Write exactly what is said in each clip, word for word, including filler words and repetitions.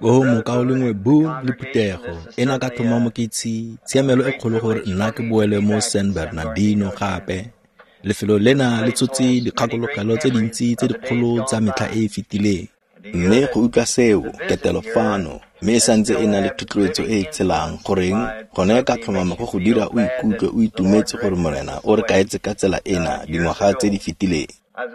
O mokaulengwe Boone le phuthego, ena ka tlhomamo ke tshiamelo e kgolo gore nna ke boele mo San Bernardino gape. Lefelo lena le tshotse dikgakologelo tse dintsi tse dikgolo tsa metlha e e fetileng. Mme go utlwa seo, ketelo fano, mme e santse e na le thotloetso e e tshelang, goreng gone ka tlhomamo go go dira o ikutlwe o itumetse gore Morena o re kaetse ka tsela ena dingwaga tse di fetileng.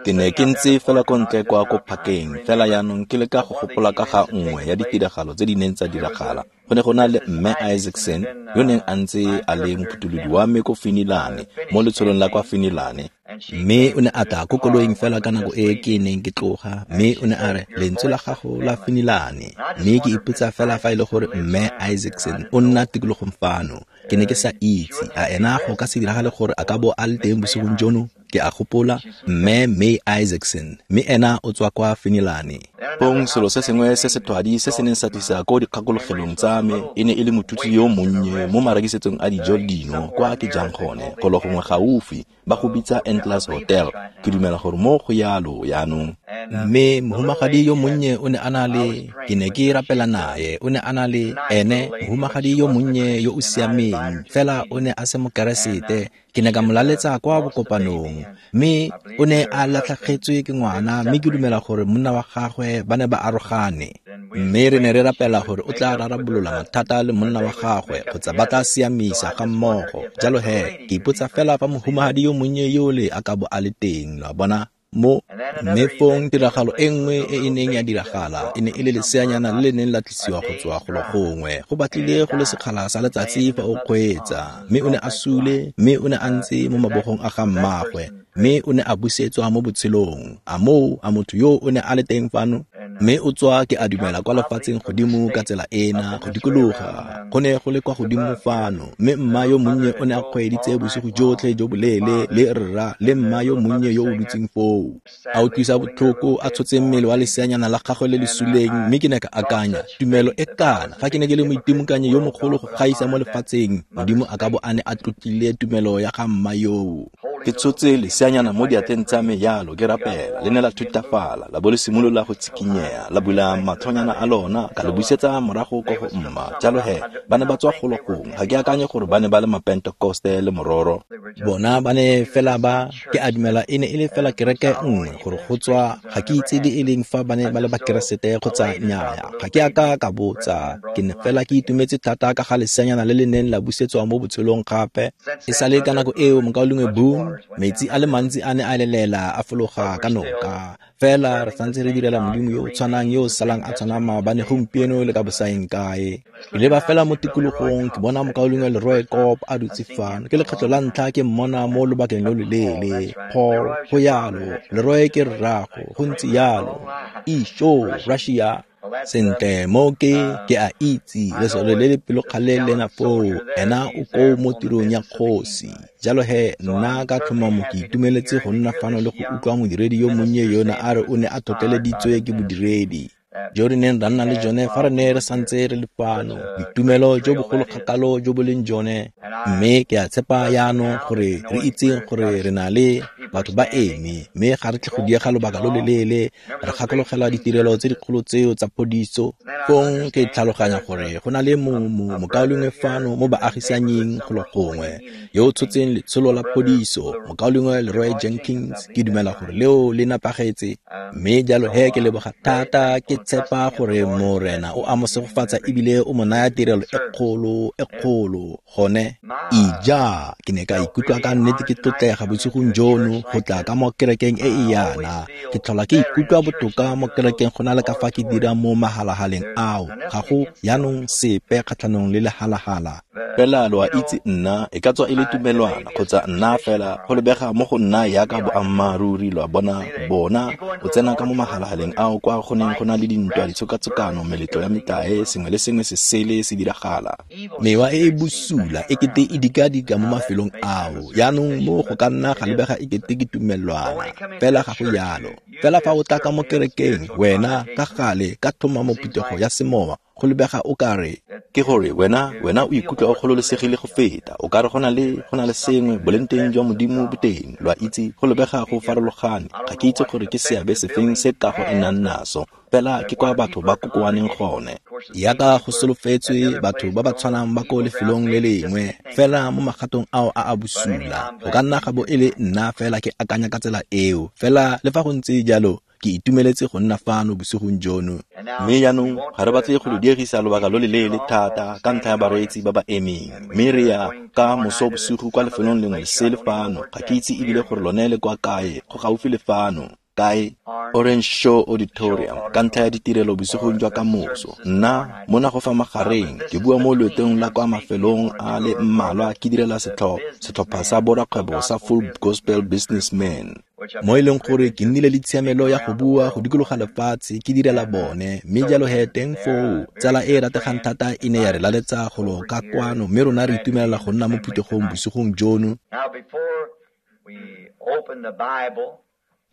Ke ne ke ntse fela ko ntle kwa ko phakeng, fela jaanong ke leka go gopola ka ga nngwe ya ditiragalo tse di neng tsa diragala. Go ne go na le Mme Isaacson yo neng a ntse a le mophutholodi wa me ko Finilane, mo letsholong la kwa Finilane. Mme o ne a tla ko koloing fela ka nako e ke neng ke tloga, mme o ne a re, lentswe la gago la Finilane. Mme ke ipotsa fela fa e le gore Mme Isaacson o nna tikologong fano. Ke ne ke sa itse, a ena go ka se diragale gore a ka bo a le teng bosigong jono? Ke a gopola Mme May Isaacson, mme ena o tswa kwa Finilane. Fong selo se sengwe se se thwadi se se neng sa tlisa ko dikgakologelong tsa me e ne e le mothusi yo monnye mo marekisetsong a dijo le dino kwa ke jang gone, golo gongwe gaufi, ba go bitsa Endless Hotel. Ke dumela gore mo go yalo jaanong. Mme mohumagadi yo monnye o ne a na le, ke ne ke rapela naye, o ne a na le ene mohumagadi yo monnye yo o siameng, fela o ne a se mokeresete. Ke ne ka mo laletsa kwa bokopanong, mme o ne a latlhegetswe ke ngwana, mme ke dumela gore monna wa gagwe ba ne ba arogane. Mme re ne re rapela gore o tla rarabolola mathata le monna wa gagwe kgotsa ba tla siamisa ga mmogo. Jalo he, ke ipotsa fela fa mohumagadi yo monnye yole a ka bo a le teng, lo a bona? Mo mme fong tiragalo e nngwe e e neng ya diragala e ne e le leseanyana le le neng la tlisiwa go tswa golo gongwe, go batlile go le sekgala sa letsatsi fa o kgweetsa, mme o ne a sule, mme o ne a ntse mo mabogong a ga mmagwe, mme o ne a busetswa mo botshelong. A moo, a motho yo o ne a le teng fano? Mme o tswa, ke a dumela, kwa lefatsheng godimo ka tsela ena, go dikologa. Go ne go le kwa godimo fano, mme mma yo monnye o ne a kgweeditse bosigo jotlhe jo boleele le rra le mma yo monnye yo o dutseng foo. A utlwisa botlhoko, a tshotse mmele wa leseanyana la gagwe le le suleng, mme ke ne ka akanya, tumelo e kana, fa ke ne ke le moitimokanyi yo mogolo go gaisa mo lefatsheng, Modimo a ka bo a ne a tlotlile tumelo ya ga mma yoo. Ke tshotse leseanyana mo diatleng tsa me yalo ke rapela, le ne la thutafala, la bo le simolola go tshikinyega, la bula matlhonyana a lona, ka le busetsa morago ko go mma. Jalo he, ba ne ba tswa golo gongwe, ga ke akanye gore ba ne ba le mapentekoste le mororo. Bona ba ne fela ba, ke a dumela e ne e le fela kereke nngwe gore go tswa, ga ke itse le e leng fa ba ne ba le bakeresete kgotsa nnyaya, ga ke a ka ka botsa. Ke ne fela ke itumetse thata ka ga leseanyana le le neng la busetswa mo botshelong gape. E sale ka nako eo, mokaulengwe Boone, metsi a le mantsi a ne a lelela a fologa ka noka. Fela re santse re direla Modimo yo o tshwanang yo o salang a tshwana maabane, gompieno le ka bosaeng kae. Ke leba fela mo tikologong, ke bona mokaulengwe Leroy Kopp a dutse fano. Ke lekgetlo la ntlha ke mmona mo lobakeng lo loleele. Paul, go yalo, Leroy ke rrago, go ntse yalo. Isho, Russia. Sentle, mo ke, ke a itse, lesole le le pelokgale lena foo, ena o koo mo tirong ya kgosi. Jalo he, nna ka tlhomamo ke itumeletse go nna fano le go utlwa modiredi yo monnye yona a re o ne a tlhotlheleditswe ke bodiredi jo re neng ra nna le jone fa re ne re santse re le fano, boitumelo jo bogolo kgakalo jo bo leng jone. Mme ke a tshepa jaanong gore re itseng gore re na le batho ba eme, mme ga re tle go diega lobaka lo loleele, re gakologela ditirelo tse dikgolo tseo tsa phodiso. Fong ke tlhaloganya gore go na le mokaulengwe fano mo baagisanying golo gongwe yo o tshotseng letsholo la phodiso, mokaulengwe Leroy Jenkins. Ke dumela gore leo le nepagetse, mme jalo he ke leboga thata, ke tshepa gore Morena o a mo segofatsa ebile o mo naya tirelo e kgolo e kgolo gone. Ija, ke ne ka ikutlwa ka nnete ke tlotlega bosigong jono go tla ka mo kerekeng e e yana. Ke tlhola ke ikutlwa botoka mo kerekeng go na le ka fa ke dira mo mahalahaleng ao. Ga go jaanong sepe kgatlhanong le lehalahala. Fela lo a itse nna, e ka tswa e le tumelwana kgotsa nna fela, go lebega mo go nna yaka boammaaruri, lo a bona, bona o tsena ka mo mahalahaleng ao kwa go neng go na le dintwa, ditshokatshokano, meletlo ya metlae, sengwe le sengwe se sele se diragala. Mewa e e bosula e kete e dikadika mo mafelong ao. Jaanong mo go ka nna ga lebega e kete ke tumelwana, fela ga go yalo. Fela fa o tla ka mo kerekeng, wena ka gale ka tlhomamo phuthego ya semowa, go lebega o ka re ke gore wena wena o ikutlwa o gololesegile go feta, o ka re go na le go na le sengwe boleng jwa Modimo boteng, lo a itse, go lebega go farologane. Ga ke itse gore ke seabe sefeng se kago e nang naso, fela ke kwa batho ba kokoaneng gone. Yaka go solofetswe batho ba ba tshwanang ba ko lefelong le lengwe fela mo magatong ao a a bosula. Go ka nna ga bo e le nna fela ke akanya ka tsela eo, fela le fa go ntse jalo ke itumeletse go nna fano bosigong jono. Mme jaanong ga re batle go lo diegisa lobaka lo le leele thata ka ntlha ya bareetsi ba ba emeng, mme re ya ka moso bosigo kwa lefelong lengwe le sele fano. Ga ke itse ebile gore lone le kwa kae, go gaufi le fano kae, Orange Show Auditorium, ka ntlha ya ditirelo bosigong jwa kamoso. Nna mona go fa magareng ke bua mo loetong la kwa mafelong a le mmalwa ke direla setlhopha sa borakgwebo sa Full Gospel Businessmen, mo e leng gore ke nnile le tshiamelo ya go bua go dikologa lefatshe ke direla bone. Mme jalo he teng foo tsala e e rategang thata e ne ya re laletsa golo ka kwano, mme rona re itumelela go nna mo phuthegong bosigong jono.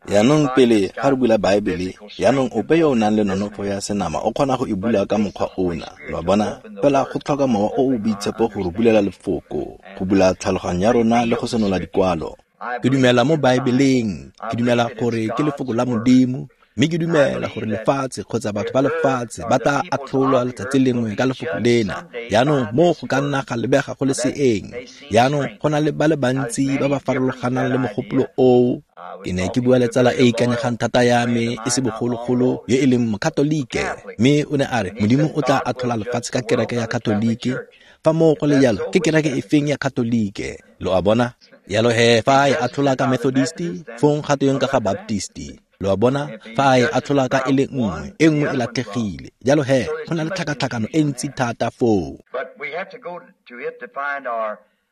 Yaanong pele ga re bula Baebele, yaanong ope yo o nang le nonofo ya senama o kgona go e bula ka mokgwa ona, lo a bona? Fela go tlhoka mowa o o boitshepo go re bulela lefoko, go bula tlhaloganyo ya rona le go senola dikwalo. Ke dumela mo Baebeleng, ke dumela gore ke lefoko la Modimo, mme ke dumela gore lefatshe kgotsa batho ba lefatshe ba tla atlholwa letsatsi lengwe ka lefoko lena. Yaanong mo go ka nna ga lebega go le seeng. Yaanong go na le ba le bantsi ba ba farologanang le mogopolo oo. Ke ne ke bua le tsala e ikanyegang thata ya me e se bogologolo yo e leng Mokatolike, mme o ne a re Modimo o tla atlhola lefatshe ka kereke ya Katolike. Fa moo go le jalo, ke kereke e feng ya Katolike? Lo a bona? Jalo he fa e atlhola ka Methodisti, fong ga tweng ka ga Baptisti? Lo a bona? Fa e atlhola ka e le nngwe, e nngwe e latlhegile. Jalo he go na le tlhakatlhakano e ntsi thata foo.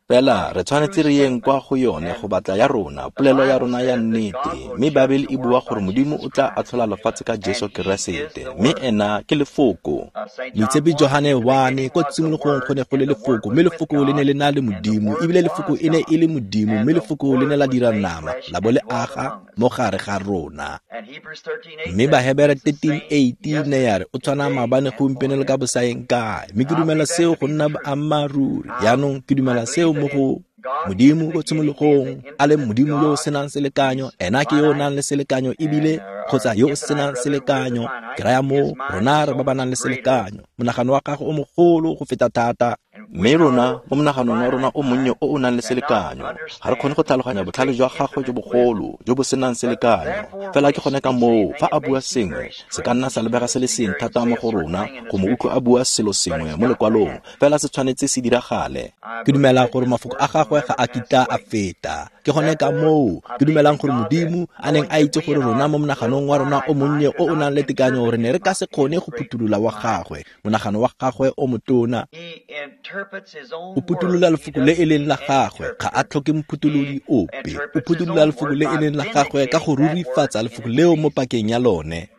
Fela re tshwanetse re yeng kwa go yone go batla ya rona, polelo ya rona ya nnete. Mme Baebele e bua gore Modimo o tla atlhola lefatshe ka Jesu Keresete, mme ena ke lefoko. Moitshepi Johane one, ko tshimologong go ne go le lefoko, mme lefoko le ne le na le Modimo, ebile lefoko e ne e le Modimo, mme lefoko le ne la dira nama, la bo le aga mo gare ga rona. Mme Bahebere thirteen eighteen ne ya re o tshwana maabane gompieno le ka bosaeng kae. Mme ke dumela seo go nna boammaaruri. Yaanong ke dumela seo mo go Modimo ko tshimologong a le Modimo yo o senang selekanyo, ena ke yo o nang le selekanyo ebile kgotsa yo o senang selekanyo. Ke raya moo rona re ba ba nang le selekanyo. Monagano wa gago o mogolo go feta thata, mme rona mo monaganong wa rona o monnye o o nang le selekanyo ga re kgone go tlhaloganya botlhale jwa gagwe jo bogolo jo bo senang selekanyo. Fela ke gone ka moo fa a bua sengwe se ka nna sa lebega se le seng thata mo go rona go mo utlwa a bua selo sengwe mo lekwalong, fela se tshwanetse se diragale. Ke dumela gore mafoko a gagwe ga a kitla a feta. Ke gone ka moo ke dumelang gore Modimo a neng a itse gore rona mo monaganong wa rona o monnye o o nang le tekanyo re ne re ka se kgone go phuthulola wa gagwe, monagano wa gagwe o motona. O phuthulola lefoko le e leng la gagwe, ga a tlhoke mophutholodi ope. O phuthulola lefoko le e leng la gagwe ka go rurifatsa lefoko leo mo pakeng ya lone.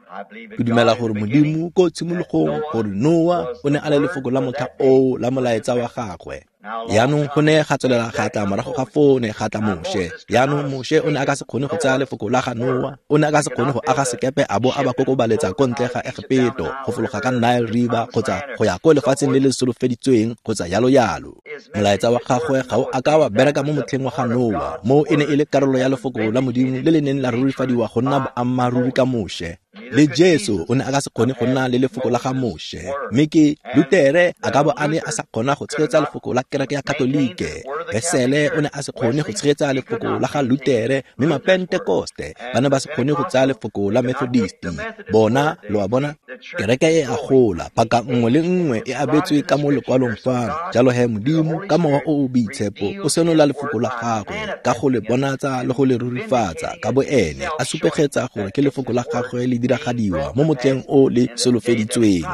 Ke dumela gore Modimo ko tshimologong gore Noa o ne a le lefoko la motlha oo la molaetsa wa gagwe. Yaanong go ne ga tswelela ga tla morago ga foo ne ga tla Moshe. Yaanong Moshe o ne a ka se kgone go tsaya lefoko la ga Noa, o ne a ka se kgone go aga sekepe a bo a ba kokobaletsa ko ntle ga Egepeto, go fologa ka Nile River kgotsa go ya ko lefatsheng le le solofeditsweng kgotsa yalo yalo. Molaetsa wa gagwe ga o a ka wa bereka mo motlheng wa ga Noa, moo e ne e le karolo ya lefoko la Modimo le le neng la rurifadiwa go nna boammaaruri ka Moshe. Le Jesu o ne a ka se kgone go nna le lefoko la ga Moshe, mme ke Lutere a ka bo a ne a sa kgona go tshegetsa lefoko la kereke ya Katolike. Wesele o ne a se kgone go tshegetsa lefoko la ga Lutere, mme Mapentekoste ba ne ba se kgone go tsaya lefoko la Methodisti. Bona, lo a bona, kereke e a gola, paka nngwe le nngwe e abetswe ka mo lekwalong fano. Jalo he Modimo ka mowa o o boitshepo o senola lefoko la gagwe ka go le bonatsa le go le rurifatsa ka bo ene, a supegetsa gore ke lefoko la gagwe le diragadiwa mo motlheng o le solofeditsweng.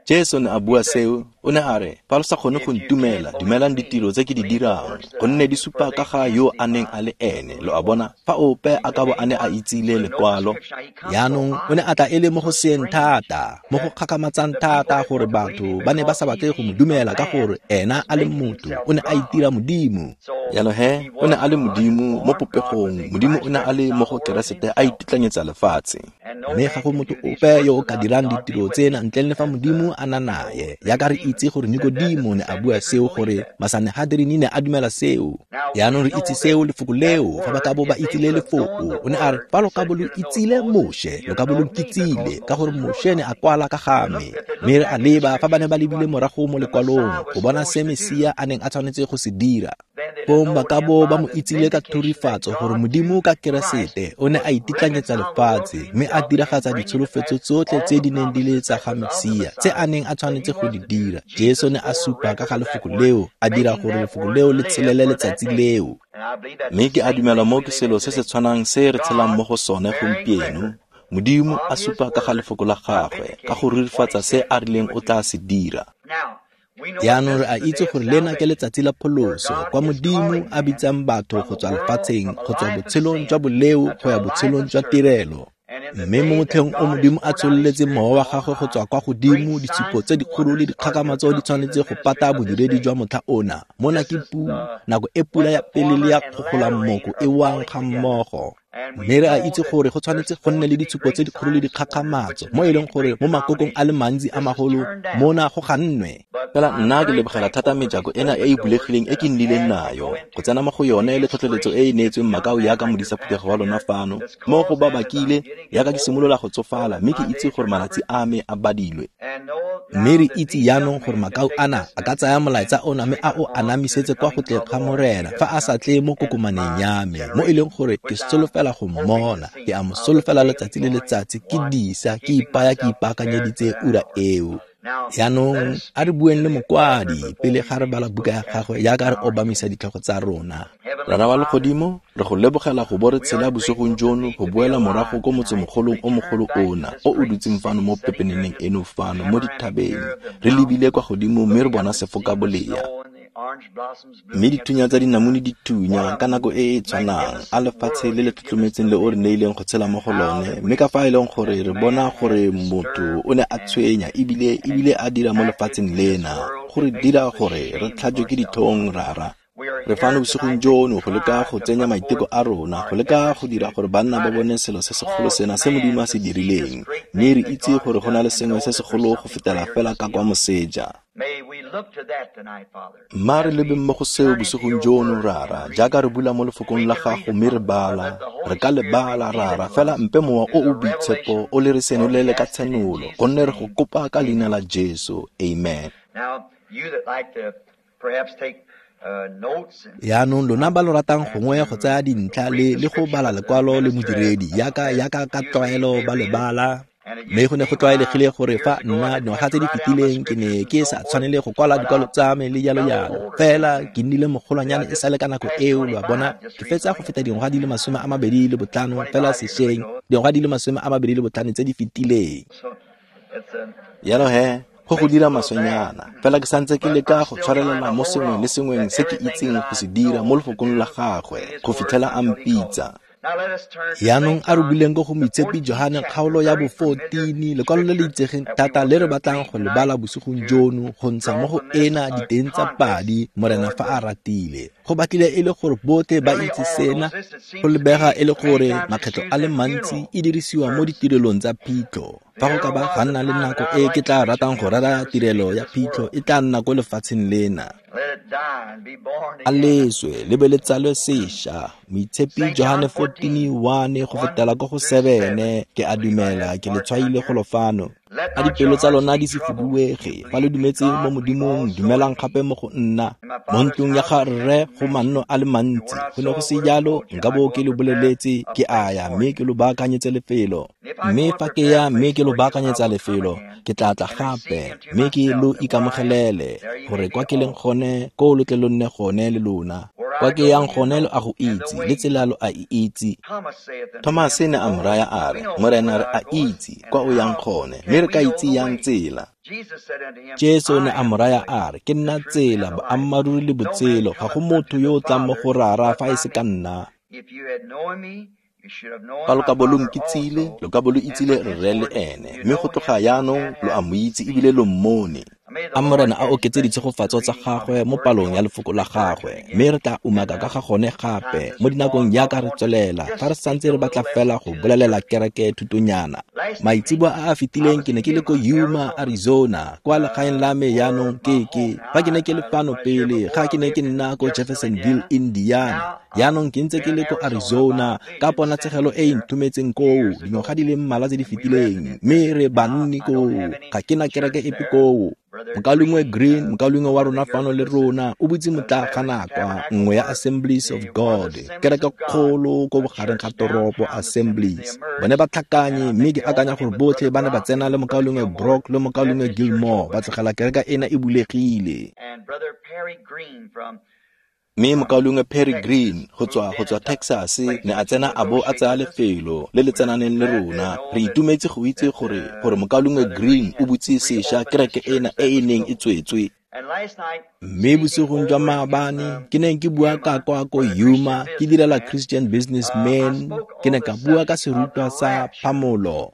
Jesu ne a bua seo, o ne a re, fa lo sa kgone go ntumela, dumelang ditiro tse ke di dirang, gonne di supa ka ga yo a neng a le ene. Lo a bona, fa ope a ka bo a ne a itsile lekwalo. Yaanong o ne a tla e le mo go seeng thata, mo go kgakgamatsang thata gore batho ba ne ba sa batle go mo dumela ka gore ena a le motho, o ne a itira Modimo. Jalo he, o ne a le Modimo mo popegong, Modimo o ne a le mo go Keresete a itetlanyetsa lefatshe. Mme ga go motho ope yo o ka dirang ditiro tsena ntleng le fa Modimo a na nae. Jaaka re itse gore Nikodimo ne a bua seo, gore Masanehedrini ne a dumela seo. Jaanong re itse seo, lefoko leo, fa ba ka bo ba itsile lefoko. O ne a re, fa lo ka bo lo itsile Moshe, lo ka bo lo nkitsile, ka gore Moshe ne a kwala ka ga me. Mme re a leba fa ba ne ba lebile morago mo lekwalong go bona se Mesia a neng a tshwanetse go se dira. Fong ba ka bo ba mo itsile ka thurifatso gore Modimo ka Keresete o ne a ititlanyetsa lefatshe mme a diragatsa ditsholofetso tsotlhe tse di neng di le tsa ga Mesia tse a neng a tshwanetse go di dira. Jesu ne a supa ka ga lefoko leo, a dira gore lefoko leo le tshelele letsatsi leo. Mme ke a dumela mo ke selo se se tshwanang se re tshelang mo go sone gompieno. Modimo a supa ka ga lefoko la gagwe, ka go rurifatsa se a rileng o tla se dira. Jaanong re a itse gore lena ke letsatsi la pholoso, kwa Modimo a bitsang batho go tswa lefatsheng, go tswa botshelong jwa boleo go ya botshelong jwa tirelo. Mme mo motlheng o Modimo a tshololetseng mowa wa gagwe go tswa kwa godimo, ditshupo tse dikgolo le dikgakgamatso di tshwanetse go pata bodiredi jwa motlha ona. Mona ke pu, nako e pula ya pele le ya kgogolammoko e wang ga mmogo. Mme re a itse gore go tshwanetse go nne le ditshupo tse dikgolo le dikgakgamatso, mo e leng gore mo makokong a le mantsi a magolo mona go gannwe. Fela nna ke lebogela thata mejako ena e e bulegileng e ke nnileng nayo, go tsena mo go yone le tlhotlheletso e e neetsweng makau yaka modisa phuthego wa lona fano. Mo go ba bakile yaka ke simolola go tsofala, mme ke itse gore malatsi a me a badilwe. Mme re itse jaanong gore makau ana a ka tsaya molaetsa ona mme a o anamisetse kwa go tleng ga Morena fa a sa tle mo kokomaneng ya me, mo e leng gore ke solofela go mmona, ke a mo solofela letsatsi le letsatsi, ke disa, ke ipaya, ke ipaakanyeditse ura eo. Jaanong a re bueng le mokwadi pele ga re bala buka ya gagwe jaaka re obamisa ditlhogo tsa rona. Rara wa legodimo, re go lebogela go bo re tshela bosigong jono go boela morago ko motsemogolong o mogolo ona o o dutseng fano mo pepeneneng eno fano mo dithabeng, re lebile kwa godimo mme re bona sefoka bolea. Mme dithunya tsa dinamune di thunya ka nako e e tshwanang, a lefatshe le le tlotlometseng le o re neileng go tshela mo go lone, mme ka fa e leng gore re bona gore motho o ne a tshwenya ebile ebile a dira mo lefatsheng lena, go re dira gore re tlhajwe ke ditlhong, Rara. Re fano bosigong jono go leka go tsenya maiteko a rona, go leka go dira gore banna ba bone selo se segolo sena se Modimo a se dirileng, mme re itse gore go na le sengwe se segolo go fetela fela ka kwa moseja. Mma re lebeng mo go seo bosigong jono, Rara, jaaka re bula mo lefokong la gago mme re bala. Re ka le bala, Rara, fela mpe mowa o o boitshepo o le re senolele ka tshenolo, gonne re go kopa ka leina la Jesu. Amen. Jaanong lona ba lo ratang gongwe go tsaya dintlha le le go bala lekwalo le modiredi yaka yaka ka tlwaelo ba le bala. Mme go ne go tlwaelegile gore fa nna dingwaga tse di fetileng ke ne ke sa tshwanele go kwala dikwalo tsa me le jalo jalo, fela ke nnile mogolwanyane e sale ka nako eo, lo a bona, ke fetsa go feta dingwaga di le masome a mabedi le botlhano fela sešweng, dingwaga di le masome a mabedi le botlhano tse di fetileng. Jalo he, go go dira maswenyana, fela ke santse ke leka go tshwarelela mo sengweng le sengweng se ke itseng go se dira mo lefokong la gagwe go fitlhela a mpitsa. Jaanong a re buleng ko go Moitshepi Johane kgaolo ya bo fourteen, lekwalo le le itsegeng thata le re batlang go le bala bosigong jono, go ntsha mo go ena diteng tsa padi, Morena fa a ratile. Go batlile e le gore botlhe ba itse sena, go lebega e le gore makgetlo a le mantsi e dirisiwa mo ditirelong tsa phitlho. Fa go ka ba ga nna le nako e ke tla ratang go rera tirelo ya phitlho, e tla nna ko lefatsheng lena. A leswe le be le tsalwe sešwa. Moitshepi Johane fourteen one go fetela ko go seven, ke a dumela ke le tshwaile golo fano. A dipelo tsa lona di se fuduege, fa le dumetse mo Modimong, dumelang gape mo go nna. Mo ntlong ya ga rre go manno a le mantsi, go ne go se jalo nka bo ke lo boleletse, ke a ya mme ke lo baakanyetse lefelo. Mme fa ke ya mme ke lo baakanyetsa lefelo, ke tla tla gape mme ke lo ikamogelele, gore kwa ke leng gone ko lo tle lo nne gone le lona. Kwa ke yang gone lo a go itse, le tsela lo a e itse. Thomase ne a mo raya a re, Morena re a itse kwa o yang gone, mme re ka itse yang tsela. Jesu ne a mo raya a re, ke nna tsela, boammaaruri le botshelo, ga go motho yo o tlang mo go Rara fa e se ka nna. Fa lo ka bo lo nkitsile, lo ka bo lo itsile rre le ene, mme go tloga jaanong lo a mo itse ebile lo mmone. A Morena a oketse ditshegofatso tsa gagwe mo palong ya lefoko la gagwe, mme re tla umaka ka ga gone gape mo dinakong jaaka re tswelela, fa re santse re batla fela go bolelela kereke thutonyana. Maitseboa a a fetileng ke ne ke le ko Yuma, Arizona, kwa legaeng la me jaanong ke ke fa ke ne ke le fano pele ga ke ne ke nna ko Jeffersonville, Indiana. Jaanong ke ntse ke le ko Arizona ka ponatshegelo e e nthometseng koo dingwaga di le mmalwa tse di fetileng, mme re banni koo, ga ke na kereke epe koo. Mokaulengwe Green, mokaulengwe wa rona fano le rona, o butse motlaaganakwa kwa nngwe ya Assemblies of God, kereke kgolo ko bogareng ga toropo Assemblies. Bone ba tlhakanye, mme ke akanya gore botlhe ba ne ba tsena le mokaulengwe Brock le mokaulengwe Gilmore, ba tlogela kereke ena e bulegile. Mme mokaulengwe Perry Green go tswa go tswa Texas ne a tsena a bo a tsaya lefelo le le tsenaneng le rona. Re itumetse go itse gore gore mokaulengwe Green o butse sešwa kereke ena e e neng e tswetswe. Mme bosigong jwa maabane ke ne ke bua ka kwa ko Yuma, ke direla Christian Businessman, ke ne ka bua ka serutwa sa phamolo.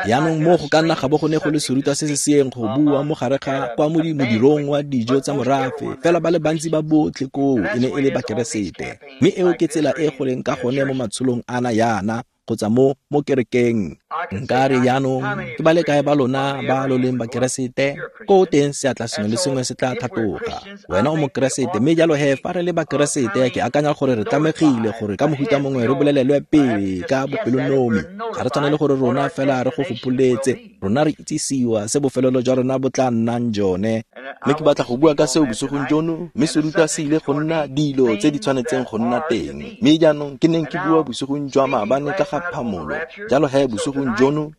Jaanong mo go ka nna ga bo go ne go le serutwa se se seeng go bua mo gare ga kwa mo modirong wa dijo tsa morafe, fela ba le bantsi ba botlhe koo e ne e le bakeresete. Mme eo ke tsela e go leng ka gone mo matsholong ana yana kgotsa mo mo kerekeng. Nka re jaanong ke ba le kae ba lona ba lo leng bakeresete? Ko teng seatla sengwe le sengwe se tla tlhatloga. Wena o mokeresete, mme jalo he fa re le bakeresete ke akanya gore re tlamegile gore ka mohuta mongwe re bolelelwe pele ka bopelonomi. Ga re tshwanele gore rona fela re go gopoletse, rona re itsisiwa se bofelelo jwa rona bo tla nnang jone. Mme ke batla go bua ka seo bosigong jono, mme serutwa se ile go nna dilo tse di tshwanetseng go nna teng. Mme jaanong ke neng ke bua bosigong jwa maabane ka ga phamolo, jalo he bosigong jono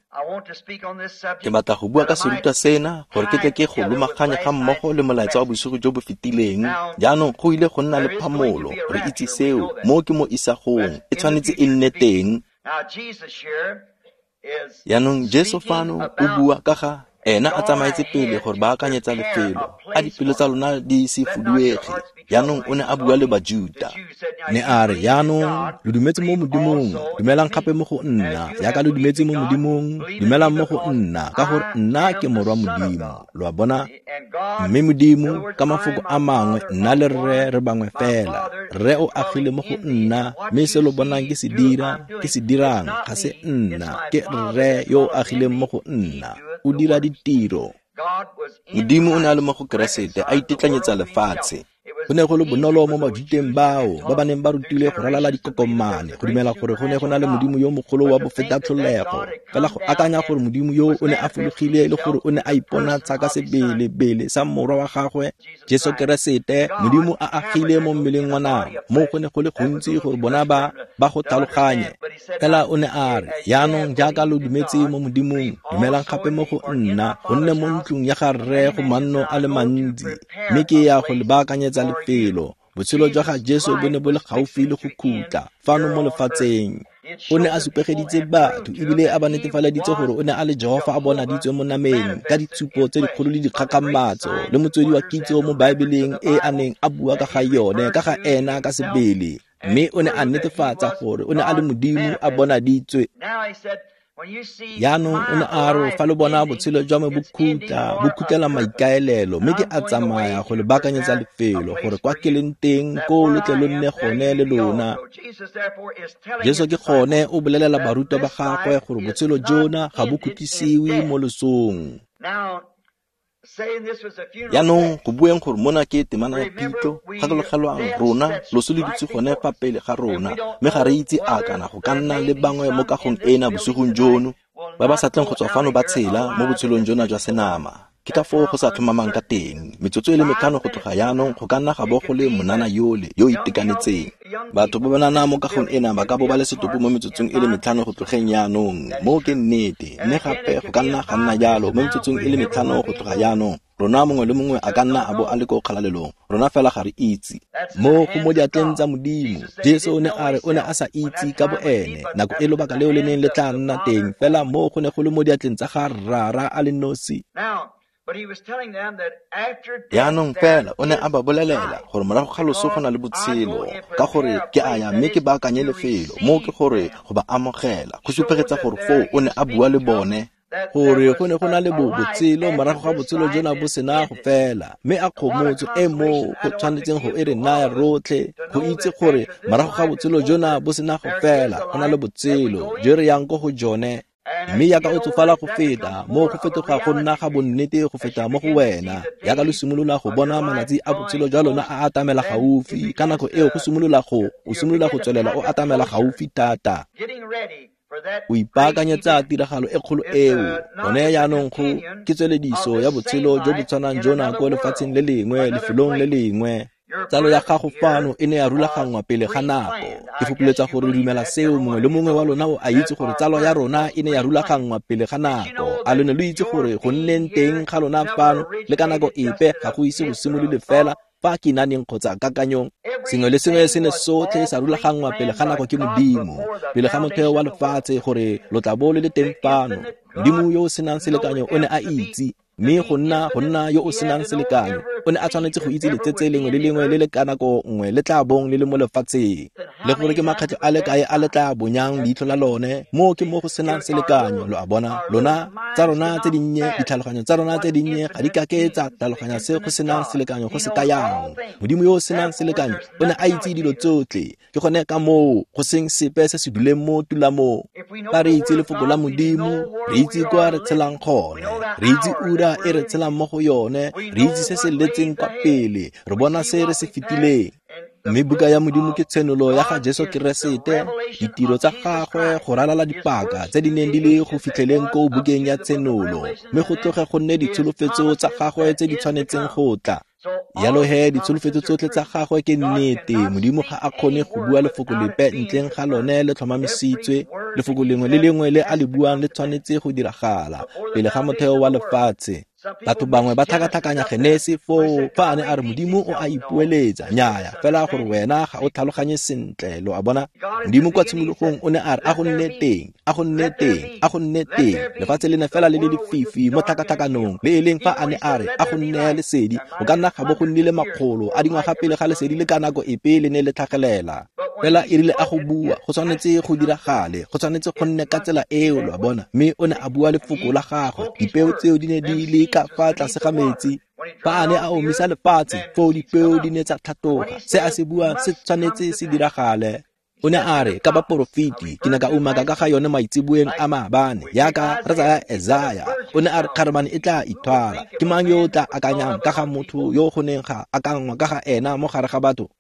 ke batla go bua ka serutwa sena gore ke tle ke go lomaganye ga mmogo le molaetsa wa bosigo jo bo fetileng. Jaanong go ile go nna le phamolo, re itse seo, mo ke mo isagong, e tshwanetse e nne teng. Jaanong Jesu fano o bua ka ga ena a tsamaetse pele gore ba akanyetsa lefelo, a dipelo tsa lona di se fuduege. Jaanong o ne a bua le Bajuta, ne a re, jaanong lo dumetse mo Modimong, dumelang gape mo go nna, jaaka lo dumetse mo Modimong, dumelang mo go nna, ka gore nna ke morwa Modimo. Lo a bona? Mme Modimo, ka mafoko a mangwe, nna le Rre re bangwe fela. Rre o agile mo go nna, mme se lo bonang ke se dira, ke se dirang, ga se nna, ke Rre yo o agileng mo go nna. O dira ditiro. Modimo o ne a le mo go Keresete, a itetlanyetsa lefatshe. Go ne go le bonolo mo Bajuteng bao ba ba neng ba rutilwe go ralala dikokomane go dumela gore go ne go na le Modimo yo mogolo wa bofetatlholego. Fela go akanya gore Modimo yo o ne a fologile le gore o ne a iponatsha ka sebele-bele sa morwa wa gagwe Jesu Keresete, Modimo a agile mo mmeleng wa nama, mo go ne go le gontsi gore bona ba ba go tlhaloganye. Fela o ne a re, jaanong jaaka lo dumetse mo Modimong, dumelang gape mo go nna, gonne mo ntlong ya ga Rre go manno a le mantsi, mme ke ya go le baakanyetsa lefelo. Botshelo jwa ga Jesu bo ne bo le gaufi le go khutla fano mo lefatsheng. O ne a supegeditse batho ebile a ba netefaleditse gore o ne a le Jehofa a bonaditswe mo nameng ka ditshupo tse dikgolo le dikgakgamatso le motswedi wa kitso mo Baebeleng e a neng a bua ka ga yone, ka ga ena ka sebele. Mme o ne a netefatsa gore o ne a le Modimo a bonaditswe. Jaanong o ne a re, fa lo bona botshelo jwa me bo khutla, bo khutlela maikaelelo, mme ke a tsamaya go le baakanyetsa lefelo gore kwa ke leng teng koo lo tle lo nne gone le lona. Jesu ke gone o bolelela barutwa ba gagwe gore botshelo jona ga bo khutlisiwe mo losong. Jaanong go bueng gore mona ke temana ya phitlho, gakologelwang rona loso le dutse gone fa pele ga rona, mme ga re itse a kana go ka nna le bangwe mo kagong ena bosigong jono ba ba sa tleng go tswa fano ba tshela mo botshelong jona jwa senama. Ke ka foo go sa tlhomamang ka teng. Metsotso e le metlhano go tloga jaanong go ka nna ga bo go le monana yole yo o itekanetseng. Batho ba banana mo kagong ena ba ka bo ba le setopo mo metsotsong e le metlhano go tlogeng jaanong. Moo ke nnete, mme gape go ka nna ga nna jalo mo metsotsong e le metlhano go tloga jaanong. Rona mongwe le mongwe a ka nna a bo a le ko kgalalelong, rona fela ga re itse. Mo go mo diatleng tsa Modimo, Jesu o ne a re o ne a sa itse ka boene nako e lobaka leo le neng le tla nna teng, fela mo go ne go le mo diatleng tsa ga Rara a le nosi. Jaanong fela o ne a ba bolelela gore morago ga loso go na le botshelo, ka gore ke a ya mme ke baakanye lefelo, mo ke gore go ba amogela, go supegetsa gore foo o ne a bua le bone. Gore go ne go na le botshelo morago ga botshelo jona bo sena go fela, mme a kgomotso e mo go tshwanetseng go e re naya rotlhe go itse gore morago ga botshelo jona bo sena go fela go na le botshelo jo re yang ko go jone. Mme yaka o tsofala go feta mo go fetoga go nna ga bonnete go feta mo go wena, yaka lo simolola go bona malatsi a botshelo jwa lona a atamela gaufi, ka nako eo go simolola go o simolola go tswelela o atamela gaufi thata. O ipaakanyetsa tiragalo e kgolo eo. Gone jaanong go ke tswelediso ya botshelo jo bo tshwanang jona ko lefatsheng le lengwe, lefelong le lengwe. Tsalo ya gago fano e ne ya rulaganngwa pele ga nako. Ke fopholetsa gore o dumela seo, mongwe le mongwe wa lona o a itse gore tsalo ya rona e ne ya rulaganngwa pele ga nako. A lo ne lo itse gore go nneng teng ga lona fano le ka nako epe ga go ise go simolole fela fa kinaneng kgotsa kakanyong. Sengwe le sengwe se ne sotlhe sa rulaganngwa pele ga nako ke Modimo, pele ga motheo wa lefatshe gore lo tla bo le le teng fano. Modimo yo o senang selekanyo o ne a itse, mme go nna go nna yo o senang selekanyo o ne a tshwanetse go itse letsetse lengwe le lengwe le le ka nako nngwe le tla bong le le mo lefatsheng, le gore ke makgetlho a le kae a le tla bonyang leitlho la lone. Mo ke mo go senang selekanyo, lo a bona. Lona tsa rona tse dinnye, ditlhaloganyo tsa rona tse dinnye ga di kake tsa tlhaloganya se go senang selekanyo go se kayang. Modimo yo o senang selekanyo o ne a itse dilo tsotlhe. Ke gone ka moo go seng sepe se se duleng mo tulamong. Fa re itse lefoko la Modimo, re itse kwa re tshelang gone, re itse ura e re tshelang mo go yone, re itse se se letseng kwa pele, re bona se re se fetileng. Mme buka ya Modimo ke tshenolo ya ga Jesu Keresete, ditiro tsa gagwe go ralala dipaka tse di neng di le go fitlheleng ko bukeng ya tshenolo, mme go tloge go nne ditsholofetso tsa gagwe tse di tshwanetseng go tla. Jalo he ditsholofetso tsotlhe tsa gagwe ke nnete. Modimo ga a kgone go bua lefoko lepe ntleng ga lone le tlhomamisitswe. Lefoko lengwe le lengwe le a le buang le tshwanetse go diragala pele ga motheo wa lefatshe. Batho bangwe ba tlhakatlhakanya Genesi foo fa a ne a re Modimo o a ipoeletsa. Nnyaya, fela gore wena ga o tlhaloganye sentle, lo a bona. Modimo kwa tshimologong o ne a re a go nne teng, a go nne teng, a go nne teng. Lefatshe le ne fela le le lefifi mo tlhakatlhakanong, le e leng fa a ne a re a go nne lesedi, go ka nna ga bo go nnile makgolo a dingwaga pele ga lesedi le ka nako epe le ne le tlhagelela. Fela e rile a go bua, go tshwanetse go diragale, go tshwanetse go nne ka tsela eo, lo a bona. Mme o ne a bua lefoko la gagwe, dipeo tseo di ne di le ka fa tlase ga metsi. Fa a ne a omisa lefatshe, foo dipeo di ne tsa tlhatoga. Se a se buang se tshwanetse se diragale. O ne a re ka baporofeti, ke ne ka umaka ka ga yone maitseboeng a maabane, yaka re tsaya Esaya. O ne a re kgarebane e tla ithwala. Ke mang yo o tla akanyang ka ga motho yo go neng ga akanngwa ka ga ena mo gare ga batho,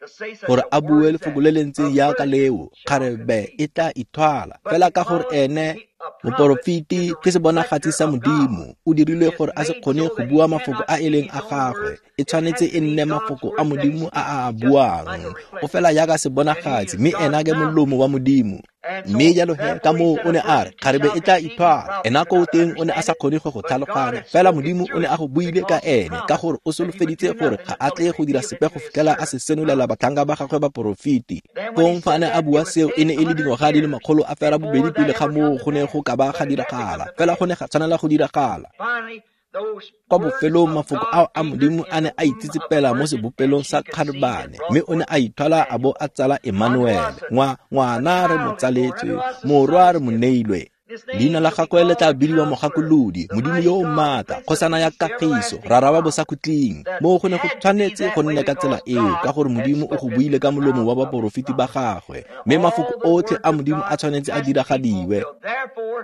gore a bue lefoko le le ntseng yaka leo, kgarebe e tla ithwala. Fela ka gore ene moporofeti ke sebonagatsi sa Modimo, o dirilwe gore a se kgone go bua mafoko a e leng a gagwe. E tshwanetse e nne mafoko a Modimo a a buang. O fela yaka sebonagatsi, mme ena ke molomo wa Modimo. Mme jalo he ka moo o ne a re kgarebe e tla ithwala. Ena ko teng o ne a sa kgone go go tlhaloganya, fela Modimo o ne a go buile ka ene, ka gore o solofeditse gore ga a tle go dira sepe go fitlhela a se senolela batlhanka ba gagwe baporofeti. Fong fa a ne a bua seo e ne e le dingwaga di le makgolo a fera bobedi pele ga moo go ne go ka ba ga diragala, fela go ne ga tshwanela go diragala. Kwa bofelong mafoko ao a Modimo a ne a itsetsepela mo sebopelong sa kgarebane, mme o ne a ithwala a bo a tsala Emmanuel. Ngwa ngwana re mo tsaletswe, morwa re mo neilwe. Leina la gagwe le tla bidiwa Mogakolodi, Modimo yo o maatla, kgosana ya kagiso, rara wa bosakhutleng. Moo go ne go tshwanetse go nne ka tsela eo, ka gore Modimo o go buile ka molomo wa baporofeti ba gagwe, mme mafoko otlhe a Modimo a tshwanetse a diragadiwe.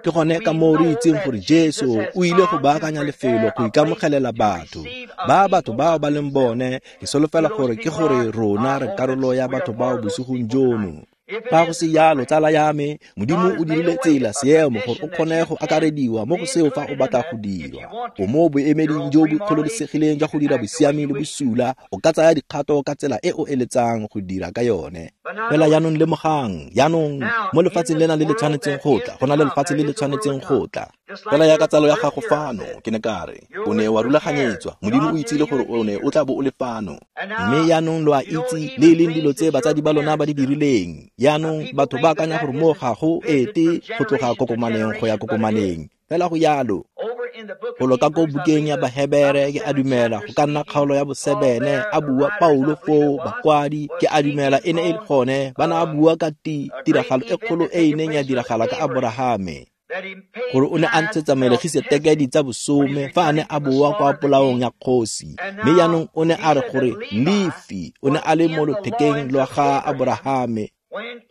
Ke gone ka moo re itseng gore Jesu o ile go baakanya lefelo go ikamogelela batho. Ba batho bao ba leng bone, ke solofela gore ke gore rona re karolo ya batho bao bosigong jono. Fa go se jalo, tsala ya me, Modimo o dirile tsela seemo gore o kgone go akarediwa mo go seo fa o batla go dirwa. O mo boemeding jo bo kgololesegileng jwa go dira bosiami le bosula, o ka tsaya dikgato ka tsela e o eletsang go dira ka yone. Fela jaanong lemogang, jaanong mo lefatsheng lena le le tshwanetseng go tla, go na le lefatshe le le tshwanetseng go tla. Fela yaka tsalo ya gago fano, ke ne ka re, o ne wa rulaganyetswa, Modimo o itsile gore o ne o tla bo o le fano. Mme jaanong lo a itse le e leng dilo tse batsadi ba lona ba di dirileng. Jaanong batho ba akanya gore mo ga go ete go tloga kokomaneng go ya kokomaneng. Fela go jalo. Golo ka ko bukeng ya Bahebere ke a dumela go ka nna kgaolo ya bosebene a bua Paulo foo bakwadi ke a dumela e ne e le gone ba ne a bua ka tiragalo e kgolo e e neng ya diragala ka Aborahame. Gore o ne a ntshetsa Melegiseteke di tsa bosome fa a ne a boa kwa polaong ya kgosi. Mme jaanong o ne a re gore Lefi o ne a le mo lothekeng lwa ga Aborahame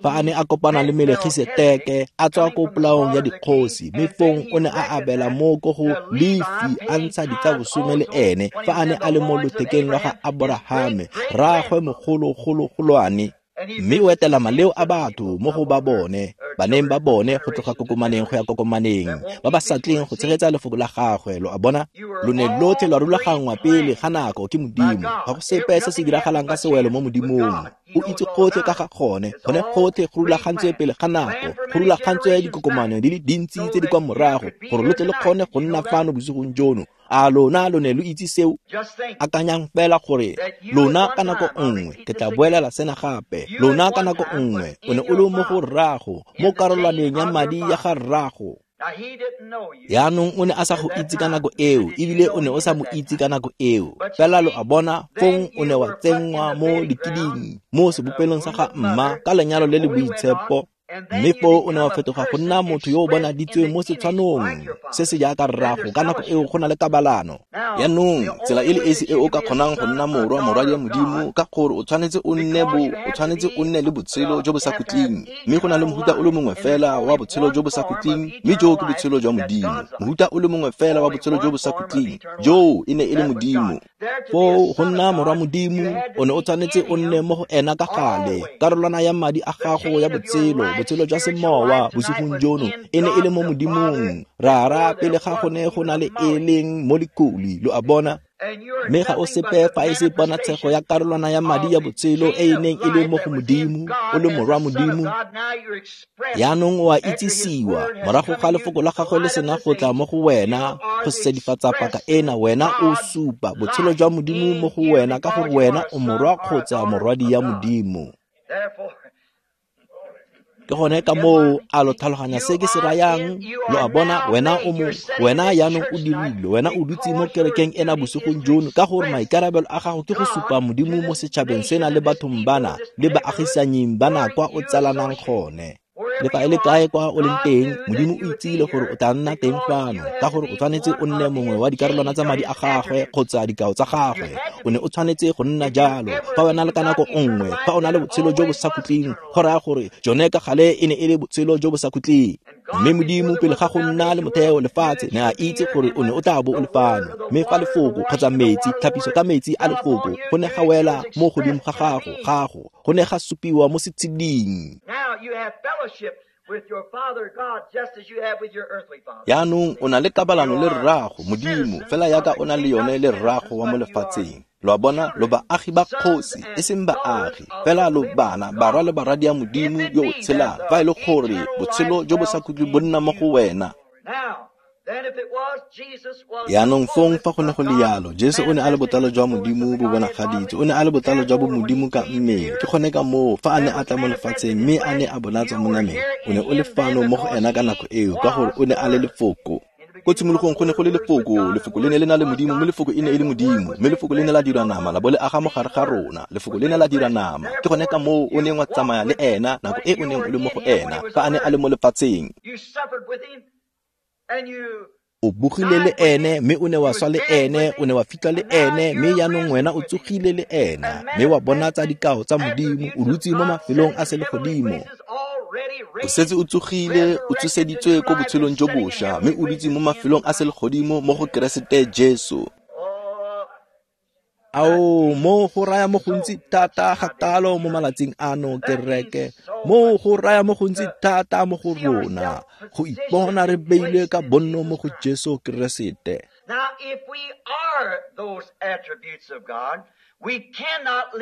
fa a ne a kopana le Melegiseteke a tswa ko polaong ya dikgosi, mme fong o ne a abela mo ko go Lefi a ntsha di tsa bosome le ene fa a ne a le mo lothekeng lwa ga Aborahame, rraagwe mogologologolwane. Mme o etela maleo a batho mo go ba bone, baneng ba bone go tloga kokomaneng go ya kokomaneng, ba ba sa tleng go tshegetsa lefoko la gagwe. Lo a bona? Lo ne lotlhe lwa rulaganngwa pele ga nako ke Modimo. Ga go sepe se se diragalang ka sewelo mo Modimong. O itse gotlhe ka ga gone, gone gotlhe go rulagantswe pele ga nako, go rulagantswe dikokomane di le dintsi tse di kwa morago, gore lo tle le kgone go nna fano bosigong jono. A lona lo ne lo itse seo? Akanyang fela gore lona ka nako nngwe, ke tla boelela sena gape, lona ka nako nngwe o ne o le mo go rrago, mo karolwaneng ya madi ya ga rrago. Yaanong o ne a sa go itse ka nako eo, ebile o ne o sa mo itse ka nako eo. Fela lo a bona, fong o ne wa tsenngwa mo lekiding, mo sebopelong sa ga mma, ka lenyalo le le boitshepo. Mme foo o ne wa fetoga go nna motho yo o bonaditsweng mo setshwanong se se jaaka rrago. Ka nako eo go na le kabalano. Yaanong tsela e le esi e o ka kgonang go nna morwa morwadi ya Modimo, ka gore o tshwanetse o nne bo o tshwanetse o nne le botshelo jo bo sa khutleng. Mme go na le mohuta o le mongwe fela wa botshelo jo bo sa khutleng, mme joo ke botshelo jwa Modimo. Mohuta o le mongwe fela wa botshelo jo bo sa khutleng, joo e ne e le Modimo. Foo go nna morwa Modimo, o ne o tshwanetse o nne mo go ena ka gale. Karolwana ya madi a gago ya botshelo, botshelo jwa semowa bosigong jono, e ne e le mo Modimong Rara pele ga go ne go na le e leng molekuli. Lo a bona? Mme ga o sepe fa e se ponatshego ya karolwana ya madi ya botshelo e e neng e le mo go Modimo, o le morwa Modimo. Yaanong o a itsisiwa morago ga lefoko la gagwe le sena go tla mo go wena go sedifatsa paka ena, wena o supa botshelo jwa Modimo mo go wena, ka gore wena o morwa kgotsa morwadi ya Modimo. Ke gone ka moo a lo tlhaloganya se ke se rayang. Lo a bona? Wena o mo, wena yaanong o dirile, wena o dutse mo kerekeng ena bosigong jono, ka gore maikarabelo a gago ke go supa Modimo mo setšhabeng sena le bathong bana le baagisanying bana kwa o tsalanang gone. Le fa e le kae kwa o leng teng, Modimo o itsile gore o tla nna teng fano, ka gore o tshwanetse o nne mongwe wa dikarolwana tsa madi a gagwe kgotsa dikao tsa gagwe. O ne o tshwanetse go nna jalo. Fa wena le ka nako nngwe, fa o na le botshelo jo bo sa khutleng, go raya gore jone ka gale e ne e le botshelo jo bo sa khutleng. Mme Modimo pele ga go nna le motheo lefatshe ne a itse gore o ne o tla bo o le fano. Mme fa lefoko kgotsa metsi, tlhapiso ka metsi a lefoko, go ne ga wela mo godimo ga gago, gago, go ne ga supiwa mo setsheding. Yaanong o na le kabalano le rrago Modimo, fela jaaka o na le yone le rrago wa mo lefatsheng. Lo a bona? Lo baagi ba kgosi, e seng baagi, fela lo bana, barwa le barwadi ya Modimo yo o tshelang, fa e le gore botshelo jo bo sa khutleng bo nna mo go wena. Yaanong fong fa go ne go le yalo, Jesu o ne a le botlalo jwa Modimo bo bonagaditswe, o ne a le botlalo jwa bomodimo ka mmele. Ke gone ka moo fa a ne a tla mo lefatsheng mme a ne a bonatswa mo nameng, o ne o le fano mo go ena ka nako eo, ka gore o ne a le lefoko. Ko tshimologong go ne go le lefoko, lefoko le ne le na le Modimo, mme lefoko e ne e le Modimo, mme lefoko le ne la dira nama, la bo le aga mo gare ga rona. Lefoko le ne la dira nama. Ke gone ka moo o neng wa tsamaya le ena nako e o neng o le mo go ena, fa a ne a le mo lefatsheng. O bogile le ene, mme o ne wa swa le ene, o ne wa fitlha le ene, mme jaanong wena o tsogile le ena, mme wa bonatsa dikao tsa Modimo, o dutse mo mafelong a selegodimo. O setse o tsogile, o tsoseditswe ko botshelong jo bošwa, mme o dutse mo mafelong a selegodimo mo go Keresete Jesu. Ao, mo go raya mo gontsi thata ga kalo mo malatsing ano, kereke. Mo go raya mo gontsi thata mo go rona, go ipona re beilwe ka bonno mo go Jesu Keresete.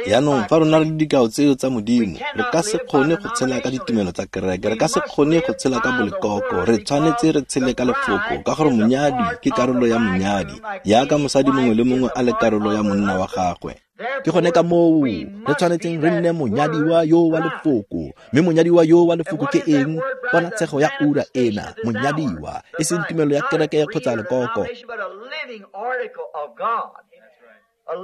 Yaanong fa rona re le dikao tseo tsa Modimo, re ka se kgone go tshela ka ditumelo tsa kereke, re ka se kgone go tshela ka bolekoko, re tshwanetse re tshele ka lefoko, ka gore monyadi ke karolo ya monyadi, jaaka mosadi mongwe le mongwe a le karolo ya monna wa gagwe. Ke gone ka moo re tshwanetseng re nne monyadiwa yo wa lefoko. Mme monyadiwa yo wa lefoko ke eng? Ponatshego ya ura ena, monyadiwa, e seng tumelo ya kereke kgotsa lekoko.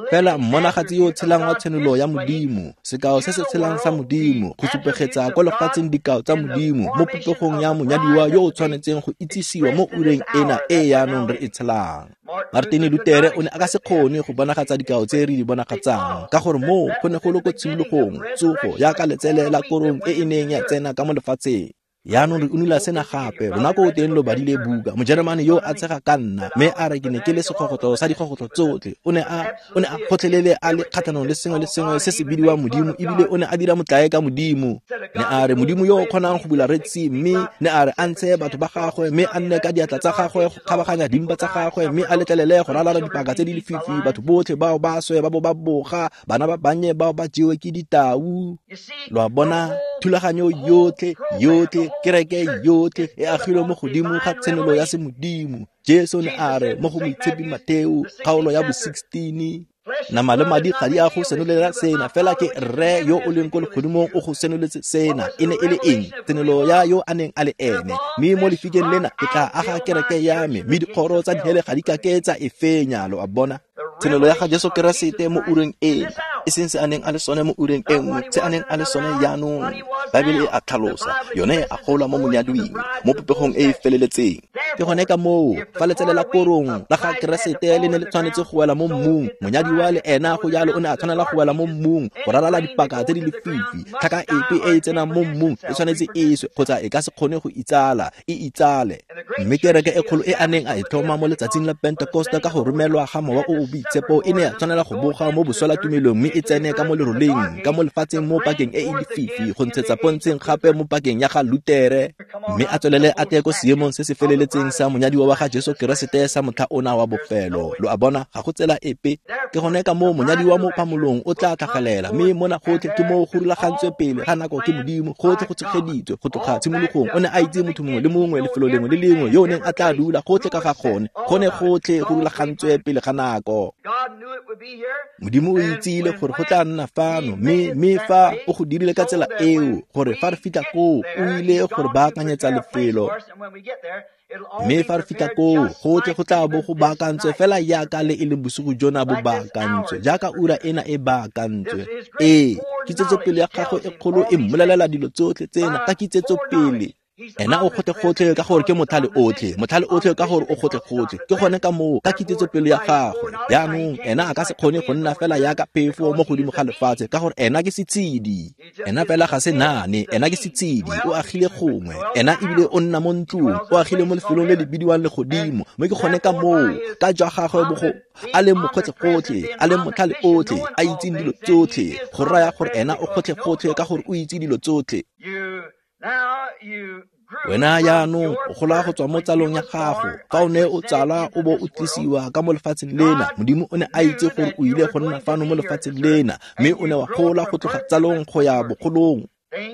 Fela mmonagatsi yo o tshelang wa tshenolo ya Modimo, sekao se se tshelang sa Modimo, go supegetsa kwa lefatsheng dikao tsa Modimo mo popegong ya monyadiwa yo o tshwanetseng go itsisiwa mo ureng ena e yaanong re e tshelang. Martin Lutere o ne a ka se kgone go bonagatsa dikao tse re di bonagatsang, ka gore moo go ne go le ko tshimologong, tsogo jaaka letsele la korong e e neng ya tsena ka mo lefatsheng. Yaanong re unula sena gape, lona ko teng lo badile buka. Mojeremane yo a tshega ka nna, mme a re ke ne ke le segogotlo sa digogotlo tsotlhe. O ne a o ne a gotlhelele a le kgatlhanong le sengwe le sengwe se se bidiwang Modimo, ebile o ne a dira motlae ka Modimo. Ne a re Modimo yo o kgonang go bula Red Sea, mme ne a re a ntshe batho ba gagwe, mme a nne ka diatla tsa gagwe go kgabaganya dimpa tsa gagwe, mme a letlelele go ralala dipaka tse di lefifi, batho botlhe bao ba swe ba bo ba boga, bana ba bannye bao ba jewe ke ditau. Lo a bona, thulaganyo yotlhe yotlhe, kereke yotlhe e agilwe mo godimo ga tshenolo ya semodimo. Jesu ne a re mo go Moitshepi Mateo kgaolo ya bo sixteen, nama le madi ga di a go senolela sena, fela ke Rre yo o leng ko legodimong o go senoletse sena. E ne e le eng? Tshenolo ya yo a neng a le ene. Mme mo lefikeng lena ke tla aga kereke ya me, mme dikgoro tsa dihele ga di ka ke tsa e fenya. Lo a bona, tshenolo ya ga Jesu Keresete mo ureng ena, e seng se a neng a le sone mo ureng e nngwe, se a neng a le sone jaanong. Baebele e a tlhalosa, yone e a gola mo monyadwing, mo popegong e e feleletseng. Ke gone ka moo fa letsele la korong la ga Keresete le ne le tshwanetse go wela mo mmung, monyadiwa le ena go jalo o ne a tshwanela go wela mo mmung go ralala dipaka tse di lefifi. Tlhaka epe e e tsenang mo mmung e tshwanetse e swe, kgotsa e ka se kgone go itsala, e itsale. Mme kereke e kgolo e a neng a e tlhoma mo letsatsing la Pentekoste ka go romelwa ga Mowa o o Boitshepo e ne ya tshwanela go boga mo boswelatumelong, mme e tsene ka mo leroleng, ka mo lefatsheng mo pakeng e e lefifi, go ntshetsa pontsheng gape mo pakeng ya ga Lutere, mme a tswelele a teye ko seemong se se feleletseng sa monyadiwa wa ga Jesu Keresete sa motlha ona wa bofelo. Lo a bona, ga go tsela epe. Ke gone ka moo monyadiwa mo phamolong o tla tlhagelela, mme mona gotlhe ke moo go rulagantswe pele ga nako ke Modimo, gotlhe go tshegeditswe go tloga tshimologong. O ne a itse motho mongwe le mongwe, lefelo lengwe le lengwe yo o neng a tla dula, gotlhe ka ga gone, gone gotlhe go rulagantswe pele ga nako. Modimo o itsile gore go tla nna fano, mme mme fa o go dirile ka tsela eo, gore fa re fitlha koo, o ile gore baakanyetsa lefelo. Mme fa re fitlha koo, gotlhe go tla bo go baakantswe fela jaaka le e leng bosigo jona bo baakantswe, jaaka ura ena e baakantswe. Ee, kitsetsopele ya gagwe e kgolo e mmolelela dilo tsotlhe tsena ka kitsetsopele. Ena o gotlhe-gotlhe ka gore ke motlhale otlhe, motlhale otlhe ka gore o gotlhe-gotlhe. Ke gone ka moo ka kitsetsopele ya gagwe. Jaanong ena a ka se kgone go nna fela jaaka phefo mo godimo ga lefatshe, ka gore ena ke setshedi. Ena fela ga se naane, ena ke setshedi, o agile gongwe. Ena ebile o nna mo ntlong, o agile mo lefelong le le bidiwang legodimo. Mme ke gone ka moo ka jwa gagwe bogo a leng mogotlhe-gotlhe, a leng motlhale otlhe, a itseng dilo tsotlhe, go raya gore ena o gotlhe-gotlhe ka gore o itse dilo tsotlhe. Wena jaanong o gola go tswa mo tsalong ya gago. Fa o ne o tsala o bo o tlisiwa ka mo lefatsheng lena, Modimo o ne a itse gore o ile go nna fano mo lefatsheng lena, mme o ne wa gola go tloga tsalong go ya bogolong.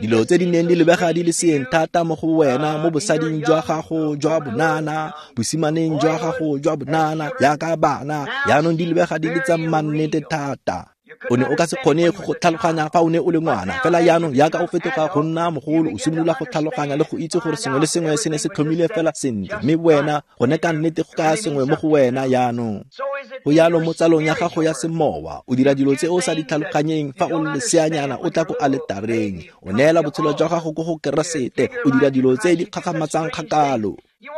Dilo tse di neng di lebega di le seeng thata mo go wena mo bosading jwa gago jwa bonana, bosimaneng jwa gago jwa bonana, jaaka bana, jaanong di lebega di le tsa mannete thata. O ne o ka se kgone go go tlhaloganya fa o ne o le ngwana, fela jaanong jaaka o fetoga go nna mogolo, o simolola go tlhaloganya le go itse gore sengwe le sengwe se ne se tlhomile fela sentle, mme wena gone ka nnete go kaya sengwe mo go wena jaanong. Go jalo mo tsalong ya gago ya semowa, o dira dilo tse o sa di tlhaloganyeng fa o le leseanyana o tla ko aletareng, o neela botshelo jwa gago ko go Keresete, o dira dilo tse di kgakgamatsang kgakalo.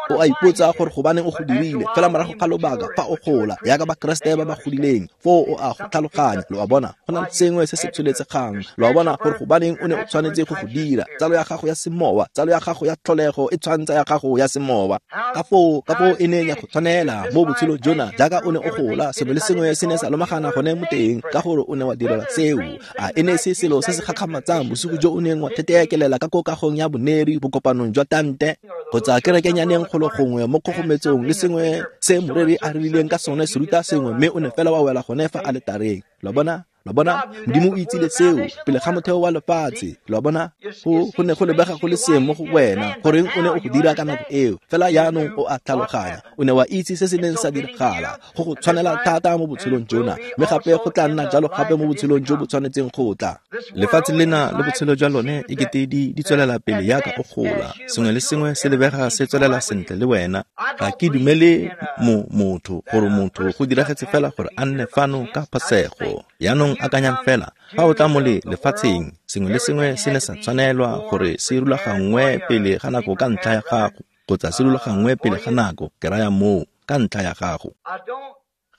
O a ipotsa gore gobaneng o go dirile, fela morago ga lobaka fa o gola jaaka Bakeresete ba ba godileng, foo o a go tlhaloganya. Lo a bona, go na le sengwe se se tsholetsegang. Lo a bona gore gobaneng o ne o tshwanetse go go dira. Tsalo ya gago ya semowa, tsalo ya gago ya tlholego e tshwantsa ya gago ya semowa. Ka foo, ka foo e neng ya go tshwanela mo botshelo jona, jaaka o ne o gola, sengwe le sengwe se ne sa lomagana gone mo teng, ka gore o ne wa direla seo. A e ne se selo se se gakgamatsang bosigo jo o neng wa theteekelela ka ko kagong ya boneri bokopanong jwa tante, kgotsa kerekenyaneng kgolo gongwe mo kgogometsong le sengwe se moreri a rileng ka sone se ruta sengwe, mme o ne fela wa wela gone fa aletareng. Lo bona, Lo bona, Modimo o itsile seo pele ga motheo wa lefatshe. Lo bona, go go ne go lebega go le seeng mo go wena, goreng o ne o go dira ka nako eo. Fela jaanong o a tlhaloganya, o ne wa itse se se neng sa diragala. Go go tshwanela thata mo botshelong jona, mme gape go tla nna jalo gape mo botshelong jo bo tshwanetseng go tla. Lefatshe lena le botshelo jwa lone e kete di di tswelela pele yaka o gola. Sengwe le sengwe se lebega se tswelela sentle le wena. Ga ke dumele mo motho gore motho go diragetse fela gore a nne fano ka phasego. Jaanong akanyang fela, fa o tla mo le lefatsheng, sengwe le sengwe se ne sa tshwanelwa gore se rulaganngwe pele ga nako ka ntlha ya gago, kgotsa se rulaganngwe pele ga nako, ke raya moo, ka ntlha ya gago.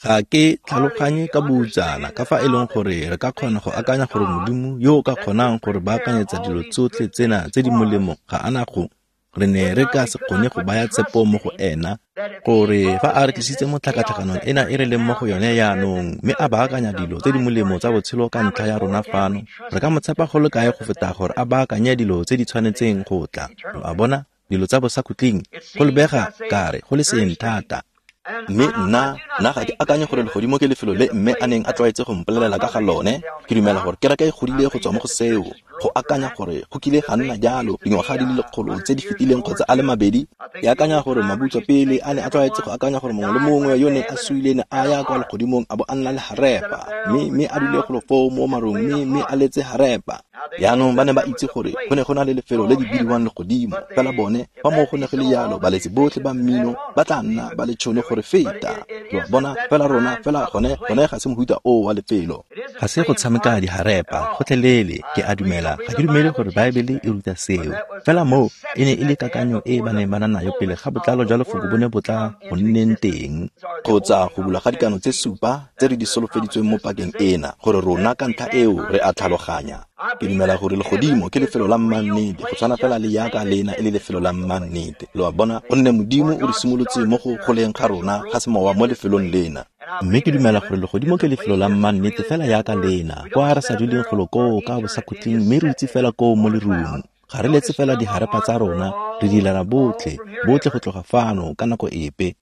Ga ke tlhaloganye ka boutsana ka fa e leng gore re ka kgona go akanya gore Modimo yo o ka kgonang gore baakanyetsa dilo tsotlhe tsena tse di molemo ga ana go re ne re ka se kgone go baya tshepo mo go ena, gore fa a re tlisitse mo tlhakatlhakanong ena e re leng mo go yone jaanong, mme a baakanya dilo tse di molemo tsa botshelo ka ntlha ya rona fano, re ka mo tshepa go le kae go feta gore a baakanye dilo tse di tshwanetseng go tla. Lo a bona, dilo tsa bosakhutleng, go lebega kare go le seeng thata. Mme nna, nna ga ke akanye gore legodimo ke lefelo le mme a neng a tlwaetse go mpolelela ka ga lone. Ke dumela gore kereke e godile go tswa mo go seo, go akanya gore go kile ga nna jalo dingwaga di le lekgolo tse di fetileng kgotsa a le mabedi. Ke akanya gore mabutswa pele a ne a tlwaetse go akanya gore mongwe le mongwe yo ne a suile ne a ya kwa legodimong a bo a nna le harepa, mme mme a dule golo foo mo marung, mme mme a letse harepa. Jaanong ba ne ba itse gore go ne go na le lefelo le le bidiwang legodimo, fela bone fa moo go ne go le jalo, baletsi botlhe ba mmino ba tla nna ba le tšhono gore feta. Lo a bona, fela rona fela gone gone ga se mohuta oo wa lefelo. Ga se go tshameka diharepa gotlhelele, ke a dumela. Ga ke dumele gore Baebele e ruta seo. Fela moo e ne e le kakanyo e ba neng ba na nayo pele ga botlalo jwa lefoko bo ne bo tla go nneng teng, kgotsa go bulwa ga dikano tse supa tse re di solofeditsweng mo pakeng ena, gore rona ka ntlha eo re a tlhaloganya. Ke dumela gore legodimo ke lefelo la mmannete, go tshwana fela le yaka lena e le lefelo la mmannete. Lo a bona, gonne Modimo o re simolotse mo go goleng ga rona ga semowa mo lefelong lena. Mme ke dumela gore legodimo ke lefelo la mmannete fela yaka lena, kwa re sa duleng golo koo ka bosakhutleng, mme re itse fela koo mo lerung. Ga re letse fela diharepa tsa rona, re dilana botlhe, botlhe go tloga fano ka nako epe.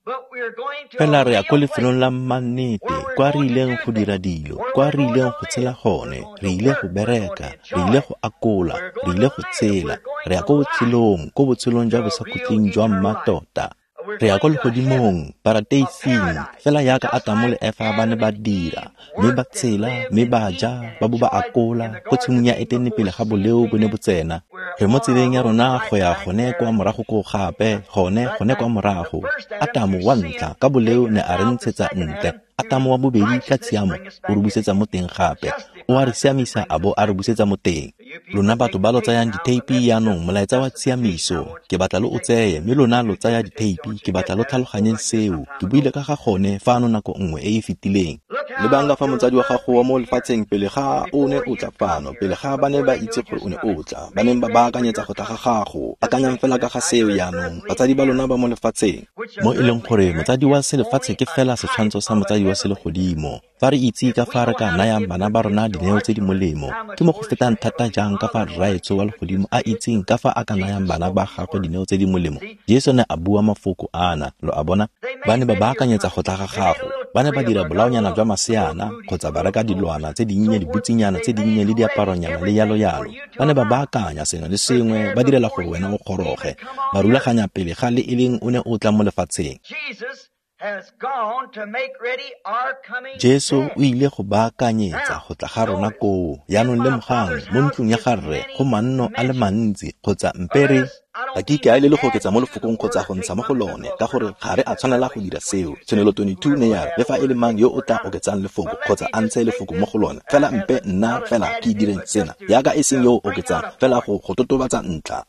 Fela re ya ko lefelong la mmannete, kwa re ileng go dira dilo, kwa re ileng go tshela gone, re ile go bereka, re ile go akola, re ile go tshela, re ya ko botshelong, ko botshelong jwa bosakhutleng jwa mmatota. Re ya ko legodimong, parateising, fela yaka Atamo le Efa ba ne ba dira, mme ba tshela, mme ba ja, ba bo ba akola, ko tshimong ya Etene pele ga boleo bo ne bo tsena. Re mo tseleng ya rona go ya gone kwa morago koo gape, gone gone kwa morago. Atamo wa ntlha ka boleo ne a re ntshetsa ntle. Atamo wa bobedi ka tshiamo o re busetsa mo teng gape. O a re siamisa a bo a re busetsa mo teng. Lona batho ba lo tsayang ditheipi jaanong, molaetsa wa tshiamiso, ke batla lo o tseye, mme lona lo tsaya ditheipi, ke batla lo tlhaloganyeng seo. Ke buile ka ga gone fano nako nngwe e e fetileng. Lebang ka fa motsadi wa gago wa mo lefatsheng pele ga o ne o tla fano, pele ga ba ne ba itse gore o ne o tla, ba neng ba baakanyetsa go tla ga gago. Akanyang fela ka ga seo jaanong, batsadi ba lona ba mo lefatsheng. Mo e leng gore motsadi wa selefatshe ke fela setshwantsho sa motsadi wa selegodimo. Fa re itse ka fa re ka nayang bana ba rona dineo tse di molemo, ke mo go fetang thata jang ka fa Rraetsho wa legodimo a itseng ka fa a ka nayang bana ba gagwe dineo tse di molemo. Jesu ne a bua mafoko ana, lo a bona, ba ne ba baakanyetsa go tla ga gago. Ba ne ba dira bolaonyana jwa maseana, kgotsa ba reka dilwana tse dinnye, dibutsinyana tse dinnye le diaparonyana le yalo yalo. Ba ne ba baakanya sengwe le sengwe, ba direla gore wena o goroge, ba rulaganya pele ga le e leng o ne o tla mo lefatsheng. Jesu o ile go baakanyetsa go tla ga rona koo. Jaanong lemogang, mo ntlong ya ga rre go manno a le mantsi, kgotsa mpere ga ke ikaelele go oketsa mo lefokong kgotsa go ntsha mo go lone, ka gore ga re a tshwanela go dira seo. Tshenolo twenty-two ne ya re, le fa e le mang yo o tla oketsang lefoko kgotsa a ntshe lefoko mo go lone, fela mpe nna fela ke direng sena, yaka e seng yo o oketsang, fela go go totobatsa ntlha.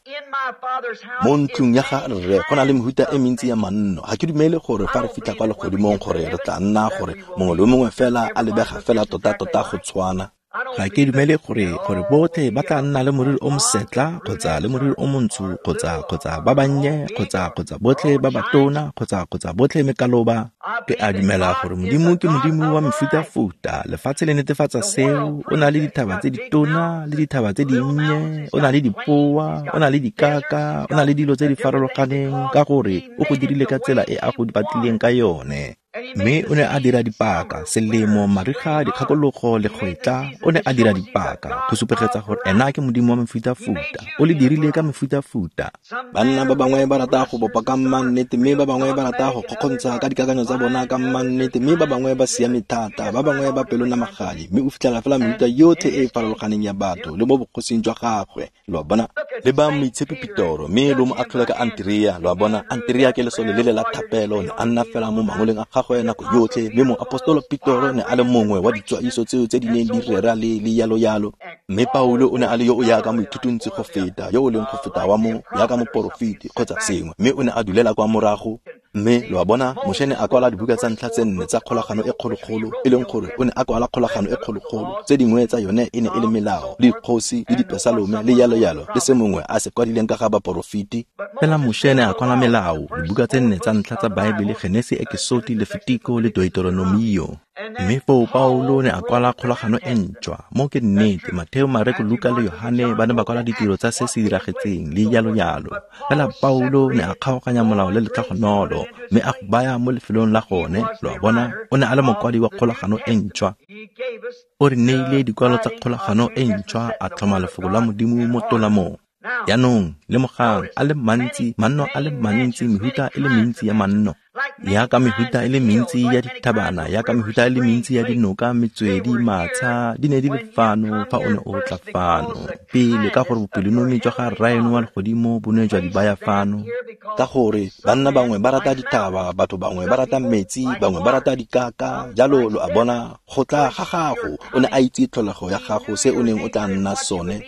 Mo ntlong ya ga rre go na le mehuta e mentsi ya manno. Ga ke dumele gore fa re fitlha kwa legodimong gore re tla nna gore mongwe le mongwe fela a lebega fela tota-tota go tshwana. Ga ke dumele gore gore botlhe ba tla nna le moriri o mosetla kgotsa le moriri o montsho kgotsa kgotsa ba bannye kgotsa kgotsa botlhe ba batona kgotsa kgotsa botlhe mekaloba. Ke a dumela gore Modimo ke Modimo wa mefutafuta. Lefatshe le netefatsa seo. O na le dithaba tse ditona le dithaba tse dinnye, o na le dipoa, o na le dikaka, o na le dilo tse di farologaneng, ka gore o go dirile ka tsela e a go batlileng ka yone. Mme o ne a dira dipaka, selemo, mariga, dikgakologo, legwetla, o ne a dira dipaka go supegetsa gore ena ke Modimo wa mefutafuta. O le dirile ka mefutafuta. Banna ba bangwe ba rata go bopa ka mmannete, mme ba bangwe ba rata go kgokgontsha ka dikakanyo tsa bona ka mmannete, mme ba bangwe ba siame thata, ba bangwe ba pelonamagadi, mme o fitlhela fela mefuta yotlhe e e farologaneng ya batho le mo bogosing jwa gagwe. Lo a bona? Le ba Moitshepi Petoro, mme lo mo atlhola ka Anterea. Lo a bona? Anterea ke lesole le le la thapelo, ne a nna fela mo mangoleng a gagwe nako yotlhe, mme moapostolo Petoro ne a le mongwe wa ditswaiso tseo tse di neng di rera le le yalo yalo. Mme Paulo o ne a le yo o yaka moithutuntsi go feta, yo o leng go feta wa mo yaka moporofeti kgotsa sengwe, mme o ne a dulela kwa morago. Mme lo a bona, Moshe ne a kwala dibuka tsa ntlha tse nne tsa kgolagano e kgologolo, e leng gore o ne a kwala kgolagano e kgologolo. Tse dingwe tsa yone e ne e le melao, le dikgosi, le dipesalome, le yalo yalo, le se mongwe a se kwadileng ka ga baporofeti. Fela Moshe ne a kwala melao, dibuka tse nne tsa ntlha tsa Baebele, Genesi, Ekesoti, Lefitiko le Deuteronomio. Mme foo Paulo ne a kwala kgolagano e ntšhwa. Mo ke nnete, Matheo, Mareko, Luka le Yohane ba ne ba kwala ditiro tsa se se diragetseng le yalo yalo. Fela Paulo ne a kgaoganya molao le letlhogonolo, mme a go baya mo lefelong la gone. Lo a bona, o ne a le mokwadi wa kgolagano e ntšhwa. O re neile dikwalo tsa kgolagano e ntšhwa, a tlhoma lefoko la Modimo mo tolamong. Jaanong, lemogang, a le mantsi, manno a le mantsi, mehuta e le mentsi ya manno. Yaka mehuta e le mentsi ya dithabana, yaka mehuta e le mentsi ya dinoka, metswedi, matsha, di ne di le fano fa o ne o tla fano. Pele, ka gore bopelonomi jwa ga Rraeno wa legodimo bo ne jwa di baya fano. Ka gore banna bangwe ba rata dithaba, batho bangwe ba rata metsi, bangwe ba rata dikaka, jalo lo a bona, go tla ga gago, o ne a itse tlholego ya gago, se o neng o tla nna sone.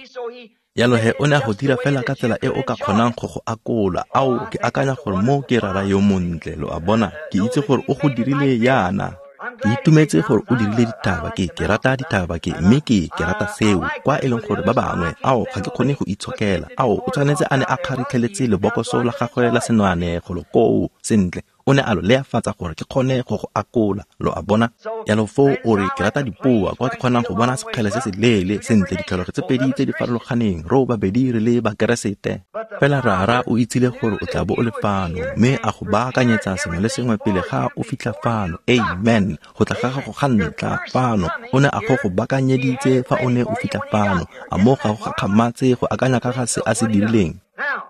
Jalo he o ne a go dira fela ka tsela e o ka kgonang go go akola. Ao, ke akanya gore mo ke rara yo montle, lo a bona. Ke itse gore o go dirile yana. Ke itumetse gore o dirile dithaba, ke ke rata dithaba ke, mme ke ke rata seo. Kwa e leng gore ba bangwe, ao, ga ke kgone go itshokela. Ao, o tshwanetse a ne a kgaritlheletse lebokoso la gagwe la senwane golo koo, sentle. O ne a lo leafatsa gore ke kgone go go akola, lo a bona. Jalo foo o re ke rata dipoa, kwa ke kgonang go bona sekgele se se leele, sentle ditlholego tse pedi tse di farologaneng, ro babedi re le Bakeresete. Fela Rara o itsile gore o tla bo o le fano, mme a go baakanyetsa sengwe le sengwe pele ga o fitlha fano. Amen. Go tla ga gago ga ntlha fano, o ne a go go baakanyeditse fa o ne o fitlha fano. A mo ga go gakgamatse go akanya ka ga se a se dirileng.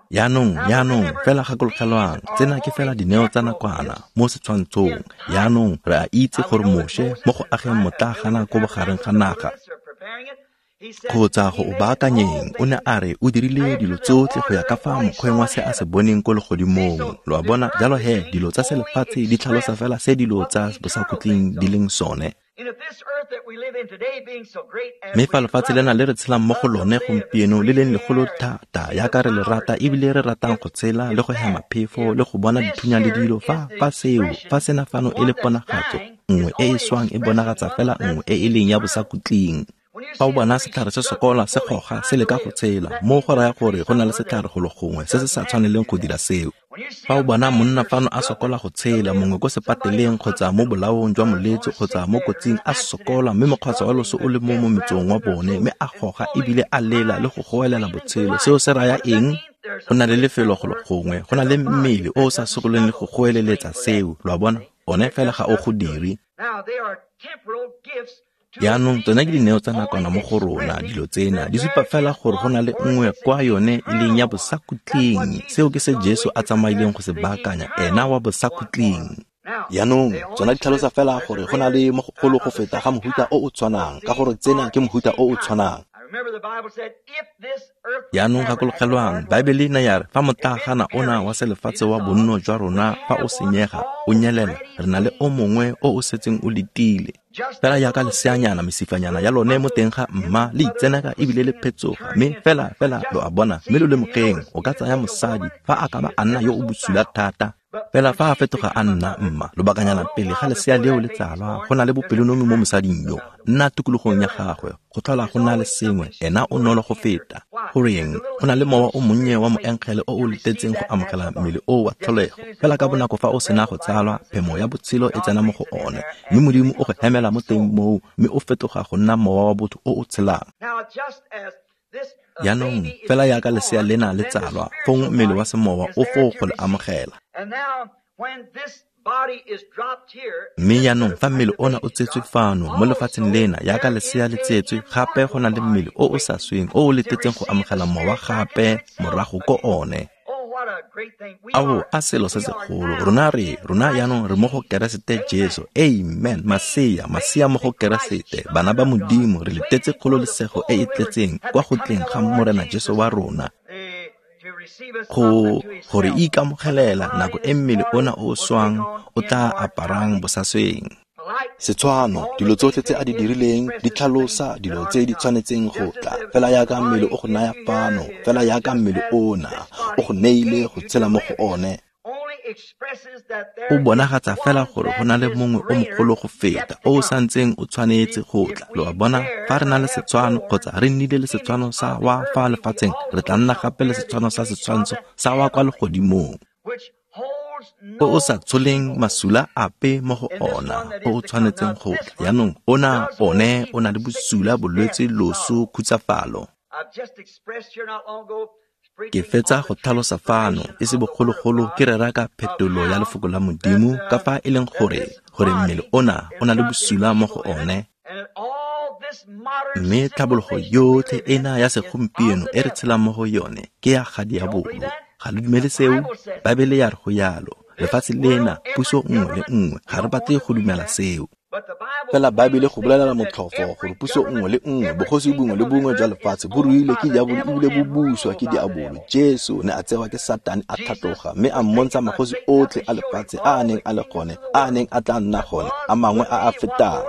Jaanong, jaanong, fela gakologelwang, tsena ke fela dineo tsa nakwana mo setshwantshong. Jaanong re a itse gore Moshe mo go ageng motlaagana ko bogareng ga naga kgotsa go o baakanyeng, o ne a re o dirile dilo tsotlhe go ya ka fa mokgweng wa se a se boneng ko legodimong. Lo a bona? Jalo he, dilo tsa selefatshe di tlhalosa fela se dilo tsa bosakhutleng di leng sone. Mme fa lefatshe lena le re tshelang mo go lone gompieno le leng legolo thata, yaka re le rata ebile re ratang go tshela le go hema phefo le go bona dithunya le dilo, fa fa seo, fa sena fano e le ponagatso nngwe e e swang e bonagatsa fela nngwe e e leng ya bosakhutleng. Fa o bona setlhare se sokola se goga se leka go tshela, mo go raya gore go na le setlhare golo gongwe se se sa tshwaneleng go dira seo. Fa o bona monna fano a sokola go tshela, mongwe ko sepateleng kgotsa mo bolaong jwa molwetse kgotsa mo kotsing a sokola, mme mokgwatsa wa loso o le mo mometsong wa bone, mme a goga ebile a lela le go goelela botshelo, seo se raya eng? Go na le lefelo golo gongwe, go na le mmele o o sa sokoleng le go goeleletsa seo. Lo a bona? One fela ga o go dire. Jaanong tsone ke dineo tsa nakwana mo go rona, dilo tsena di supa fela gore go na le nngwe kwa yone e leng ya bosakhutleng. Seo ke se Jesu a tsamaileng go se baakanya, ena wa bosakhutleng. Jaanong tsona di tlhalosa fela gore go na le mo gogolo go feta ga mohuta o o tshwanang, ka gore tsena ke mohuta o o tshwanang. Jaanong gakologelwang, Baebele e ne ya re fa motlaagana ona wa selefatshe wa bonno jwa rona fa o senyega, o nyelela, re na le o mongwe o o setseng o letile. Fela jaaka leseanyana, mesifanyana ya lone mo teng ga mma le itseneka ebile le phetsoga, mme fela fela lo a bona, mme lo lemogeng, o ka tsaya mosadi fa a ka ba a nna yo o bosula thata. Fela fa a fetoga a nna mma, lobakanyana pele ga lesea leo le tsalwa, go na le bopelonomi mo mosading yo, nna tikologong ya gagwe, go tlhola go na le sengwe, ena o nolo go feta. Goreng, go na le mowa o monnye wa moengele o o letetseng go amogela mmele o wa tlholego. Fela ka bonako fa o sena go tsalwa, phemo ya botshelo e tsena mo go one, mme Modimo o go hemela mo teng moo, mme o fetoga go nna mowa wa botho o o tshelang. Jaanong, fela jaaka lesea lena le tsalwa, fong mmele wa semowa o foo go le amogela. Mme jaanong fa mmele ona o tsetswe fano mo lefatsheng lena jaaka lesea le tsetswe, gape go na le mmele o o sa sweng o o letetseng go amogela mowa gape morago ko one. Ao, a selo se segolo. Rona re, rona jaanong re mo go Keresete Jesu. Amen. Masea, masea mo go Keresete. Bana ba Modimo, re letetse kgololesego e e tletseng kwa go tleng ga Morena Jesu wa rona. Go gore ikamogelela nako e mmele ona o swang o tla aparang bosasweng. Setshwano, dilo tsotlhe tse a di dirileng di tlhalosa dilo tse di tshwanetseng go tla. Fela jaaka mmele o go naya fano, fela jaaka mmele ona o go neile go tshela mo go one. O bonagatsa fela gore go na le mongwe o mogolo go feta o o santseng o tshwanetse go tla. Lo a bona, fa re na le setshwano kgotsa re nnile le setshwano sa wa fa lefatsheng, re tla nna gape le setshwano sa setshwantsho sa wa kwa legodimong, o o sa tsholeng masula ape mo go ona, o o tshwanetseng go tla. Jaanong ona one o na le bosula, bolwetse, loso, khutsafalo. Ke fetsa go tlhalosa fano e se bogologolo ke rera ka phetolo ya lefoko la Modimo, ka fa e leng gore gore mmele ona o na le bosula mo go one. Mme tlhabologo yotlhe ena ya segompieno e re tshelang mo go yone ke ya ga diabolo. Ga le dumele seo? Baebele ya re go yalo. Lefatshe lena, puso nngwe le nngwe, ga re batle go dumela seo. Fela Baebele go bolelela motlhofo gore puso nngwe le nngwe, bogosi bongwe le bongwe jwa lefatshe bo ruilwe ke diabolo ebile bo buswa ke diabolo. Jesu ne a tsewa ke Satane a tlhatloga mme a mmontsha magosi otlhe a lefatshe a a neng a le gone, a a neng a tla nna gone, a mangwe a a fetang.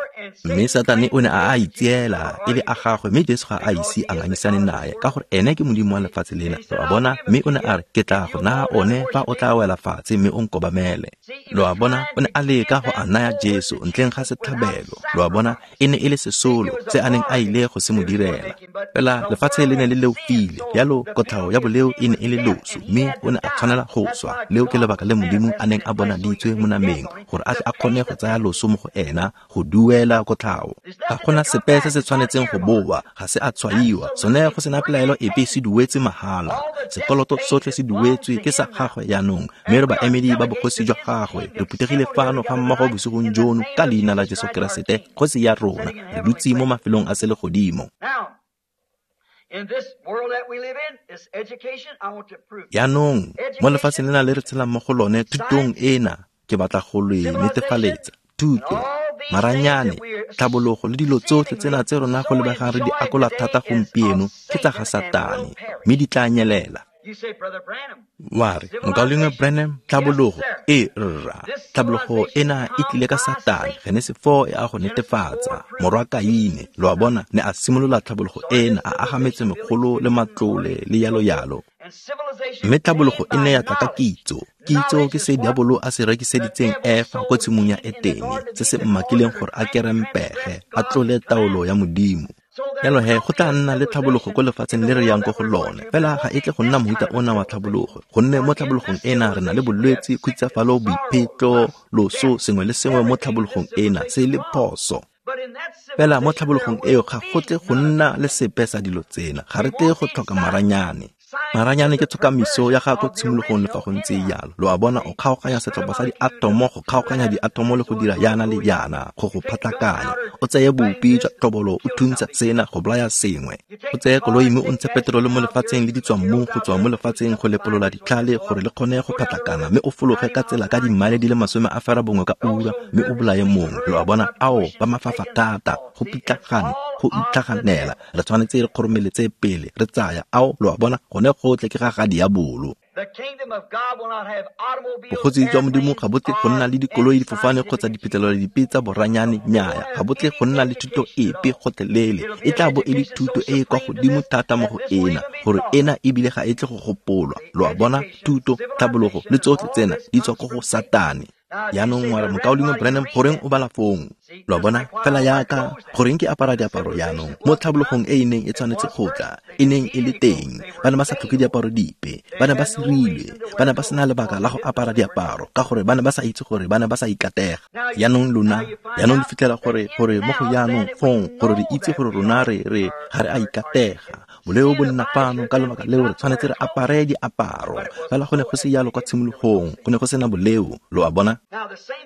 Mme Satane o ne a a itseela e le a gagwe, mme Jesu ga a ise a ngangisane nae, ka gore ene ke modimo wa lefatshe lena. Lo a bona? Mme o ne a re, ke tla go naya one fa o tla wela fatshe mme o nkobamele. Lo a bona? O ne a leka go a naya Jesu ntleng ga setlhabelo. Lo a bona? E ne e le sesolo se a neng a ile go se mo direla. Fela lefatshe le ne le leofile, jalo kotlhao ya boleo e ne e le loso, mme o ne a tshwanela go swa. Leo ke lebaka le Modimo a neng a bonaditswe mo nameng, gore a tle a kgone go tsaya loso mo go ena, go duela kotlhao. Ga gona sepe se se tshwanetseng go boa, ga se a tshwaiwa. Sone go sena pelaelo epe, se duetse mahala. Sekoloto sotlhe se duetswe ke sa gagwe jaanong, mme re baemedi ba bogosi jwa gagwe. Re phuthegile fano ga mmogo bosigong jono ka leina la Jesu Keresete, kgosi ya rona. Re dutse mo mafelong a selegodimo. Jaanong mo lefatsheng lena le re tshelang mo go lone, thutong ena ke batla go le netefaletsa. Thuto, maranyane, tlhabologo le dilo tsotlhe tsena tse rona go lebegang re di akola thata gompieno ke tsa ga Satane, mme di tla nyelela. Wa re, mokaulengwe Branham, tlhabologo e rra, tlhabologo ena e tlile ka Satane. Genese four e a go netefatsa. Morwa Kaine, lo a bona, ne a simolola tlhabologo ena, a aga metsemegolo le matlole le yalo yalo. Mme tlhabologo e ne ya tla ka kitso. Kitso ke se diabolo a se rekiseditseng Efa ko tshimong ya Etene, se se mmakileng gore a kerempege, a tlole taolo ya Modimo. Jalo he, go tla nna le tlhabologo ko lefatsheng le re yang ko go lone. Fela ga e tle go nna mohuta ona wa tlhabologo, gonne mo tlhabologong ena re na le bolwetse, khutsafalo, boiphetlo, loso, sengwe le sengwe mo tlhabologong ena se le phoso. Fela mo tlhabologong eo ga go tle go nna le sepe sa dilo tsena. Ga re tle go tlhoka maranyane. Maranyane ke tshokamiso ya ga ko tshimologong le fa go ntse jalo. Lo a bona, o kgaoganya setlhopha sa diatomo, go kgaoganya diatomo le go dira yana le yana, go go phatlakanya. O tseye bopi jwa tlhobolo, o thuntsha sena go bolaya sengwe. O tseye koloi mme o ntshe peterole mo lefatsheng le ditswammung go tswa mo lefatsheng go lepolola ditlhale gore le kgone go phatlakana, mme o fologe ka tsela ka dimmaele di le masome a fera bongwe ka ura, mme o bolaye mongwe. Lo a bona, ao ba mafafa thata, go pitlagane, go itlhaganela. Re tshwanetse re kgoromeletse pele re tsaya. Ao, lo a bona, gone gotlhe ke ga ga diabolo. Bogosi jwa Modimo ga bo tle go nna le dikoloi, difofane kgotsa diphitlhelelo dipe tsa boranyane. Nnyaya, ga bo tle go nna le thuto epe gotlhelele. E tla bo e le thuto e e kwa godimo thata mo go ena, gore ena ebile ga e tle go gopolwa. Lo a bona, thuto, tlhabologo le tsotlhe tsena di tswa ko go Satane. Jaanong wa re, mokaulengwe Branham, goreng o bala fong? Lo a bona, fela jaaka goreng ke apara diaparo jaanong mo tlhabologong e e neng e tshwanetse go tla, e neng e le teng. Ba ne ba sa tlhoke diaparo dipe, ba ne ba sirilwe, ba ne ba sena lebaka la go apara diaparo, ka gore ba ne ba sa itse gore ba ne ba sa ikatega. Jaanong lona, jaanong le fitlhela gore gore mo go jaanong fong, gore re itse gore rona re re ga re a ikatega. Boleo bo nna fano ka lebaka leo re tshwanetse re apare diaparo. Fela go ne go se jalo kwa tshimologong, go ne go sena boleo, lo a bona?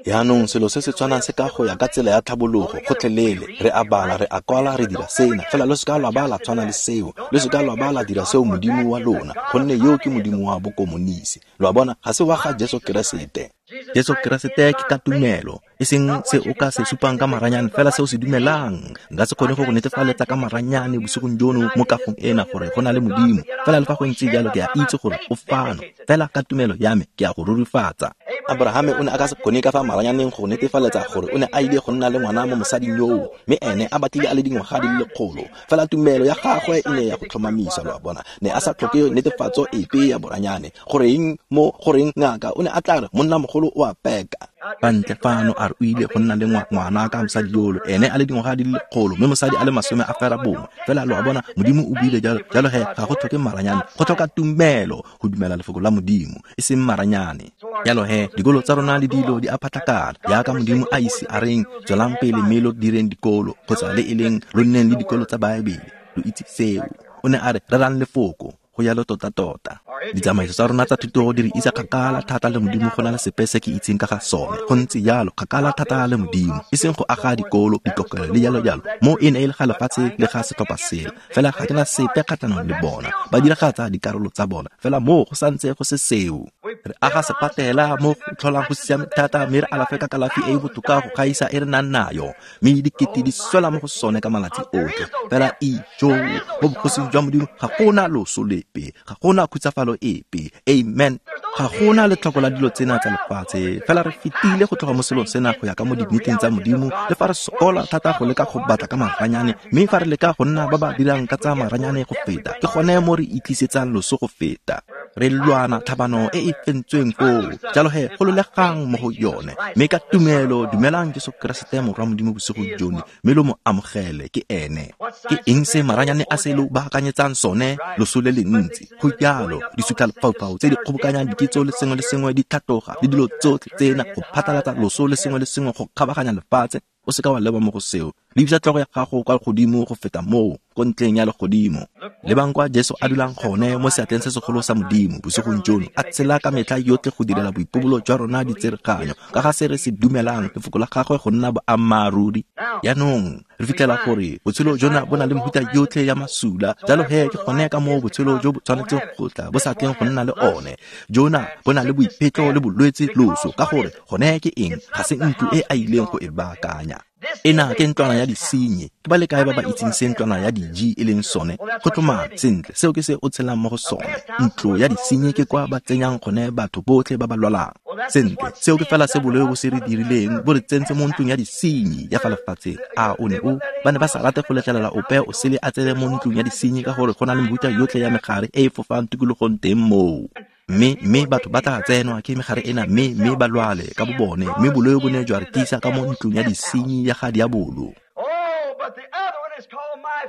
Jaanong selo se se tshwanang se ka go ya ka tsela ya tlhabologo gotlhelele. Re a bala, re a kwala, re dira sena. Fela lo seka lwa ba la tshwana le seo. Lo seka lwa ba la dira seo modimo wa lona, gonne yo ke modimo wa bokomonisi. Lo a bona? Ga se wa ga Jesu Keresete. Jesu Keresete ke ka tumelo, e seng se o ka se supang ka maranyane, fela se o se dumelang. Nka se kgone go go netefaletsa ka maranyane bosigong jono mo kagong ena gore go na le modimo. Fela le fa go ntse jalo ke a itse gore o fano. Fela ka tumelo ya me ke a go rurifatsa. Abrahame o ne a ka se kgone ka fa maranyaneng go netefaletsa gore o ne a ile go nna le ngwana mo mosading yoo, mme ene a batlile a le dingwaga di le lekgolo. Fela tumelo ya gagwe e ne ya go tlhomamisa, lo a bona. Ne a sa tlhoke netefatso epe ya boranyane. Goreng mo goreng ngaka o ne a tla re monna mogolo o a peka. Fa ntle fano a re o ile go nna le ngwana ka mosadi yolo, ene a le dingwaga di le lekgolo, mme mosadi a le masome a fera bongwe. Fela lo a bona, modimo o buile jalo. Jalo he ga go tlhoke maranyane, go tlhoka tumelo go dumela lefoko la modimo, e seng maranyane. Jalo he dikolo tsa rona le dilo di a phatlakala, jaaka modimo a ise a reng tswelang pele mme lo direng dikolo, kgotsa le e leng lo nneng le dikolo tsa Baebele. Lo itse seo. O ne a re rerang lefoko, go jalo tota-tota. Ditsamaiso tsa rona tsa thuto di re isa kgakala thata le modimo go na le sepe se ke itseng ka ga sone. Go ntse jalo, kgakala thata le modimo, e seng go aga dikolo, dikokelo le jalo jalo. Mo e ne e le ga lefatshe le ga setlhopha sela. Fela ga ke na sepe kgatlhanong le bona, ba diragatsa dikarolo tsa bona. Fela mo go santse go se seo. Re aga sepatela mo go tlholang go siame thata, mme re alafe ka kalafi e e botoka go gaisa e re nang nayo, mme dikete di swela mo go sone ka malatsi otlhe. Fela ijo mo bogosing jwa modimo ga gona loso lepe, ga gona khutsafalo epe. Amen. Ga gona letlhoko la dilo tsena tsa lefatshe. Fela re fetile go tloga mo selong sena go ya ka mo dinneteng tsa modimo, le fa re sokola thata go leka go batla ka maranyane, mme fa re leka go nna ba ba dirang ka tsa maranyane go feta, ke gone mo re itlisetsang loso go feta. Re lwana tlhabano e e fentsweng foo. Jalo he gololegang mo go yone, mme ka tumelo dumelang Jesu Keresete morwa modimo bosigo jono, mme lo mo amogele ke ene. Ke eng se maranyane a se lo baakanyetsang sone? Loso le le ntsi. Go jalo, disutlhalefaufau tse di kgobokanyang dikitso le sengwe le sengwe di tlhatloga, le dilo tsotlhe tsena go phatlalatsa loso le sengwe le sengwe go kgabaganya lefatshe. O seka wa leba mo go seo. Lebisa tlhogo ya gago kwa godimo go feta moo, ko ntleng ya legodimo. Lebang kwa Jesu a dulang gone mo seatleng se segolo sa modimo bosigong jono, a tshela ka metlha yotlhe go direla boipobolo jwa rona ditsereganyo ka ga se re se dumelang lefoko la gagwe go nna boammaaruri. Jaanong re fitlhela gore botshelo jona bo na le mefuta yotlhe ya masula. Jalo he ke gone ka moo botshelo jo bo tshwanetseng go tla bo sa tleng go nna le one. Jona bo na le boiphetlo le bolwetse loso, ka gore gone ke eng? Ga se ntlo e a ileng go e baakanya. Ena ke ntlwana ya disenyi. Ke ba le kae ba ba itseng se ntlwana ya diji e leng sone? Go tlhomame sentle, seo ke se o tshelang mo go sone. Ntlo ya disenyi ke kwa ba tsenyang gone batho botlhe ba ba lwalang. Sentle, seo ke fela se boleo bo se re dirileng, bo re tsentse mo ntlong ya disenyi ya fa lefatsheng. A o ne o ba ne ba sa rate go letlelela ope o sele a tsene mo ntlong ya disenyi ka gore go na le mefuta yotlhe ya megare e e fofang tikologong teng moo. Mme mme batho ba tla tsenwa ke megare ena, mme mme ba lwale ka bobone, mme boleo bo ne jwa re tlisa ka mo ntlong ya disenyi ya ga diabolo.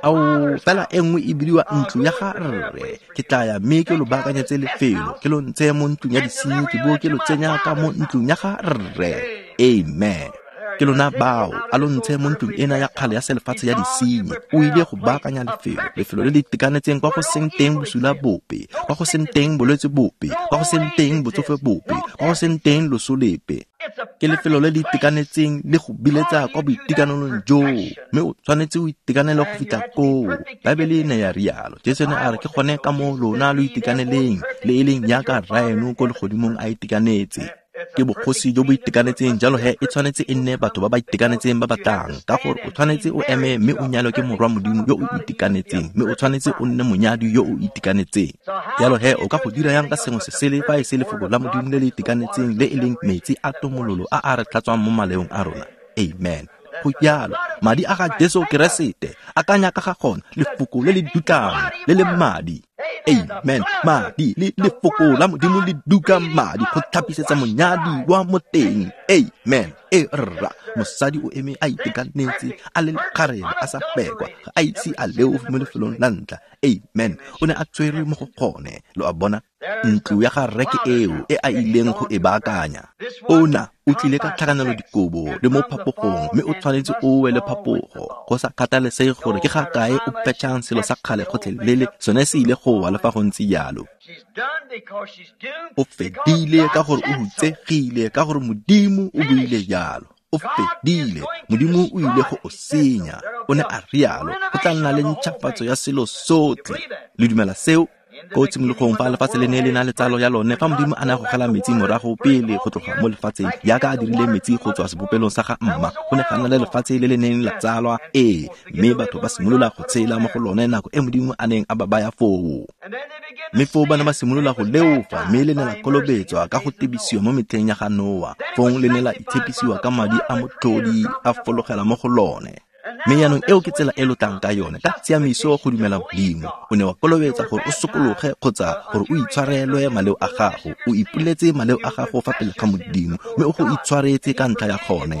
Ao, fela e nngwe e bidiwa ntlo ya ga rre. Ke tla ya mme ke lo baakanyetse lefelo, ke lo ntshe mo ntlong ya disenyi, ke bo ke lo tsenya ka mo ntlong ya ga rre. Amen. Ke lona bao, a lo ntshe mo ntlong ena ya kgale ya selefatshe ya disenyi. O ile go baakanya lefelo, lefelo le le itekanetseng kwa go seng teng bosula bope, kwa go seng teng bolwetse bope, kwa go seng teng botsofe bope, kwa go seng teng loso lepe. Ke lefelo le le itekanetseng le go biletsa kwa boitekanelong joo, mme o tshwanetse o itekanele go fitlha koo. Baebele e ne ya rialo. Jesu ne a re ke gone ka moo lona lo itekaneleng, le e leng jaaka rraeno ko legodimong a itekanetse. Ke bogosi jo bo itekanetseng, jalo he e tshwanetse e nne batho ba ba itekanetseng ba ba tlang, ka gore o tshwanetse o eme mme o nyalwe ke morwa modimo yo o itekanetseng, mme o tshwanetse o nne monyadi yo o itekanetseng. Jalo he o ka go dira yang ka sengwe se sele fa e se lefoko la modimo le le itekanetseng, le e leng metsi a tomololo a a re tlhatswang mo maleong a rona. Amen. Go jalo, madi a ga Jesu Keresete, akanya ka ga gona, lefoko le le dutlang le le madi. Amen. Madi le lefoko la modimo le duka madi go tlhapisetsa monyadi wa mo teng. Amen. E rra, mosadi o eme a itekanetse, a le lekgarebe, a sa pekwa, ga a ise a leofe mo lefelong la ntlha. Amen. O ne a tshwerwe mo go gone. Lo a bona? Ntlo ya ga rre ke eo e a ileng go e baakanya. Ona o tlile ka tlhakanelo dikobo le mo phapogong, mme o tshwanetse o we le phapogo. Go sa kgathalesege gore ke ga kae o petšhang selo sa kgale gotlhelele, sone se ile go wa le fa go ntse jalo. O fedile ka gore o hutsegile, ka gore Modimo o buile jalo. O fedile, Modimo o ile go o senya. O ne a rialo, go tla nna le ntšhafatso ya selo sotlhe. Le dumela seo? Ko tshimologong fa lefatshe le ne le na le tsalo ya lone, fa Modimo a ne a gogela metsi morago pele go tloga mo lefatsheng, jaaka a dirile metsi go tswa sebopelong sa ga mma, go ne ga nna le lefatshe le le neng la tsalwa, ee, mme batho ba simolola go tshela mo go lone nako e Modimo a neng a ba baya foo. Mme foo ba ne ba simolola go leofa, mme le ne la kolobetswa ka go tebisiwa mo metlheng ya ga Noa, fong le ne la itshepisiwa ka madi a motlhodi a fologela mo go lone. Mme jaanong eo ke tsela e lo tlang ka yone, ka tshiamiso go dumela Modimo. O ne wa kolobetsa gore o sokologe kgotsa gore o itshwarelwe maleo a gago. O ipoletse maleo a gago fa pele ga Modimo, mme o go itshwaretse ka ntlha ya gone.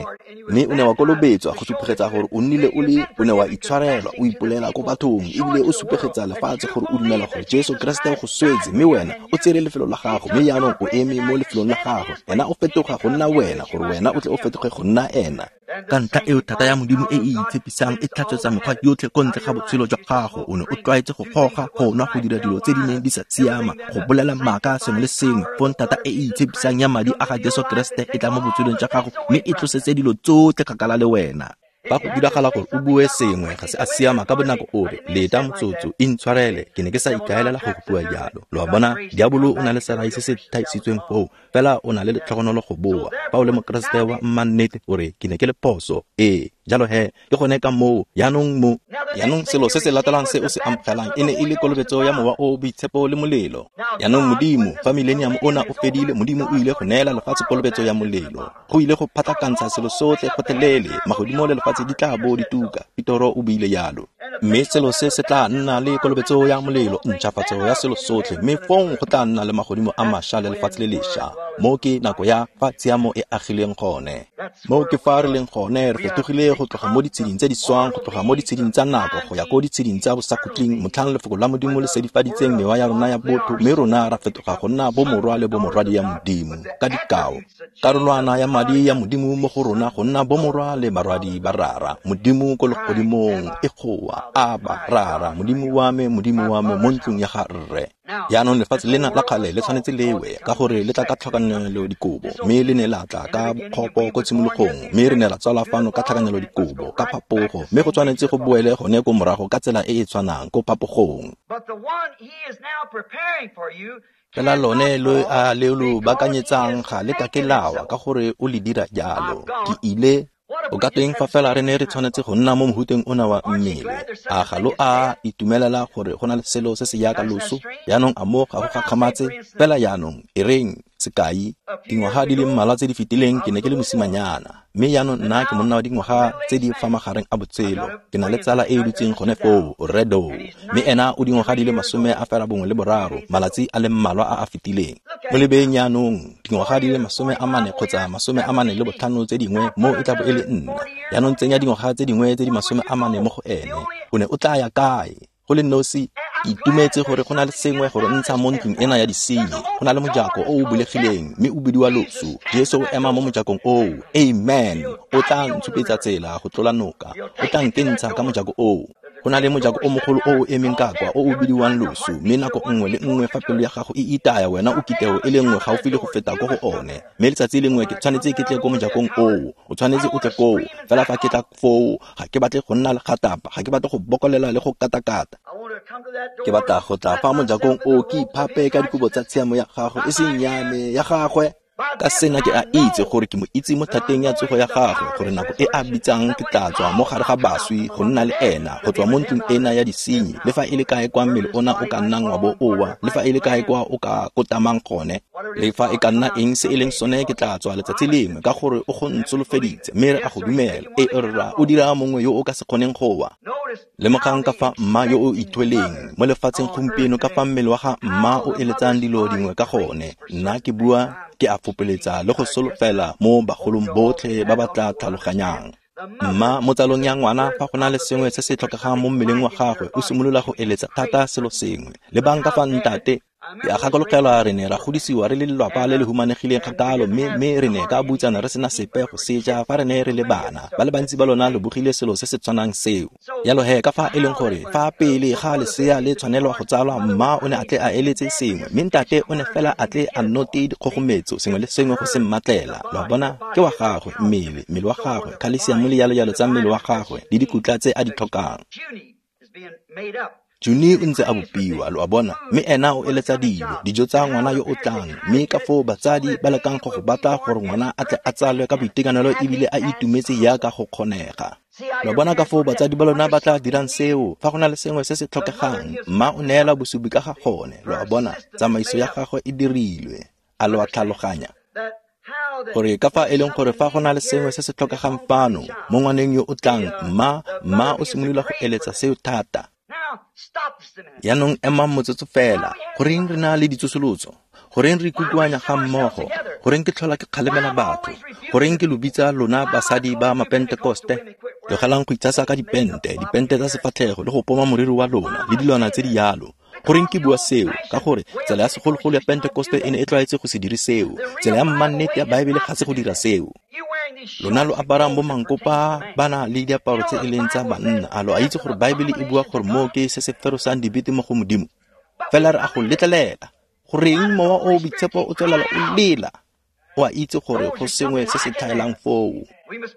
Mme o ne wa kolobetswa go supegetsa gore o nnile o le, o ne wa itshwarelwa, o ipolela ko bathong, ebile o supegetsa lefatshe gore o dumela gore Jesu Keresete o go swetse, mme wena o tsere lefelo la gago, mme jaanong o eme mo lefelong la gago. Ena o fetoga go nna wena, gore wena o tle o fetoge go nna ena. Ka ntlha eo thata ya Modimo e e itshepisang e tlhatswetsa mekgwa yotlhe ko ntle ga botshelo jwa gago. O ne o tlwaetse go goga, go nwa, go dira dilo tse di neng di sa siama, go bolela maaka, sengwe le sengwe. Fong thata e e itshepisang ya madi a ga Jesu Keresete e tla mo botshelong jwa gago, mme e tlosetse dilo tsotlhe kgakala le wena. Fa go diragala gore o bue sengwe ga se a siama ka bonako, o re, leta motsotso, intshwarele, ke ne ke sa ikaelela go go bua jalo. Lo a bona, diabolo o na le serai se se thaisitsweng foo, fela o na le letlhogonolo go boa. Fa o le mokeresete wa mmannete, o re, ke ne ke le phoso. Ee, jalo he, ke gone ka moo, jaanong mo. Jaanong selo se se latelang se o se amogelang e ne e le kolobetso ya Mowa o o Boitshepo le molelo. Jaanong Modimo, fa millennium ona o fedile, Modimo o ile go neela lefatshe kolobetso ya molelo. Go ile go phatlakantsha selo sotlhe gotlhelele, magodimo le lefatshe di tla bo di tuka, Petoro o buile jalo. Mme selo se se tla nna le kolobetso ya molelo, ntšhafatso ya selo sotlhe, mme fong go tla nna le magodimo a mašwa le lefatshe le lešwa. Mo ke nako ya fa tshiamo e agileng gone. Mo ke fa re leng gone, re fetogile go tloga mo ditsheding tse di swang, go tloga mo ditsheding tsa nako go ya ko ditsheding tsa bosakhutleng, motlhang lefoko la Modimo le sedifaditseng mewa ya rona ya botho, mme rona ra fetoga go nna bomorwa le bomorwadi ya Modimo. Ka dikao, karolwana ya madi ya Modimo mo go rona go nna bomorwa le barwadi ba Rara. Modimo ko legodimong e goa, Aba, Rara, Modimo wa me, Modimo wa me, mo ntlong ya ga rre. Jaanong lefatshe lena la kgale le tshwanetse lewe, ka gore le tla ka tlhakanelo dikobo, mme le ne la tla ka bokgopo ko tshimologong, mme re ne ra tswala fano ka tlhakanelo dikobo, ka phapogo, mme go tshwanetse go boele gone ko morago ka tsela e e tshwanang ko phapogong. Fela lone lo a le lo baakanyetsang ga le ka ke lawa, ka gore o le dira jalo. Ke ile o ka tweng fa fela re ne re tshwanetse go nna mo mohuteng ona wa mmele? A ga lo a itumelela gore go na le selo se se jaaka loso? Jaanong a mo ga go gakgamatse? Fela jaanong e reng, sekai, dingwaga di le mmalwa tse di fetileng ke ne ke le mosimanyana, mme jaanong nna ke monna wa dingwaga tse di fa magareng a botshelo. Ke na le tsala e e dutseng gone foo, Redo, mme ena o dingwaga di le masome a fela bongwe le boraro, malatsi a le mmalwa a a fetileng. Mo lebeng jaanong, dingwaga di le masome a mane kgotsa masome a mane le botlhano tse dingwe, mo e tla bo e le nna. Jaanong tsenya dingwaga tse dingwe tse di masome a mane mo go ene. O ne o tla ya kae? Go le nosi, ke itumetse gore go na le sengwe gore ntsha mo ntlong ena ya disenyi. Go na le mojako o o bulegileng, mme o bidiwa loso. Jesu o ema mo mojakong oo. Amen. O tla ntshupetsa tsela go tlola noka. O tla nkentsha ka mojako oo. Go na le mojako o mogolo o o emeng ka kwa, o o bidiwang loso, mme nako nngwe le nngwe fa pelo ya gago e itaya, wena o kiteo e le nngwe gaufi le go feta ko go one. Mme letsatsi lengwe ke tshwanetse ke tle ko mojakong oo. O tshwanetse o tle koo. Fela fa ke tla foo, ga ke batle go nna le gatapa, ga ke batle go bokolela le go katakata. Ke batla go tla fa mojakong oo, ke iphape ka dikobo tsa tshiamo ya gago, e seng ya me, ya gagwe. Ka sena ke a itse gore ke mo itse mo thateng ya tsogo ya gagwe, gore nako e a bitsang ke tla tswa mo gare ga baswi go nna le ena, go tswa mo ntlong ena ya disenyi, le fa e le kae kwa mmele ona o ka nnang wa bo owa, le fa e le kae kwa o ka kotamang gone, le fa e ka nna eng se e leng sone, ke tla tswa letsatsi lengwe, ka gore o go ntsholofeditse, mme re a go dumela. E rra, o dira mongwe yo o ka se kgoneng go wa. Lemogang ka fa mma yo o ithweleng mo lefatsheng gompieno, ka fa mmele wa ga mma o eletsang dilo dingwe ka gone. Nna ke bua, ke a fopeletsa le go solofela mo bagolong botlhe ba ba tla tlhaloganyang. Mma mo tsalong ya ngwana, fa go na le sengwe se se tlhokegang mo mmeleng wa gagwe, o simolola go eletsa thata selo sengwe. Lebang ka fa ntate Ke a gakologelwa re ne ra godisiwa re le lelwapa le le humanegileng kgakalo, mme mme re ne ka butsana re sena sepe go seja fa re ne re le bana. Ba le bantsi ba lona lo bogile selo se se tshwanang seo. Jalo he ka fa e leng gore fa pele ga lesea le tshwanelwa go tsalwa, mma o ne a tle a eletse sengwe, mme ntate o ne fela a tle a note dikgogometso sengwe le sengwe go se mmatlela. Lo a bona, ke wa gagwe mmele, mmele wa gagwe, khalesiamo le jalo-jalo tsa mmele wa gagwe le dikutla tse a di tlhokang. Juni o ntse a bopiwa, lo a bona, mme ena o eletsa dilo, dijo tsa ngwana yo o tlang, mme ka foo batsadi ba lekang go go batla gore ngwana a tle a tsalwe ka boitekanelo ebile a itumetse jaaka go kgonega. Lo bona ka foo batsadi ba lona ba tla dirang seo fa go na le sengwe se se tlhokegang, mma o neela bosupi ka ga gone, lo a bona, tsamaiso ya gagwe e dirilwe. A lo a tlhaloganya? Gore ka fa e leng gore fa go na le sengwe se se tlhokegang fano mo ngwaneng yo o tlang, mma mma o simolola go eletsa seo thata. Jaanong emang motsotso fela. Goreng re na le ditsosolotso? Goreng re ikutlwanya ga mmogo? Goreng ke tlhola ke kgalemela batho? Goreng ke lo bitsa lona basadi ba mapentekoste? Tlogelang go itshasa ka dipente, dipente tsa sefatlhego le go poma moriri wa lona le dilwana tse di yalo. Goreng ke bua seo? Ka gore tsela ya segologolo ya Pentekoste e ne e tlwaetse go se dire seo. Tsela ya mmannete ya Baebele ga se go dira seo. Lona lo aparang bo mankopa ba na le diaparo tse e leng tsa banna. A lo a itse gore Baebele e bua gore moo ke se se ferosang dibete mo go Modimo? Fela re a go letlelela. Goreng mowa o boitshepo o tswelela o lela? O a itse gore go sengwe se se tlhaelang foo.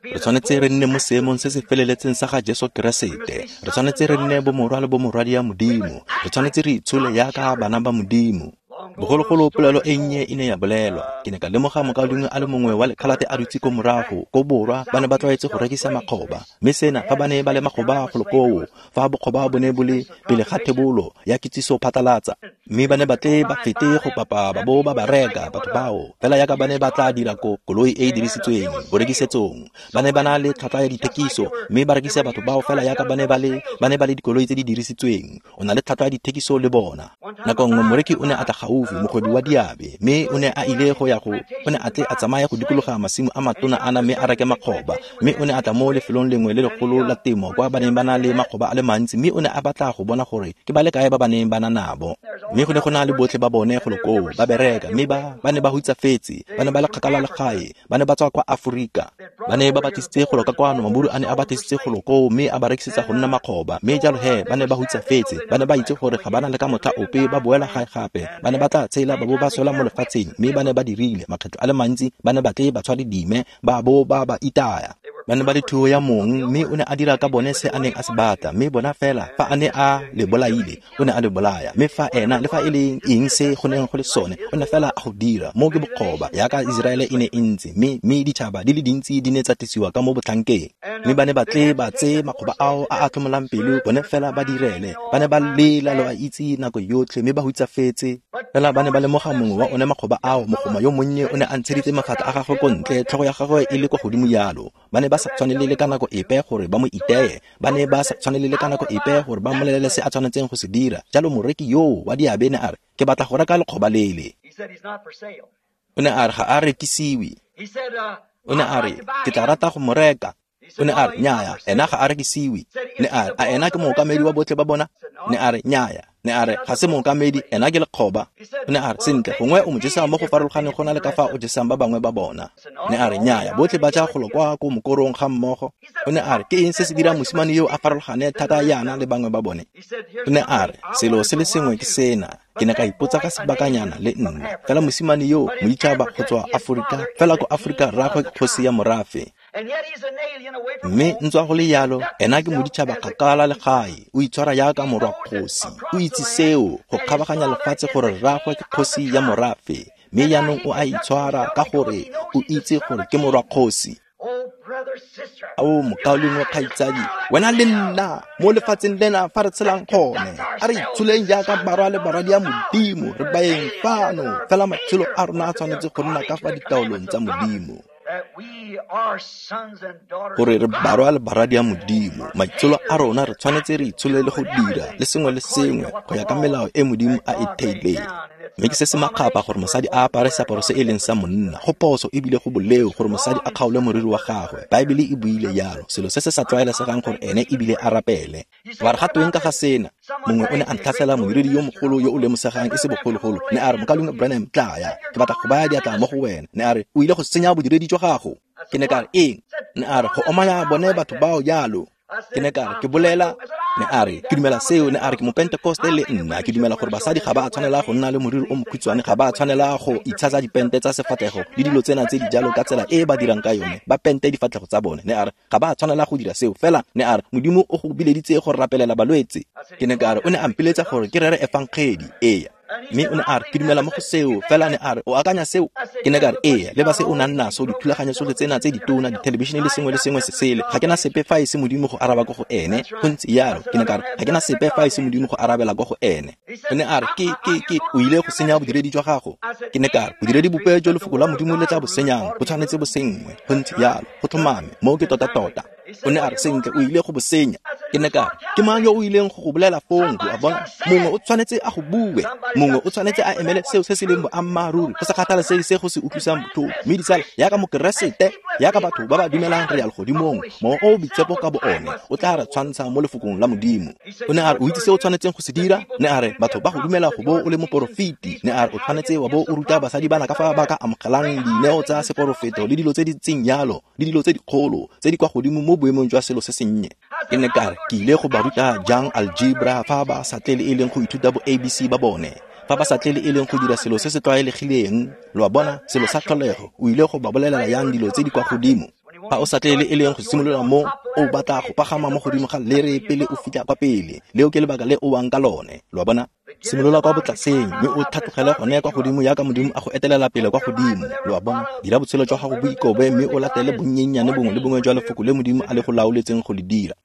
Re tshwanetse re nne mo seemong se se feleletseng sa ga Jesu Keresete. Re tshwanetse re nne bomorwa le bomorwadi ya Modimo. Re tshwanetse re itshole jaaka bana ba Modimo. Bogologolo polelo e nnye e ne ya bolelwa. Ke ne ka lemoga mokaulengwe a le mongwe wa lekhalate a dutse ko morago, ko borwa, ba ne ba tlwaetse go rekisa makgoba. Mme sena fa ba ne ba le makgoba golo koo, fa bokgoba bo ne bo le pele ga thebolo ya kitsiso phatlalatsa, mme ba ne ba tle ba fete go papa ba bo ba ba reka batho bao, fela jaaka ba ne ba tla dira ko koloi e e dirisitsweng borekisetsong. Ba ne ba na le tlhwatlhwa ya dithekiso, mme ba rekisa batho bao fela jaaka ba ne ba le ba ne ba le dikoloi tse di dirisitsweng. O na le tlhwatlhwa ya dithekiso le bona. Nako nngwe moreki o ne a tla gaufi, mogwebi wa diabe, mme o ne a ile go ya go o ne a tle a tsamaye go dikologa masimo a matona ana mme a reke makgoba, mme o ne a tla mo lefelong lengwe le legolo la temo kwa ba neng ba na le makgoba a le mantsi, mme o ne a batla go bona gore ke ba le kae ba ba neng ba na nabo. Mme go ne go na le botlhe ba bone golo koo ba bereka, mme ba ba ne ba hutsafetse, ba ne ba le kgakala le gae, ba ne ba tswa kwa Aforika, ba ne ba batlisitse golo ka kwano, maburu a ne a batlisitse golo koo mme a ba rekisetsa go nna makgoba. Mme jalo he ba ne ba hutsafetse, ba ne ba itse gore ga ba na le ka motlha ope ba boela gae gape, ba ne ba tla tshela ba bo ba swela mo lefatsheng. Mme ba ne ba dirile makgetlo a le mantsi, ba ne ba tle ba tshware dime ba bo ba ba itaya. Ba ne ba le thuo ya mong, mme o ne a dira ka bone se a neng a se batla. Mme bona fela fa a ne a le bolaile, o ne a le bolaya. Mme fa ena le fa e leng eng se go neng go le sone, o ne fela a go dira. Mo ke bokgoba jaaka Iseraele e ne e ntse, mme mme ditšhaba di le dintsi di ne tsa tlisiwa ka mo botlhankeng. Mme ba ne ba tle ba tseye makgoba ao a a tlhomolang pelo, bone fela ba direle. Ba ne ba lela, lo a itse, nako yotlhe, mme ba hutsafetse. Fela ba ne ba lemoga mongwe wa one makgoba ao, mogoma yo monnye o ne a ntsheditse mafatlha a gagwe ko ntle, tlhogo ya gagwe e le kwa godimo jalo. Ba ne ba sa tshwanele le ka nako epe gore ba mo iteye, ba ne ba sa tshwanele le ka nako epe gore ba mmolelele se a tshwanetseng go se dira. Jalo moreki yoo wa diabe ne a re, ke batla go reka lekgoba lele. O ne a re ga a rekisiwe. O ne a re, ke tla rata go mo reka. O ne a re, nnyaya, ena ga a rekisiwe. Ne a re, a ena ke mookamedi wa botlhe ba bona? Ne a re, nnyaya. Ne a re, ga se mookamedi, ena ke lekgoba. O ne a re, sentle, gongwe o mo jesang mo go farologaneng go na le ka fa o jesang ba bangwe ba bona. Ne a re, nnyaya, botlhe ba ja golo kwa ko mokorong ga mmogo. O ne a re, ke eng se se dirang mosimane yo a farologane thata yana le bangwe ba bone? O ne a re, selo se le sengwe ke sena. Ke ne ka ipotsa ka sebakanyana le nna. Fela mosimane yo moditšhaba go tswa Aforika, fela ko Aforika rraagwe ke kgosi ya morafe. Mme ntswa go le yalo, ena ke moditšhaba kgakala le gae, o itshwara jaaka morwa kgosi. O itse seo go kgabaganya lefatshe gore rraagwe ke kgosi ya morafe, mme jaanong o a itshwara ka gore o itse gore ke morwa kgosi. Ao mokaulengwe kgaitsadi, wena le nna mo lefatsheng lena fa re tshelang gone, a re itsholeng jaaka barwa le barwadi ya Modimo, re baeng fano, fela matshelo a rona a tshwanetse go nna ka fa ditaolong tsa Modimo. Gore re barwa le barwadi ya Modimo, maitsholo a rona re tshwanetse re itshole le go dira le sengwe le sengwe go ya ka melao e Modimo a e theileng. Mme ke se se makgapha gore mosadi a apare seaparo se e leng sa monna. Go phoso ebile go boleo gore mosadi a kgaole moriri wa gagwe. Baebele e buile jalo, selo se se sa tlwaelesegang gore ene ebile a rapele. Wa re ga tweng ka ga sena? Mongwe o ne a ntlhatlhela modiredi yo mogolo yo o lemosegang e se bogologolo. Ne a re, Mokaulengwe Branham, tlaya, ke batla go baya diatla mo go wena. Ne a re, o ile go senya bodiredi jwa gago. Ke ne ka re, eng? Ne a re, go omanya bone batho bao jalo. Ke ne ka re, ke bolela. Ne a re, ke dumela seo. Ne a re, ke mopentekoste le nna. Ke dumela gore basadi ga ba a tshwanela go nna le moriri o mokhutshwane, ga ba a tshwanela go itshasa dipente tsa sefatlhego le dilo tsena tse di jalo ka tsela e ba dirang ka yone, ba pente difatlhego tsa bone. Ne a re, ga ba a tshwanela go dira seo. Fela ne a re, Modimo o go bileditse go rapelela balwetse. Ke ne ka re, o ne a mpiletsa gore ke rere efangedi. Eya. Mme o ne a re, ke dumela mo go seo. Fela ne a re, o akanya seo? Ke ne ka re, ee, leba se o nang naso, dithulaganyo tsotlhe tsena tse ditona, dithelebišene le sengwe le sengwe se sele. Ga ke na sepe fa e se Modimo go araba ko go ene. Go ntse jalo. Ke ne ka re, ga ke na sepe fa e se Modimo go arabela ko go ene. O ne a re, ke, ke, ke, o ile go senya bodiredi jwa gago. Ke ne ka re, bodiredi bope jo lefoko la Modimo le tla bo senyang, bo tshwanetse bo senngwe. Go ntse jalo. Go tlhomame. Moo ke tota-tota. O ne a re, sentle, o ile go bo senya. Ke ne ka re, ke mang yo o ileng go go bolela fong? Lo a bona? Mongwe o tshwanetse a go bue. Mongwe o tshwanetse a emele seo se se leng boammaaruri, go sa kgathalesege se go se utlwisang botlhoko. Mme ditsala, jaaka mokeresete, jaaka batho ba ba dumelang re ya legodimong, Mowa o o Boitshepo ka bo one o tla re tshwantsha mo lefokong la Modimo. O ne a re, o itse se o tshwanetseng go se dira? Ne a re, batho ba go dumela go bo o le moporofeti. Ne a re, o tshwanetse wa bo o ruta basadi bana ka fa ba ka amogelang dineo tsa seporofeto le dilo tse di ntseng jalo, le dilo tse dikgolo tse di kwa godimo mo boemong jwa selo se sennye. Ke ne ka re, ke ile go ba ruta jang algebra fa ba sa tle le e leng go ithuta bo A B C ba bone, fa ba sa tle le e leng go dira selo se se tlwaelegileng, lo a bona, selo sa tlholego. O ile go ba bolelela yang dilo tse di kwa godimo fa o sa tle le e leng go simolola mo o batla go pagama mo godimo ga lere pele o fitlha kwa pele. Leo ke lebaka le o wang ka lone, lo a bona. Simolola kwa botlaseng mme o tlhatlogele gone kwa godimo jaaka Modimo a go etelela pele kwa godimo, lo a bona. Dira botshelo jwa gago bo ikobe mme o latele bonnyennyane bongwe le bongwe jwa lefoko le Modimo a le go laoletseng go le dira.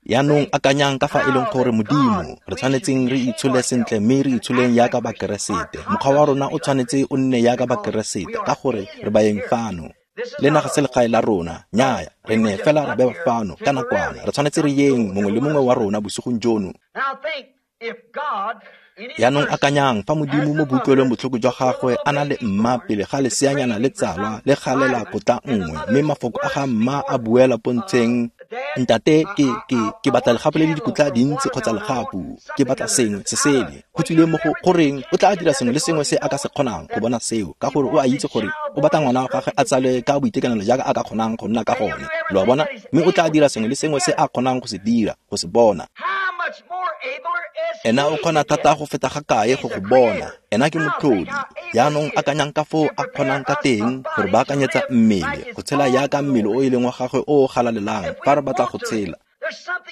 Yaanong akanyang ka fa e leng gore Modimo re tshwanetseng re itshole sentle mme re itsholeng jaaka bakeresete. Mokgwa wa rona o tshwanetse o nne jaaka bakeresete ka gore re baeng fano. Le naga se legae la rona, nnyaya, re ne fela ra bewa fano ka nakwana. Re tshwanetse re yeng mongwe le mongwe wa rona bosigong jono. Yaanong akanyang fa Modimo mo boutlwelong botlhoko jwa gagwe a na le mma pele ga leseanyana le tsalwa le galela kotla nngwe, mme mafoko a ga mma a buela pontsheng, ntate, ke, ke, ke batla legapu le le dikotla dintsi kgotsa legapu, ke batla sengwe se sele. Go tswile mo go goreng o tla dira sengwe le sengwe se a ka se kgonang go bona seo, ka gore o a itse gore o batla ngwana wa gagwe a tsalwe ka boitekanelo jaaka a ka kgonang go nna ka gone, lo a bona. Mme o tla dira sengwe le sengwe se a kgonang go se dira, go se bona. Ena o kgona thata go feta ga kae go go bona. Ena ke motlhodi. Yaanong akanyang ka foo a kgonang ka teng gore baakanyetsa mmele, go tshela jaaka mmele o e leng wa gagwe o o galalelang fa re batla go tshela.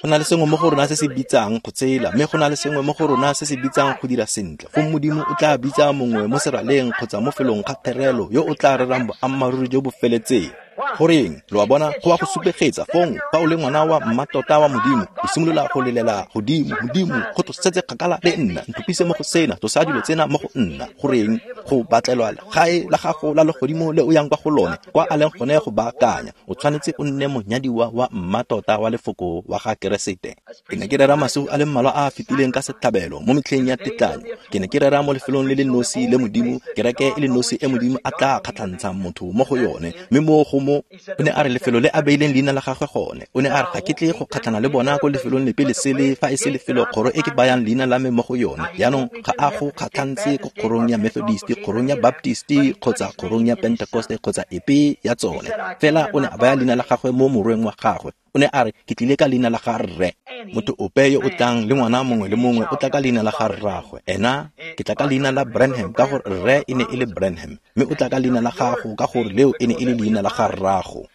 Go na le sengwe mo go rona se se bitsang go tshela, mme go na le sengwe mo go rona se se bitsang go dira sentle. Fong Modimo o tla bitsa mongwe mo seraleng kgotsa mo felong ga therelo yo o tla rerang boammaaruri jo bo feletseng. Goreng, lo a bona, go a go supegetsa fong fa o le ngwana wa mmatota wa Modimo, o simolola go lelela godimo, Modimo, go tlosetse kgakala le nna, nthopise mo go sena, tlosa dilo tsena mo go nna. Goreng, go batlelwa legae la gago la legodimo le o yang kwa go lone, kwa a leng gone go baakanya. O tshwanetse o nne monyadiwa wa mmatota wa lefoko wa ga Keresete. Ke ne ke rera masigo a le mmalwa a a fetileng ka setlhabelo mo metlheng ya tetlanyo. Ke ne ke rera mo lefelong le le nosi le Modimo, kereke e le nosi e Modimo a tla kgatlhantshang motho mo go yone, mme mo go mo o ne a re lefelo le a beileng leina la gagwe gone. O ne a re ga ke tle go kgatlhana le bona ko lefelong lepe le sele fa e se lefelo kgoro e ke bayang leina la me mo go yone. Jaanong ga a go kgatlhantse ko kgorong ya Methodist, kgorong ya Baptist kgotsa kgorong ya Pentecost kgotsa epe ya tsone. Fela o ne a baya leina la gagwe mo morweng wa gagwe. O ne a re ke tlile ka leina la ga rre. Motho ope yo o tlang le ngwana mongwe le mongwe o tla ka leina la ga rraagwe. Ena ke tla ka leina la Branham ka gore rre e ne e le Branham, mme o tla ka leina la gago ka gore leo e ne e le leina la ga rrago.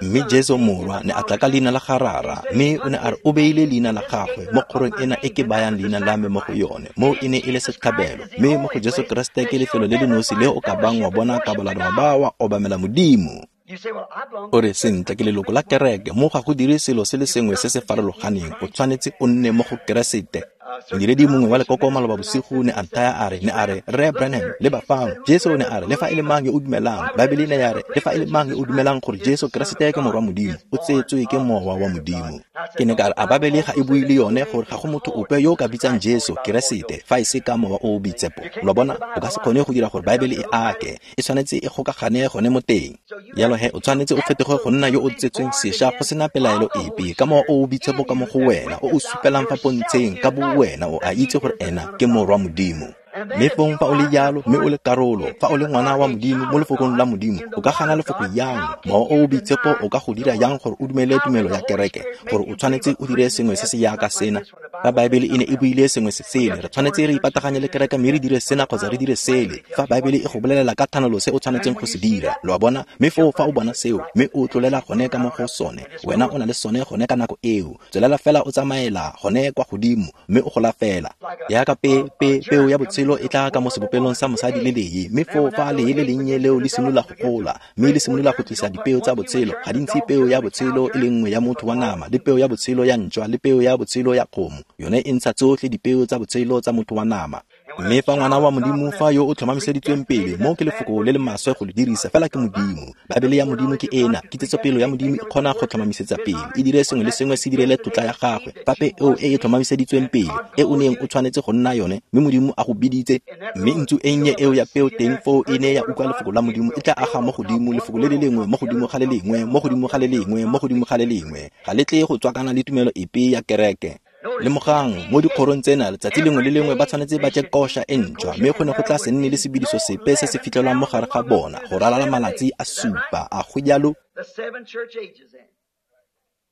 Mme Jesu morwa ne a tla ka leina la ga rara, mme o ne a re o beile leina la gagwe mo kgorong ena e ke bayang leina la me mo go yone. Mo e ne e le setlhabelo, mme mo go Jesu Keresete ke lefelo le le nosi le o ka bang wa bona kabalano wa ba wa obamela Modimo. O re sentle ke leloko la kereke, mo ga go dire selo se le sengwe se se farologaneng. O tshwanetse o nne mo go Keresete. Modiredi mongwe wa lekoko maloba bosigo ne a nthaya a re, ne a re, Rre Branham, leba fano. Jesu ne a re, le fa e le mang yo o dumelang, Baebele ne ya re, le fa e le mang yo o dumelang gore Jesu Keresete ke Morwa Modimo, o tsetswe ke Mowa wa Modimo. Ke ne ka re, a Baebele ga e bue le yone gore ga go motho ope yo o ka bitsang Jesu Keresete fa e se ka Mowa o o Boitshepo. Lo bona, o ka se kgone go dira gore Baebele e ake, e tshwanetse e gokagane gone mo teng. Jalo he, o tshwanetse o fetoge go nna yo o tsetsweng sešwa go sena pelaelo epe ka Mowa o o Boitshepo ka mo go wena, o o supelang fa pontsheng ka bo wena o a itse gore ena ke Morwa Modimo. Mme fong fa o le jalo, mme o le karolo, fa o le ngwana wa Modimo mo lefokong la Modimo, o ka gana lefoko yang? Mowa o o Boitshepo o ka go dira yang gore o dumele tumelo ya kereke, gore o tshwanetse o dire sengwe se se jaaka sena? Fa Baebele e ne e buile sengwe se sele, re tshwanetse re ipataganye le kereke mme re dire sena kgotsa re dire sele. Fa Baebele e go bolelela ka thanolo se o tshwanetseng go se dira, lo a bona? Mme foo fa o bona seo, mme o tlolela gone ka mo go sone, wena o na le sone gone ka nako eo. Tswelela fela o tsamaela gone kwa godimo, mme o gola fela. Jaaka pe, pe, peo ya botshelo e tla ka mo sebopelong sa mosadi le lee, mme foo fa lee le lennye leo le simolola go gola, mme le simolola go tlisa dipeo tsa botshelo, ga di ntshe peo ya botshelo e le nngwe ya motho wa nama, le peo ya botshelo ya ntšwa, le peo ya botshelo ya kgomo. Yone e ntsha tsotlhe dipeo tsa botshelo tsa motho wa nama. Mme fa ngwana wa Modimo, fa yo o tlhomamiseditsweng pele, mo ke lefoko le le maswe go le dirisa, fela ke Modimo. Baebele ya Modimo ke ena, kitsetsopele ya Modimo e kgona go tlhomamisetsa pele, e dire sengwe le sengwe se direle tlotla ya gagwe. Fa peo e e tlhomamiseditsweng pele, e o neng o tshwanetse go nna yone, mme Modimo a go biditse, mme ntsu e nnye eo ya peo teng foo e ne ya utlwa lefoko la Modimo, e tla aga mo godimo lefoko le le lengwe, mo godimo ga le lengwe, mo godimo ga le lengwe, mo godimo ga le lengwe. Ga le tle go tswakana le tumelo epe ya kereke. Lemogang, mo dikgorong tsena, letsatsi lengwe le lengwe ba tshwanetse ba je kosha e ntšhwa, mme go ne go tla se nne le sebediso sepe se se fitlhelwang mo gare ga bona go ralala malatsi a supa. A go jalo?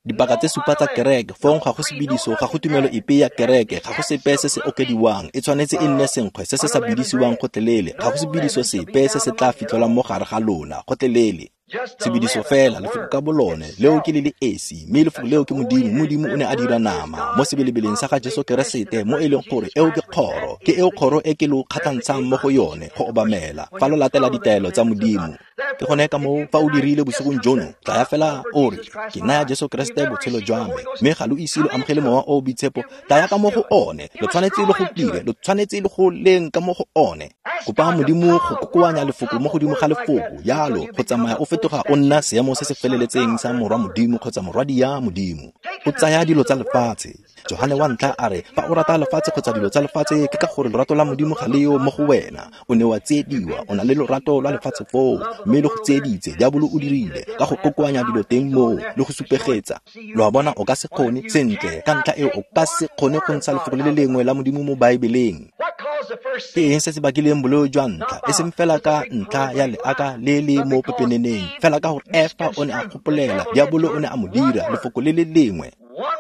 Dipaka tse supa tsa kereke, fong ga go sebediso, ga go tumelo epe ya kereke, ga go sepe se se okediwang, e tshwanetse e nne senkgwe se se sa bedisiwang gotlhelele, ga go sebediso sepe se se tla fitlhelwang mo gare ga lona gotlhelele. Sebediso fela, lefoko ka bolone, leo ke le le esi, mme lefoko leo ke Modimo. Modimo o ne a dira nama mo sebelebeleng sa ga Jesu Keresete, mo e leng gore eo ke kgoro, ke eo kgoro e ke lo kgatlhantshang mo go yone go obamela fa lo latela ditaelo tsa Modimo. Ke gone ka moo fa o dirile bosigong jono, tlaya fela o re, ke naya Jesu Keresete botshelo jwa me, mme ga lo ise lo amogele Mowa o o Boitshepo, tlaya ka mo go one. Lo tshwanetse lo go dire, lo tshwanetse lo go leng ka mo go one. Kopa Modimo go kokoanya lefoko mo godimo ga lefoko, jalo go tsamaya o fetoga o nna seemo se se feleletseng sa Morwa Modimo kgotsa morwadi ya Modimo. O tsaya dilo tsa lefatshe. Johane wa ntlha a re, fa o rata lefatshe kgotsa dilo tsa lefatshe, ke ka gore lorato la Modimo ga le yo mo go wena. O ne wa tsiediwa, o na le lorato lwa lefatshe foo, mme le go tsieditse. Diabolo o dirile ka go kokoanya dilo teng moo le go supegetsa. Lo a bona, o ka se kgone sentle, ka ntlha eo o ka se kgone go ntsha lefoko le le lengwe la Modimo mo Baebeleng. Ke eng se se bakileng boleo jwa ntlha? E seng fela ka ntlha ya leaka le le mo pepeneneng, fela ka gore Efa o ne a gopolela, diabolo o ne a mo dira lefoko le le lengwe.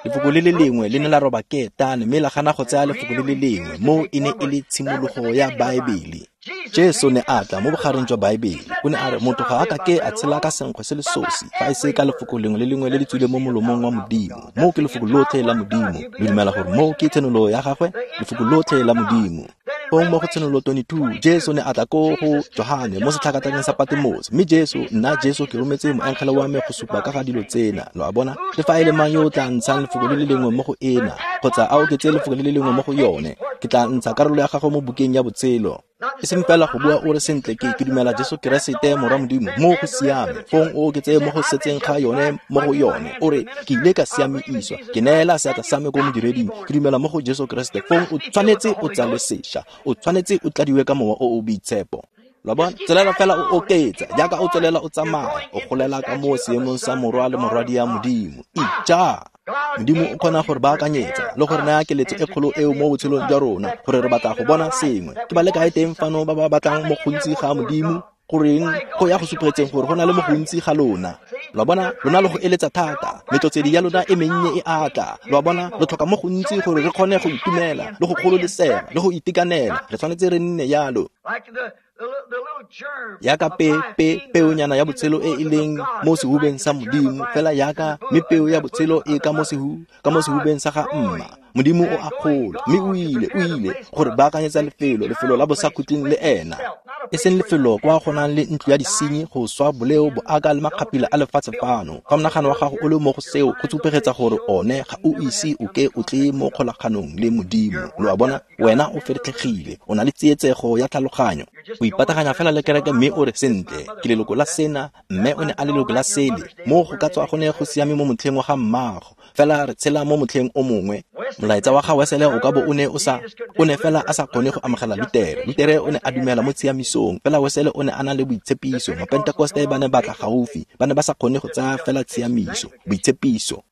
Lefoko le le lengwe le ne la roba ketane, mme la gana go tsaya lefoko le le lengwe. Moo e ne e le tshimologo ya Baebele. Jesu ne a tla mo bogareng jwa Baebele. O ne a re motho ga a ka ke a tshela ka senkgwe se le sosi, fa e se ka lefoko lengwe le lengwe le le tswileng mo molomong wa Modimo. Moo ke lefoko lotlhe la Modimo. Lo dumela gore moo ke tshenolo ya gagwe? Lefoko lotlhe la Modimo. Fong mo go tshenolo twenty-two, Jesu ne a tla ko go Johane mo setlhakatlhakeng sa Patmos. Mme Jesu, nna Jesu ke rometse moengele wa me go supa ka ga dilo tsena. Lo a bona? Le fa e le mang yo o tla ntshang lefoko le le lengwe mo go ena, kgotsa a oketse lefoko le le lengwe mo go yone, ke tla ntsha karolo ya gagwe mo bukeng ya botshelo. E seng fela go bua o re sentle ke ke dumela Jesu Keresete Morwa Modimo, mo go siame. Fong o oketse mo go setseng ga yone mo go yone, o re ke ile ka siamiswa, ke neela seatla sa me ko modireding, ke dumela mo go Jesu Keresete. Fong o tshwanetse o tsalwe sešwa, o tshwanetse o tladiwe ka Mowa o o Boitshepo. Lo bona? Tswelela fela o oketsa, jaaka o tswelela o tsamaya, o golela ka mo seemong sa morwa le morwadi ya Modimo. Ija! Modimo o kgona gore baakanyetsa le gore naya keletso e kgolo eo mo botshelong jwa rona, gore re batla go bona sengwe. Ke ba le kae teng fano ba ba batlang mo gontsi ga Modimo? Goreng go ya go supegetseng gore go na le mo gontsi ga lona. Lo a bona, lona le go eletsa thata, metlotsedi ya lona e mennye e atla. Lo a bona, lo tlhoka mo gontsi gore re kgone go itumela le go gololesega le go itekanela. Re tshwanetse re nne jalo. Yaka pe pe peonyana ya botshelo e e leng mo sehubeng sa Modimo, fela yaka mme peo ya botshelo e ka mo sehu ka mo sehubeng sa ga mma. Modimo o a gola, mme o ile, o ile gore baakanyetsa lefelo, lefelo la bosakhutleng le ena. E seng lefelo kwa go nang le ntlo ya disenyi, go swa, boleo, boaka le makgapila a lefatshe fano. Fa monagano wa gago o le mo go seo, go tsupegetsa gore one ga o ise o ke o tle mo kgolaganong le Modimo. Lo a bona, wena o feretlhegile, o na le tsietsego ya tlhaloganyo. O ipataganya fela le kereke mme o re sentle, ke leloko la sena, mme o ne a leloko la sele. Mo go ka tswa go ne go siame mo motlheng wa ga mmaago, fela re tshela mo motlheng o mongwe. Molaetsa wa ga Wesele o ka bo o ne o sa, o ne fela a sa kgone go amogela Lutere. Lutere o ne a dumela mo tshiamisong, fela Wesele o ne a na le boitshepiso. Mapentekoste ba ne ba tla gaufi, ba ne ba sa kgone go tsaya fela tshiamiso, boitshepiso.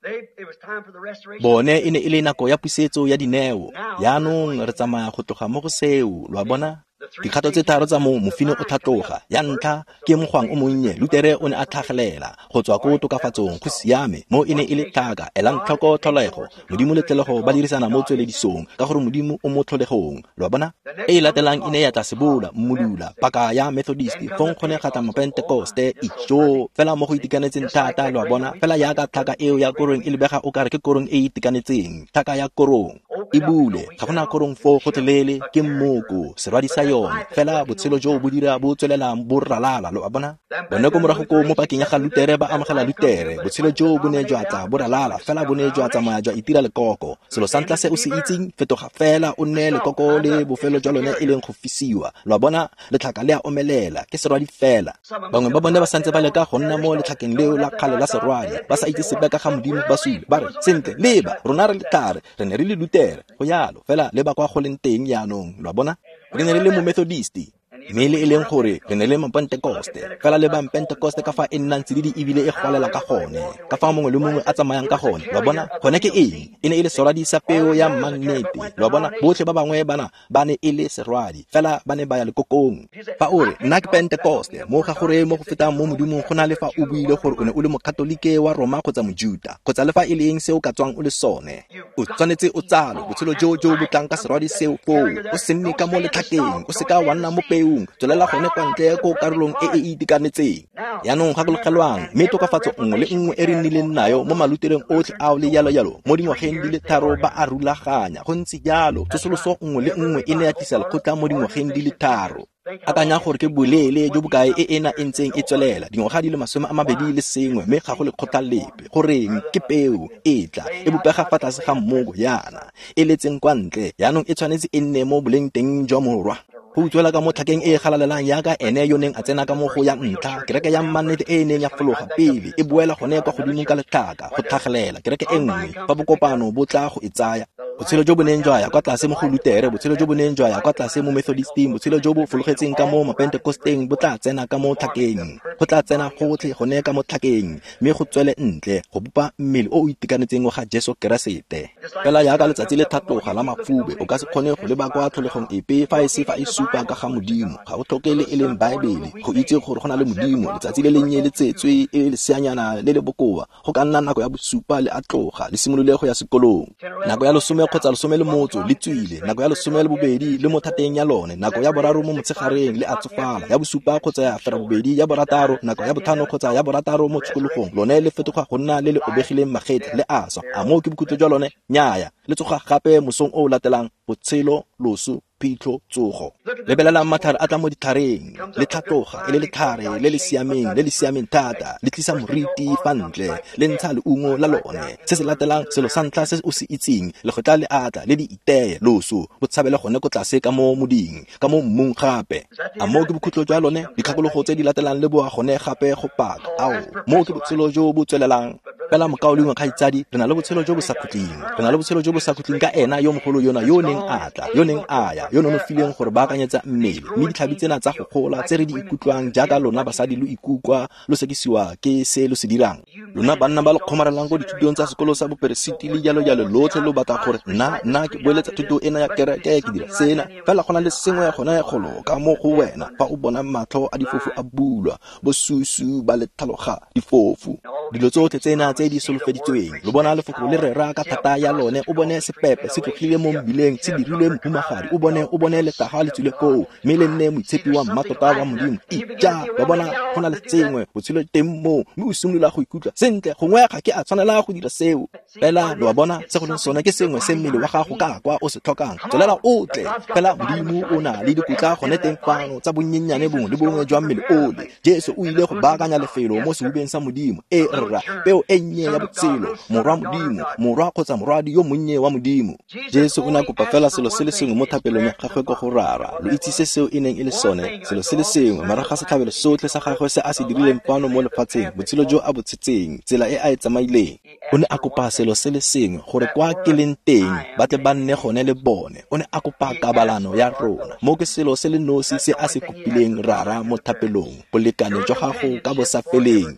Bone e ne e le nako ya pusetso ya dineo. Jaanong re tsamaya go tloga mo go seo, lo a bona? Dikgato tse tharo tsa mo mofine o tlhatloga. Ya ntlha ke mogwang o monnye, Lutere o ne a tlhagelela go tswa ko tokafatsong, go siame, mo e ne e le tlhaka. Elang tlhoko tlholego, Modimo le tlholego ba dirisana mo tsweledisong, ka gore Modimo o mo tlholegong, lo a bona? E e latelang e ne ya tla sebola, mmudula, paka ya Methodist, fong go ne ga tla Mapentekoste, ijo, fela mo go itekanetseng thata, lo a bona? Fela jaaka tlhaka eo ya korong e lebega o kare ke korong e e itekanetseng, tlhaka ya korong e bule, ga gona korong foo gotlhelele, ke mmoko, serwadi sa yone, fela botshelo jo bo dira bo tswelelang bo ralala, lo a bona? Bone ko morago ko mo pakeng ya ga Lutere ba amogela Lutere, botshelo jo bo ne jwa tla bo ralala, fela bo ne jwa tsamaya jwa itira lekoko. Selo sa ntlha se o se itseng, fetoga fela o nne lekoko le bofelo jwa lone e leng go fisiwa, lo a bona? Letlhaka le a omelela, ke serwadi fela. Bangwe ba bone ba santse ba leka go nna mo letlhakeng leo la kgale la serwadi, ba sa itse sepe ka ga Modimo, ba sule, ba re sentle, leba, rona re letlhare, re ne re le Lutere, go yalo, fela leba kwa go leng teng jaanong, lo a bona? Re ne re le mo Methodist, mme le e leng gore re ne le Mapentekoste, fela le Bampentekoste ka fa e nnang tsididi ebile e golela ka gone, ka fa mongwe le mongwe a tsamayang ka gone, lo a bona? Gone ke eng? E ne e le serwadi sa peo ya mannete, lo a bona? Botlhe ba bangwe bana ba ne e le serwadi, fela ba ne ba ya lekokong. Fa o re nna ke Pentekoste, mo ga gore mo go fetang mo Modimong go na le fa o buile gore o ne o le Mokatolike wa Roma kgotsa Mojuta, kgotsa le fa e le eng se o ka tswang o le sone. O tshwanetse o tsalwe botshelo jo jo bo tlang ka serwadi seo foo, o se nne ka mo letlhakeng, o seka wa nna mo peong, tswelela gone kwa ntle ko karolong e e itekanetseng. Jaanong gakologelwang, mme tokafatso nngwe le nngwe e re nnileng nayo mo malutereng otlhe ao le jalo jalo mo dingwageng di le tharo ba a rulaganya, go ntse jalo. Tsosoloso nngwe le nngwe e ne ya tlisa lekgotla mo dingwageng di le tharo. Akanya gore ke boleele jo bokae e ena e ntseng e tswelela, dingwaga di le masome a mabedi le sengwe, mme ga go lekgotla lepe. Goreng? Ke peo e tla e bopega fa tlase ga mmoko yana, e letseng kwa ntle, jaanong e tshwanetse e nne mo boleng teng jwa morwa. Go utswela ka mo tlhakeng e e galalelang jaaka ene yo neng a tsena ka mo go ya ntlha, kereke ya mannete e e neng ya fologa pele, e boela gone kwa godimo ka letlhaka, go tlhagelela kereke e nngwe fa bokopano bo tla go e tsaya. Botshelo jo bo neng jwa ya kwa tlase mo go Lutere, botshelo jo bo neng jwa ya kwa tlase mo Methodisteng, botshelo jo bo fologetseng ka mo Mapentekosteng bo tla tsena ka mo tlhakeng, go tla tsena gotlhe gone ka mo tlhakeng, mme go tswele ntle go bopa mmele o o itekanetseng wa ga Jesu Keresete. Fela jaaka letsatsi le tlhatloga la mafube, o ka se kgone go leba kwa tlholegong epe fa e se fa e supa ka ga Modimo. Ga o tlhoke le e leng Baebele go itse gore go na le Modimo. Letsatsi le lennye le tsetswe e le leseanyana le le bokoa, go ka nna nako ya bosupa le a tloga, le simolole go ya sekolong. Nako ya lesome kgotsa lesome le motso le tswile, nako ya lesome le bobedi le mo thateng ya lone, nako ya boraro mo motshegareng le a tsofala, ya bosupa kgotsa ya ferabobedi, ya borataro, nako ya botlhano kgotsa ya borataro mo tshokologong, lone le fetoga go nna le le obegileng magetla, le a swa. A moo ke bokhutlo jwa lone? Nnyaya, le tsoga gape mosong o o latelang, botshelo, loso, phitlho, tsogo. Lebelelang matlhare a tla mo ditlhareng, le tlhatloga e le letlhare le le siameng, le le siameng thata, le tlisa moriti fa ntle, le ntsha leungo la lone. Se se latelang, selo sa ntlha se o se itseng, legotla le atla le di iteye, loso, bo tshabele gone ko tlase ka mo moding, ka mo mmung gape. A moo ke bokhutlo jwa lone? Dikgakologo tse di latelang le boa gone gape go paka. Ao, moo ke botshelo jo bo tswelelang. Fela mokaulengwe kgaitsadi, re na le botshelo jo bo sa khutleng. Re na le botshelo jo bo sa khutleng ka ena yo mogolo yona yo neng a tla, yo neng a ya, yo nonofileng gore baakanyetsa mmele. Mme ditlhabi tsena tsa go gola tse re di ikutlwang jaaka lona basadi lo ikutlwa lo sekisiwa ke se lo se dirang. Lona banna ba lo kgomarelang ko dithutong tsa sekolo sa boperesiti le jalo jalo, lotlhe lo batla gore nna nna ke boeletsa thuto ena ya kereke, ke dira sena. Fela go na le sengwe gone golo ka mo go wena fa o bona matlho a difofu a bulwa, bosusu ba le tlhaloga difofu. Dilo tsotlhe tsena tse di solofeditsweng, lo bona lefoko le rera ka thata ya lone, o bone sepepe se tlogile mo mbileng se dirilwe mohumagadi, o bone o bone letaga le tswile koo, mme le nne moitshepi wa mmatota wa Modimo. Ija, wa bona go na le sengwe botshelo teng moo, mme o simolola go ikutlwa sentle, gongwe ga ke a tshwanela go dira seo. Fela lo a bona se go leng sone ke sengwe se mmele wa gago ka kwa o se tlhokang. Tswelela o tle, fela Modimo o na le dikotla gone teng fano tsa bonnyennyane bongwe le bongwe jwa mmele ole. Jesu o ile go baakanya lefelo mo sehubeng sa Modimo. E rra, peo e nnye ya botshelo, morwa Modimo, morwa kgotsa morwadi yo monnye wa Modimo. Jesu o ne a kopa fela selo se le sengwe mo thapelong ya gagwe ko go Rara. Lo itse se seo e neng e le sone, selo se le sengwe, morago ga setlhabelo sotlhe sa gagwe se a se dirileng fano mo lefatsheng, botshelo jo a bo tshetseng, tsela e a e tsamaileng. O ne a kopa selo se le sengwe, gore kwa ke leng teng ba tle ba nne gone le bone. O ne a kopa kabalano ya rona. Mo ke selo se le nosi se a se kopileng Rara mo thapelong, bolekane jwa gago ka bosafeleng.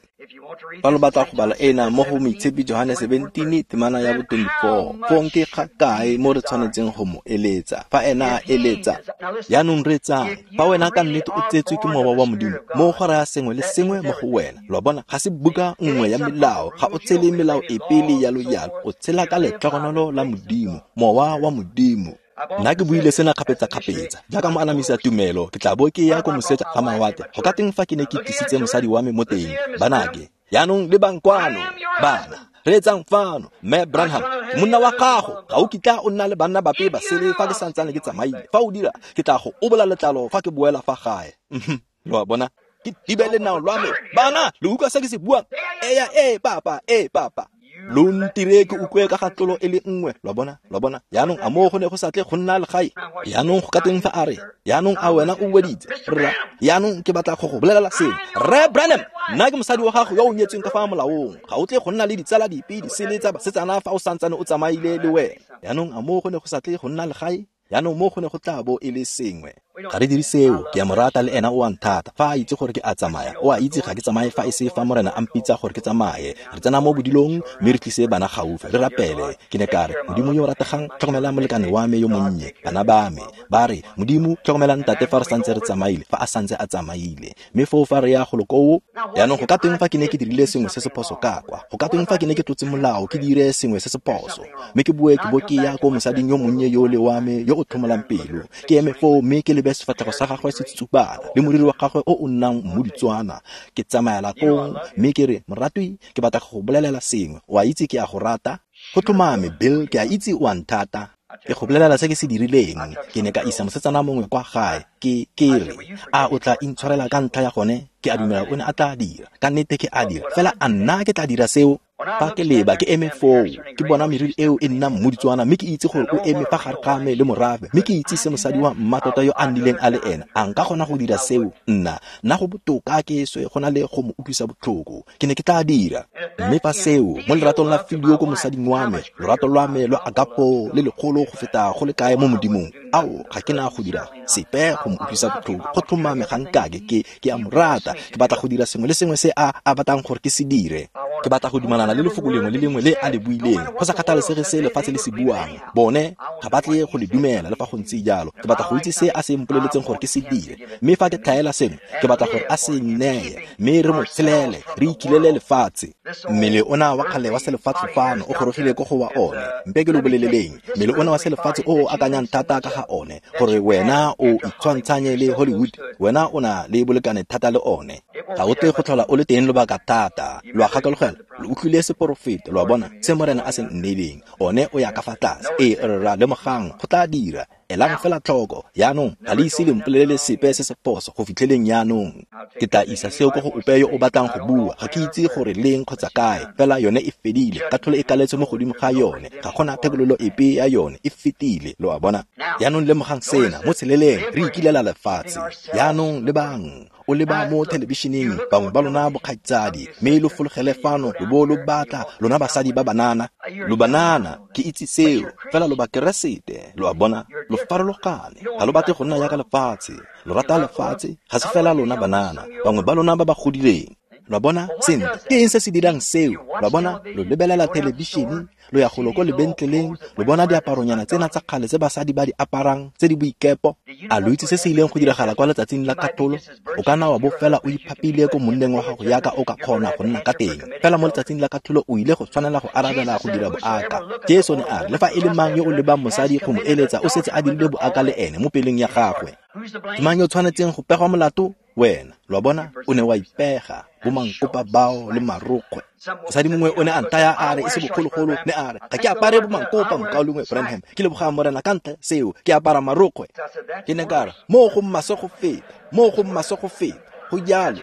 Fa lo batla go bala ena mo go Moitshepi Johane seventeen temana ya bo twenty-four, fong ke ga kae mo re tshwanetseng go mo eletsa? Fa ena a eletsa, jaanong reetsang, fa wena ka nnete o tsetswe ke mowa wa Modimo, mo go raya sengwe le sengwe mo go wena. Lo a bona, ga se buka nngwe ya melao, ga o tshele melao epe le yalo yalo, o tshela ka letlhogonolo la Modimo, mowa wa Modimo. Nna ke buile sena kgapetsa-kgapetsa, jaaka mo anamisa tumelo, ke tla bo ke ya ko moseja ga mawatle. Go ka teng fa ke ne ke tlisitse mosadi wa me mo teng, banake, jaanong lebang kwano, bana, reetsang fano, Mme Branham, ke monna wa gago, ga o kitla o nna le banna bape ba sele fa ke santsane ke tsamaile. Fa o dira, ke tla go obola letlalo fa ke boela fa gae. Lo a bona, ke thibe lenao lwa me. Bana, lo utlwa se ke se buang? Eya, ee, papa, ee, papa. Lo ntire ke utlwe ka ga tlolo e le nngwe. Lo a bona, lo a bona. Jaanong a moo go ne go sa tle go nna legae? Jaanong go ka teng fa a re, jaanong a wena o weditse? Rra, jaanong ke batla go go bolelela sengwe. Rre Branham, nna ke mosadi wa gago yo o nyetsweng ka fa molaong. Ga o tle go nna le ditsala dipe di sele tsa basetsana fa o santsane o tsamaile le wena. Jaanong a moo go ne go sa tle go nna legae? Jaanong mo go ne go tla bo e le sengwe. Ga re dire seo, ke a mo rata le ena o a nthata. Fa a itse gore ke a tsamaya, o a itse ga ke tsamaye fa e se fa Morena a mpitsa gore ke tsamaye. Re tsena mo bodilong mme re tlise bana gaufi, re rapele. Ke ne ka re, Modimo yo o rategang, tlhokomela molekane wa me yo monnye, bana ba me. Ba re, Modimo, tlhokomela ntate fa re santse re tsamaile, fa a santse a tsamaile. Mme foo fa re ya golo koo, jaanong go ka teng fa ke ne ke dirile sengwe se se phoso ka kwa? Go ka teng fa ke ne ke tlotse molao, ke dire sengwe se se phoso? Mme ke boe ke bo ke ya ko mosading yo monnye yo le wa me yo o tlhomolang pelo. Ke eme foo mme ke lebe sefatlhego sa gagwe se tsubana le moriri wa gagwe o o nnang mmoditswana. Ke tsamaela kong mme ke re, moratwi, ke batla go go bolelela sengwe. O a itse ke a go rata. Go tlhomame, Bill, ke a itse o a nthata. Ke go bolelela se ke se dirileng. Ke ne ka isa mosetsana mongwe kwa gae. Ke ke re, a o tla intshwarela ka ntlha ya gone? Ke a dumela o ne a tla dira. Ka nnete ke a dira. Fela a nna ke tla dira seo? Fa ke leba ke eme foo, ke bona meriri eo e nna mmoditswana, mme ke itse gore o eme fa gare ga me le morafe, mme ke itse se mosadi wa mmatota yo a nnileng a le ena. A nka kgona go dira seo? Nna, nna go botoka ke swe go na le go mo utlwisa botlhoko. Ke ne ke tla dira. Mme fa seo, mo leratong la filio ko mosading wa me, lorato lwa me lwa agapo le legolo go feta go le kae mo Modimong, ao, ga ke na go dira sepe go mo utlwisa botlhoko. Go tlhomame ga nkake, ke ke a mo rata. Ke batla go dira sengwe le sengwe se a a batlang gore ke se dire. Ke batla go dumalana le lefoko lengwe le lengwe le a le buileng, go sa kgathalesege se lefatshe le se buang. Bone ga ba tle go le dumela le fa go ntse jalo. Ke batla go itse se a se mpoleletseng gore ke se dire, mme fa ke tlhaela sengwe, ke batla gore a se nneye, mme re mo tshelele, re ikilele lefatshe. Mmele ona wa kgale wa selefatshe fano o gorogile ko go wa one. Mpe ke lo boleleleng, mmele ona wa selefatshe o o akanyang thata ka ga one, gore wena o itshwantshanye le Hollywood, wena o na le bolekane thata le one. Ga o tle go tlhola o le teng lobaka thata. Lo a gakologelwa, lo utlwile seporofeto, lo a bona se Morena a se nneileng. One o ya ka fa tlase. Ee, rra, lemogang, go tla dira. Elang fela tlhoko. Jaanong ga le ise le mpolelele sepe se se phoso go fitlheleng jaanong. Ke tla isa seo ko go ope yo o batlang go bua. Ga ke itse gore leng kgotsa kae, fela yone e fedile. Katlholo e kaletse mo godimo ga yone. Ga gona thekololo epe ya yone, e fetile. Lo a bona? Jaanong lemogang sena, mo tsheleleng re ikilela lefatshe. Jaanong lebang, o leba mo thelebišeneng, bangwe ba lona bokgaitsadi, mme lo fologele fano lo bo lo batla lona basadi ba banana. Lo banana, ke itse seo, fela lo bakeresete. Lo a bona? Lo farologane. Ga lo batle go nna jaaka lefatshe. Lo rata lefatshe, ga se fela lona banana, bangwe ba lona ba ba godileng. Lo a bona? Sentle, ke eng se se dirang seo? Lo a bona? Lo lebelela thelebišene, lo ya golo ko lebentleleng, lo bona diaparonyana tsena tsa kgale tse basadi ba di aparang tse di boikepo. A lo itse se se ileng go diragala kwa letsatsing la katlholo? O ka nna wa bo fela o iphapile ko monneng wa gago yaka o ka kgona go nna ka teng, fela mo letsatsing la katlholo o ile go tshwanela go arabela go dira boaka. Jesu ne a re, le fa e le mang yo o lebang mosadi go mo eletsa, o setse a dirile boaka le ene mo pelong ya gagwe. Ke mang yo o tshwanetseng go pegwa molato? Wena. Lo a bona? O ne wa ipega, bo mankopa bao le marokgwe. Mosadi mongwe o ne a nthaya a re e se bogologolo, ne a re, ga ke apare bo mankopa, mokaulengwe Branham, ke leboga Morena ka ntlha seo, ke apara marokgwe. Ke ne ka re, moo go maswe go feta, moo go maswe go feta. Go jalo.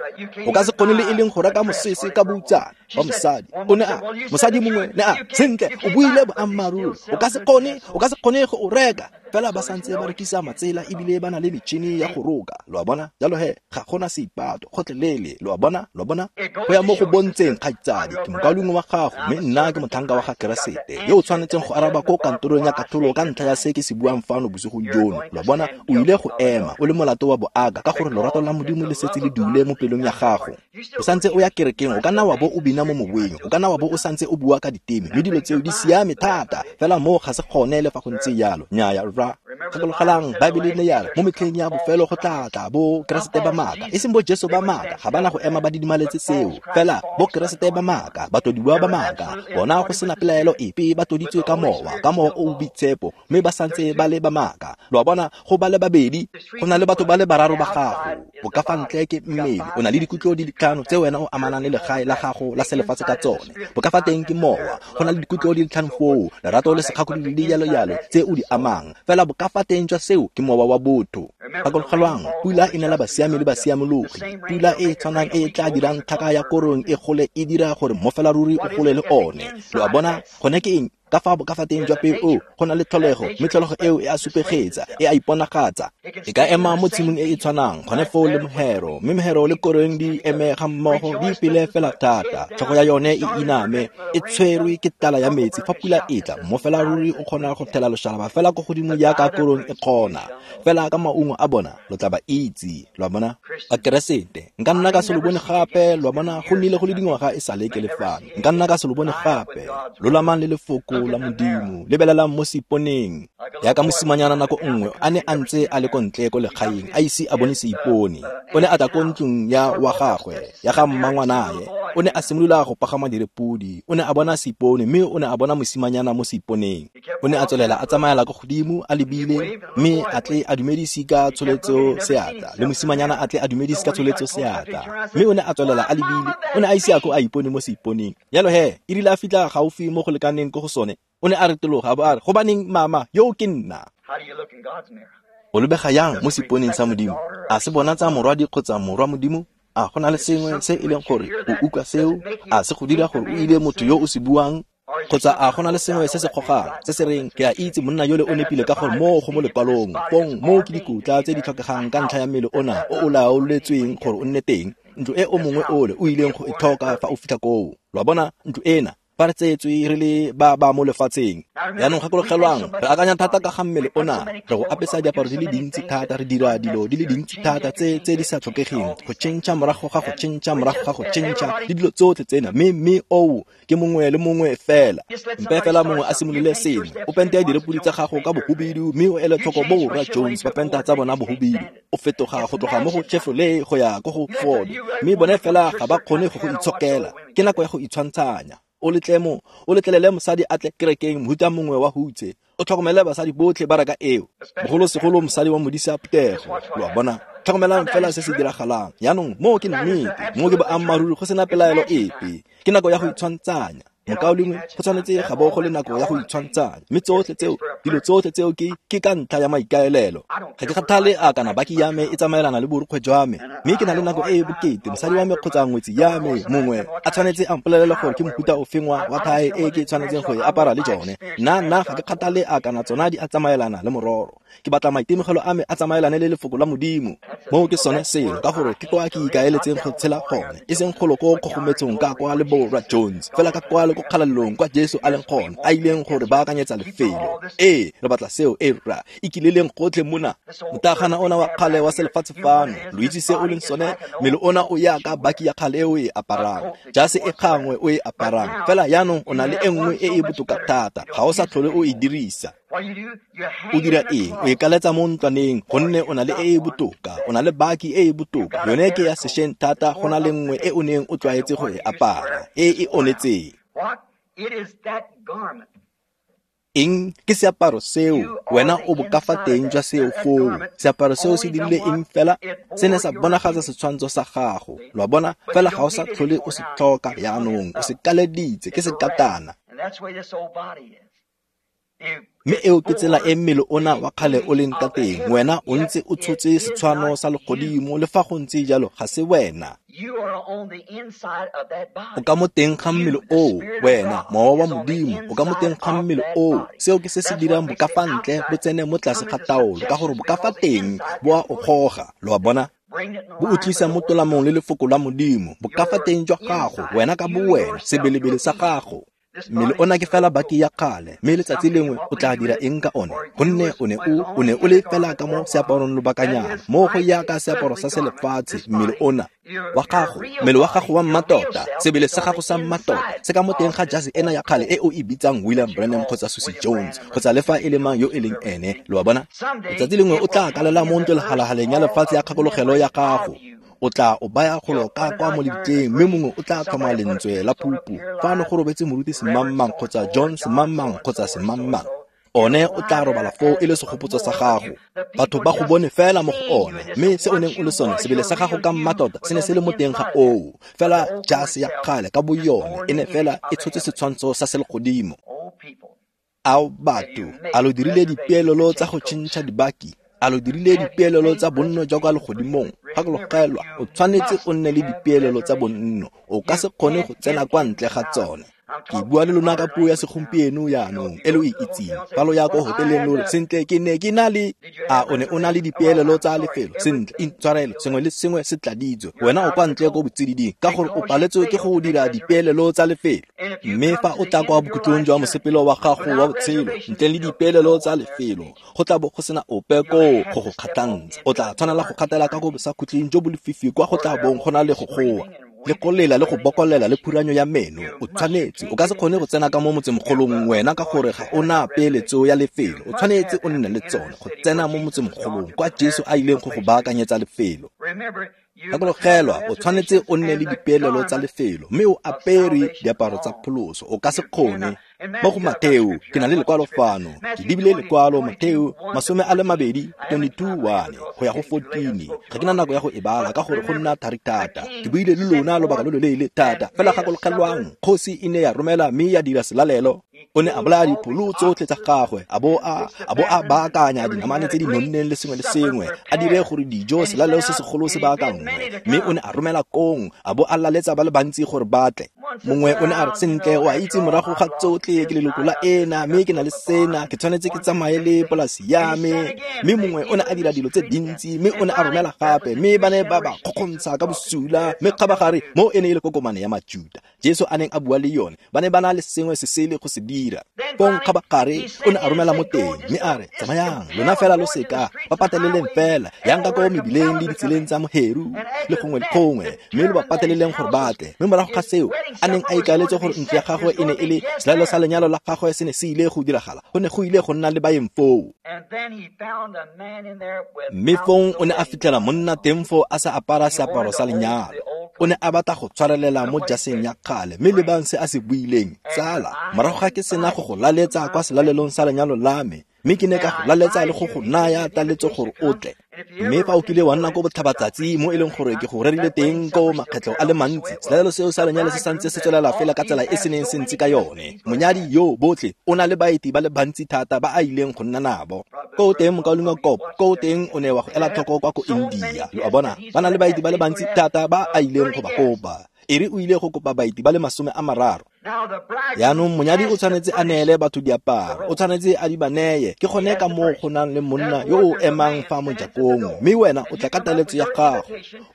O ka se kgone le e leng go reka mosese ka boutsana wa mosadi. O ne a, mosadi mongwe ne a, sentle, o buile boammaaruri. O ka se kgone, o ka se kgone go o reka. Fela ba santse ba rekisa matsela ebile ba na le metšhini ya go roka. Lo a bona? Jalo he, ga gona seipato, gotlhelele. Lo a bona? Lo a bona? Go ya mo go bontsheng, kgaitsadi, ke mokaulengwe wa gago, mme nna ke motlhanka wa ga Keresete yo o tshwanetseng go araba ko kantorong ya katlholo ka ntlha ya se ke se buang fano bosigong jono. Lo a bona? O ile go ema o le molato wa boaka ka gore lorato la Modimo le setse le dule mo pelong ya gago. O santse o ya kerekeng, o ka nna wa bo o bina mo moweng, o ka nna wa bo o santse o bua ka diteme, mme dilo tseo di siame thata, fela moo ga se gone le fa go ntse jalo. Nnyaya, rra. Gakologelang, Baebele ne ya re mo metlheng ya bofelo go tla tla bo Keresete ba maaka, e seng bo Jesu ba maaka, ga bana go ema ba didimaletse seo, fela bo Keresete ba maaka, batlodiwa ba maaka, bona go sena pelaelo epe ba tloditswe ka mowa, ka mowa o o boitshepo, mme ba santse ba le ba maaka. Lo a bona? Go ba le babedi, go na le batho ba le bararo ba gago. Boka fa ntle ke mmele, o na le dikutlo di le tlhano tse wena o amanang le legae la gago la selefatshe ka tsone. Boka fa teng ke mowa, go na le dikutlo di le tlhano foo, lerato le sekgakolodi le jalo jalo tse o di amang, fela boka fa teng jwa seo ke mowa wa botho. Gakologelwang, pula e nela basiami le basiamologi. Pula e e tshwanang e e tla dirang tlhaka ya korong e gole e dira gore mmofela ruri o gole le one. Lo a bona? Gone ke eng? Ka fa boka fa teng jwa peo o, go na le tlholego, mme tlholego eo e a supegetsa, e a iponagatsa. E ka ema mo tshimong e e tshwanang, gone foo le mohero, mme mohero le korong di eme ga mmogo, di ipele fela thata. Tlhogo ya yone e iname, e tshwerwe ke tlala ya metsi. Fa pula e tla, mmofela ruri o kgona go thela loshalaba fela ko godimo jaaka korong e kgona. Fela ka maungo a bona, lo tla ba itse. Lo a bona? Bakeresete, nka nna ka se lo bone gape. Lo a bona? Go nnile go le dingwaga e sale ke le fano. Nka nna ka se lo bone gape. Lolamang le lefoko la Modimo, lebelelang mo seiponeng. Yaka mosimanyana nako nngwe a ne a ntse a le ko ntle ko legaeng, a ise a bone seipone. O ne a tla ko ntlong ya wa gagwe, ya ga mmangwanae. O ne a simolola go pagama direpodi. O ne a bona seipone, mme o ne a bona mosimanyana mo seiponeng. O ne a tswelela a tsamaela ko godimo a lebile, mme a tle a dumedise ka tsholetso seatla, le mosimanyana a tle a dumedise ka tsholetso seatla. Mme o ne a tswelela a lebile, o ne a ise a ko a ipone mo seiponeng. Jalo he, e rile a fitlha gaufi mo go lekaneng ko go sone, o ne a retologa a bo a re, gobaneng mama, yo ke nna. O lebega yang mo seiponeng sa Modimo? A se bona tsa morwadi kgotsa morwa Modimo? A go na le sengwe se e leng gore o utlwa seo? A se go dira gore o ile motho yo o se buang? Kgotsa a go na le sengwe se se gogang, se se reng, ke a itse monna yole o nepile ka gore moo go mo lekwalong, fong moo ke dikotla tse di tlhokegang ka ntlha ya mmele ona o o laoletsweng gore o nne teng, ntlo e o mongwe ole o ileng go e tlhoka fa o fitlha koo. Lo a bona? Ntlo ena, fa re tseetswe re le ba ba mo lefatsheng. Jaanong gakologelwang, re akanya thata ka ga mmele ona, re go apesa diaparo di le dintsi thata, re dira dilo di le dintsi thata tse tse di sa tlhokegeng, go tšhentšha morago ga go tšhentšha morago ga go tšhentšha, le dilo tsotlhe tsena, mme mme oo ke mongwe le mongwe fela. Mpe fela mongwe a simolole sengwe, o pente direpodi tsa gago ka bohubidu, mme o ele tlhoko bo rra Jones ba penta tsa bona bohubidu. O fetoga go tloga mo go Chevrolet go ya ko go Ford, mme bone fela ga ba kgone go go itshokela. Ke nako ya go itshwantshanya. O letlemo, o letlelele mosadi a tle kerekeng mohuta mongwe wa hutse. O tlhokomele basadi botlhe ba reka eo, bogolosegolo mosadi wa modisa phuthego. Lo a bona? Tlhokomelang fela se se diragalang. Jaanong moo ke nnete, moo ke boammaaruri go sena pelaelo epe. Ke nako ya go itshwantshanya. Mokaulengwe, go tshwanetse ga bo go le nako ya go itshwantshanya. Mme tsotlhe tseo, dilo tsotlhe tseo ke ke ka ntlha ya maikaelelo. Ga ke kgathale a kana baki ya me e tsamaelana le borukgwe jwa me, mme ke na le nako e e bokete. Mosadi wa me kgotsa ngwetsi ya me mongwe a tshwanetse a mpolelele gore ke mofuta ofeng wa wa thae e ke tshwanetseng go e apara le jone. Nna nna ga ke kgathale a kana tsona di a tsamaelana le mororo. Ke batla maitemogelo a me a tsamaelane le lefoko la Modimo. Moo ke sone selo, ka gore ke kwa ke ikaeletseng go tshela gone, e seng golo ko kgogometsong ka kwa le borra Jones, fela ka kwa le ko kgalalelong kwa Jesu a leng gone, a ileng gore baakanyetsa lefelo. Ee, re batla seo, e rra, ikileleng gotlhe mona. Motagana ona wa kgale wa selefatshe fano, lo itse se o leng sone, mmele ona o ya ka baki ya kgale e o e aparang, jase e gangwe o e aparang, fela jaanong o na le e nngwe e e botoka thata, ga o sa tlhole o e dirisa. O dira eng? O e kaletsa mo ntlwaneng, gonne o na le e e botoka, o na le baki e e botoka. Yone ke ya sešweng thata go na le nngwe e o neng o tlwaetse go e apara, e e onetseng. Eng ke seaparo seo? Wena o bokafateng jwa seo foo. Seaparo seo se dirile eng fela? Se ne sa bonagatsa setshwantsho sa gago. Lo a bona? Fela ga o sa tlhole o se tlhoka jaanong, o se kaleditse, ke sekatana. Mme eo ke tsela e mmele ona wa kgale o leng ka teng. Wena o ntse o tshotse setshwano sa legodimo, le fa go ntse jalo ga se wena. O ka mo teng ga mmele oo, wena, mowa wa Modimo, o ka mo teng ga mmele oo. Seo ke se se dirang bokafa ntle bo tsene mo tlase ga taolo, ka gore bokafa teng bo a o goga. Lo a bona? Bo o tlisa mo tolamong le lefoko la Modimo, bokafa teng jwa gago, wena ka bowena, sebelebele sa gago. Mmele ona ke fela baki ya kgale, mme letsatsi lengwe o tla dira eng ka one? Gonne o ne o o ne o le fela ka mo seaparong lobakanyana, mo go yaka seaparo sa selefatshe. Mmele ona wa gago, mmele wa gago wa mmatota, sebele sa gago sa mmatota, se ka mo teng ga jase ena ya kgale e o e bitsang William Branham kgotsa Susie Jones kgotsa le fa e le mang yo e leng ene. Lo a bona? Letsatsi lengwe o tla kalela mo ntlo-lehalahaleng ya lefatshe ya kgakologelo ya gago. O tla o baya golo ka kwa mo lebitleng, mme mongwe o tla tlhoma lentswe la phupu. Fano go robetse moruti semangmang kgotsa John semangmang kgotsa semangmang. One o tla robala foo e le segopotso sa gago. Batho ba go bone fela mo go one, mme se o neng o le sone, sebele sa gago ka mmatota, se ne se le mo teng ga oo. Fela jase ya kgale ka boyone e ne fela e tshotse setshwantsho sa selegodimo. Ao batho, a lo dirile dipeelelo tsa go tšhentšha dibaki? A lo dirile dipeelelo tsa bonno jwa kwa legodimong? Gakologelwa, o tshwanetse o nne le dipeelelo tsa bonno. O ka se kgone go tsena kwa ntle ga tsone. Ke bua le lona ka puo ya segompieno jaanong e lo e itseng. Fa lo ya ko hoteleng lo re, sentle ke ne ke na le. A o ne o na le dipeelelo tsa lefelo? Sentle, intshwarelo, sengwe le sengwe se tladitswe. Wena o kwa ntle ko botsididing ka gore o paletswe ke go dira dipeelelo tsa lefelo. Mme fa o tla kwa bokhutlong jwa mosepelo wa gago wa botshelo ntle le dipeelelo tsa lefelo, go tla bo go sena ope koo go go kgatlhantsha. O tla tshwanela go kgatela ka go bosakhutleng jo bo lefifi kwa go tla bong go na le go goa, le go lela le go bokolela le phuranyo ya meno. O tshwanetse, o ka se kgone go tsena ka mo motsemogolong wena ka gore ga o na peeletso ya lefelo. O tshwanetse o nne le tsone go tsena mo motsemogolong kwa Jesu a ileng go go baakanyetsa lefelo. Gakologelwa, o tshwanetse o nne le dipeelelo tsa lefelo, mme o apere diaparo tsa pholoso. O ka se kgone. Mo go Mateo, ke na le lekwalo fano. Ke lebile lekwalo Mateo masome a le mabedi twenty-two one go ya go fourteen. Ga ke na nako ya go e bala ka gore go nna thari thata. Ke buile le lona lobaka lo loleele thata. Fela gakologelwang, kgosi e ne ya romela mme ya dira selalelo. O ne a bolaya dipholo tsotlhe tsa gagwe, a bo a a bo a baakanya dinamane tse di nonneng le sengwe le sengwe, a dire gore dijo selalelo se segolo se baakanngwe. Mme o ne a romela kong, a bo a laletsa ba le bantsi gore ba tle. Mongwe o ne a re, sentle, o a itse morago ga tsotlhe ke leloko la ena, mme ke na le sena, ke tshwanetse ke tsamaye le polasi ya me. Mme mongwe o ne a dira dilo tse dintsi, mme o ne a romela gape, mme ba ne ba ba kgokgontsha ka bosula. Mme kgabagare mo e ne e le kokomane ya Majuda Jesu a neng a bua le yone, ba ne ba na le sengwe se sele go se dira. Fong kgabagare o ne a romela mo teng, mme a re, tsamayang lona fela lo seka, ba pateleleng fela, yang ka ko mebileng le ditseleng tsa moheru le gongwe le gongwe, mme lo ba pateleleng gore ba tle. Mme morago ga seo, a neng a ikaeletse gore ntlo ya gagwe e ne e le selalelo sa lenyalo la gagwe se ne se ile go diragala, go ne go ile go nna le baeng foo. Mme fong o ne a fitlhela monna teng foo a sa apara seaparo sa lenyalo. O ne a batla go tshwarelela mo jaseng ya kgale, mme lebang se a se buileng, tsala, morago ga ke sena go go laletsa kwa selalelong sa lenyalo la me, mme ke ne ka go laletsa le go go naya taletso gore o tle. Mme fa o kile wa nna ko botlhabatsatsi mo e leng gore ke go rerile teng ko makgetlho a le mantsi, selalelo seo sa lenyalo se santse se tswelela fela ka tsela e se neng se ntse ka yone. Monyadi yo botlhe o na le baeti ba le bantsi thata ba a ileng go nna nabo. Ko teng mokaulengwe Kop, ko teng o ne wa go ela tlhoko kwa ko India. Lo a bona, ba na le baeti ba le bantsi thata ba a ileng go ba kopa. E re o ile go kopa baeti ba le masome a mararo. Jaanong monyadi o tshwanetse a neele batho diaparo, o tshwanetse a di ba neye. Ke gone ka moo go nang le monna yo o emang fa mojakong, mme wena o tla ka taletso ya gago,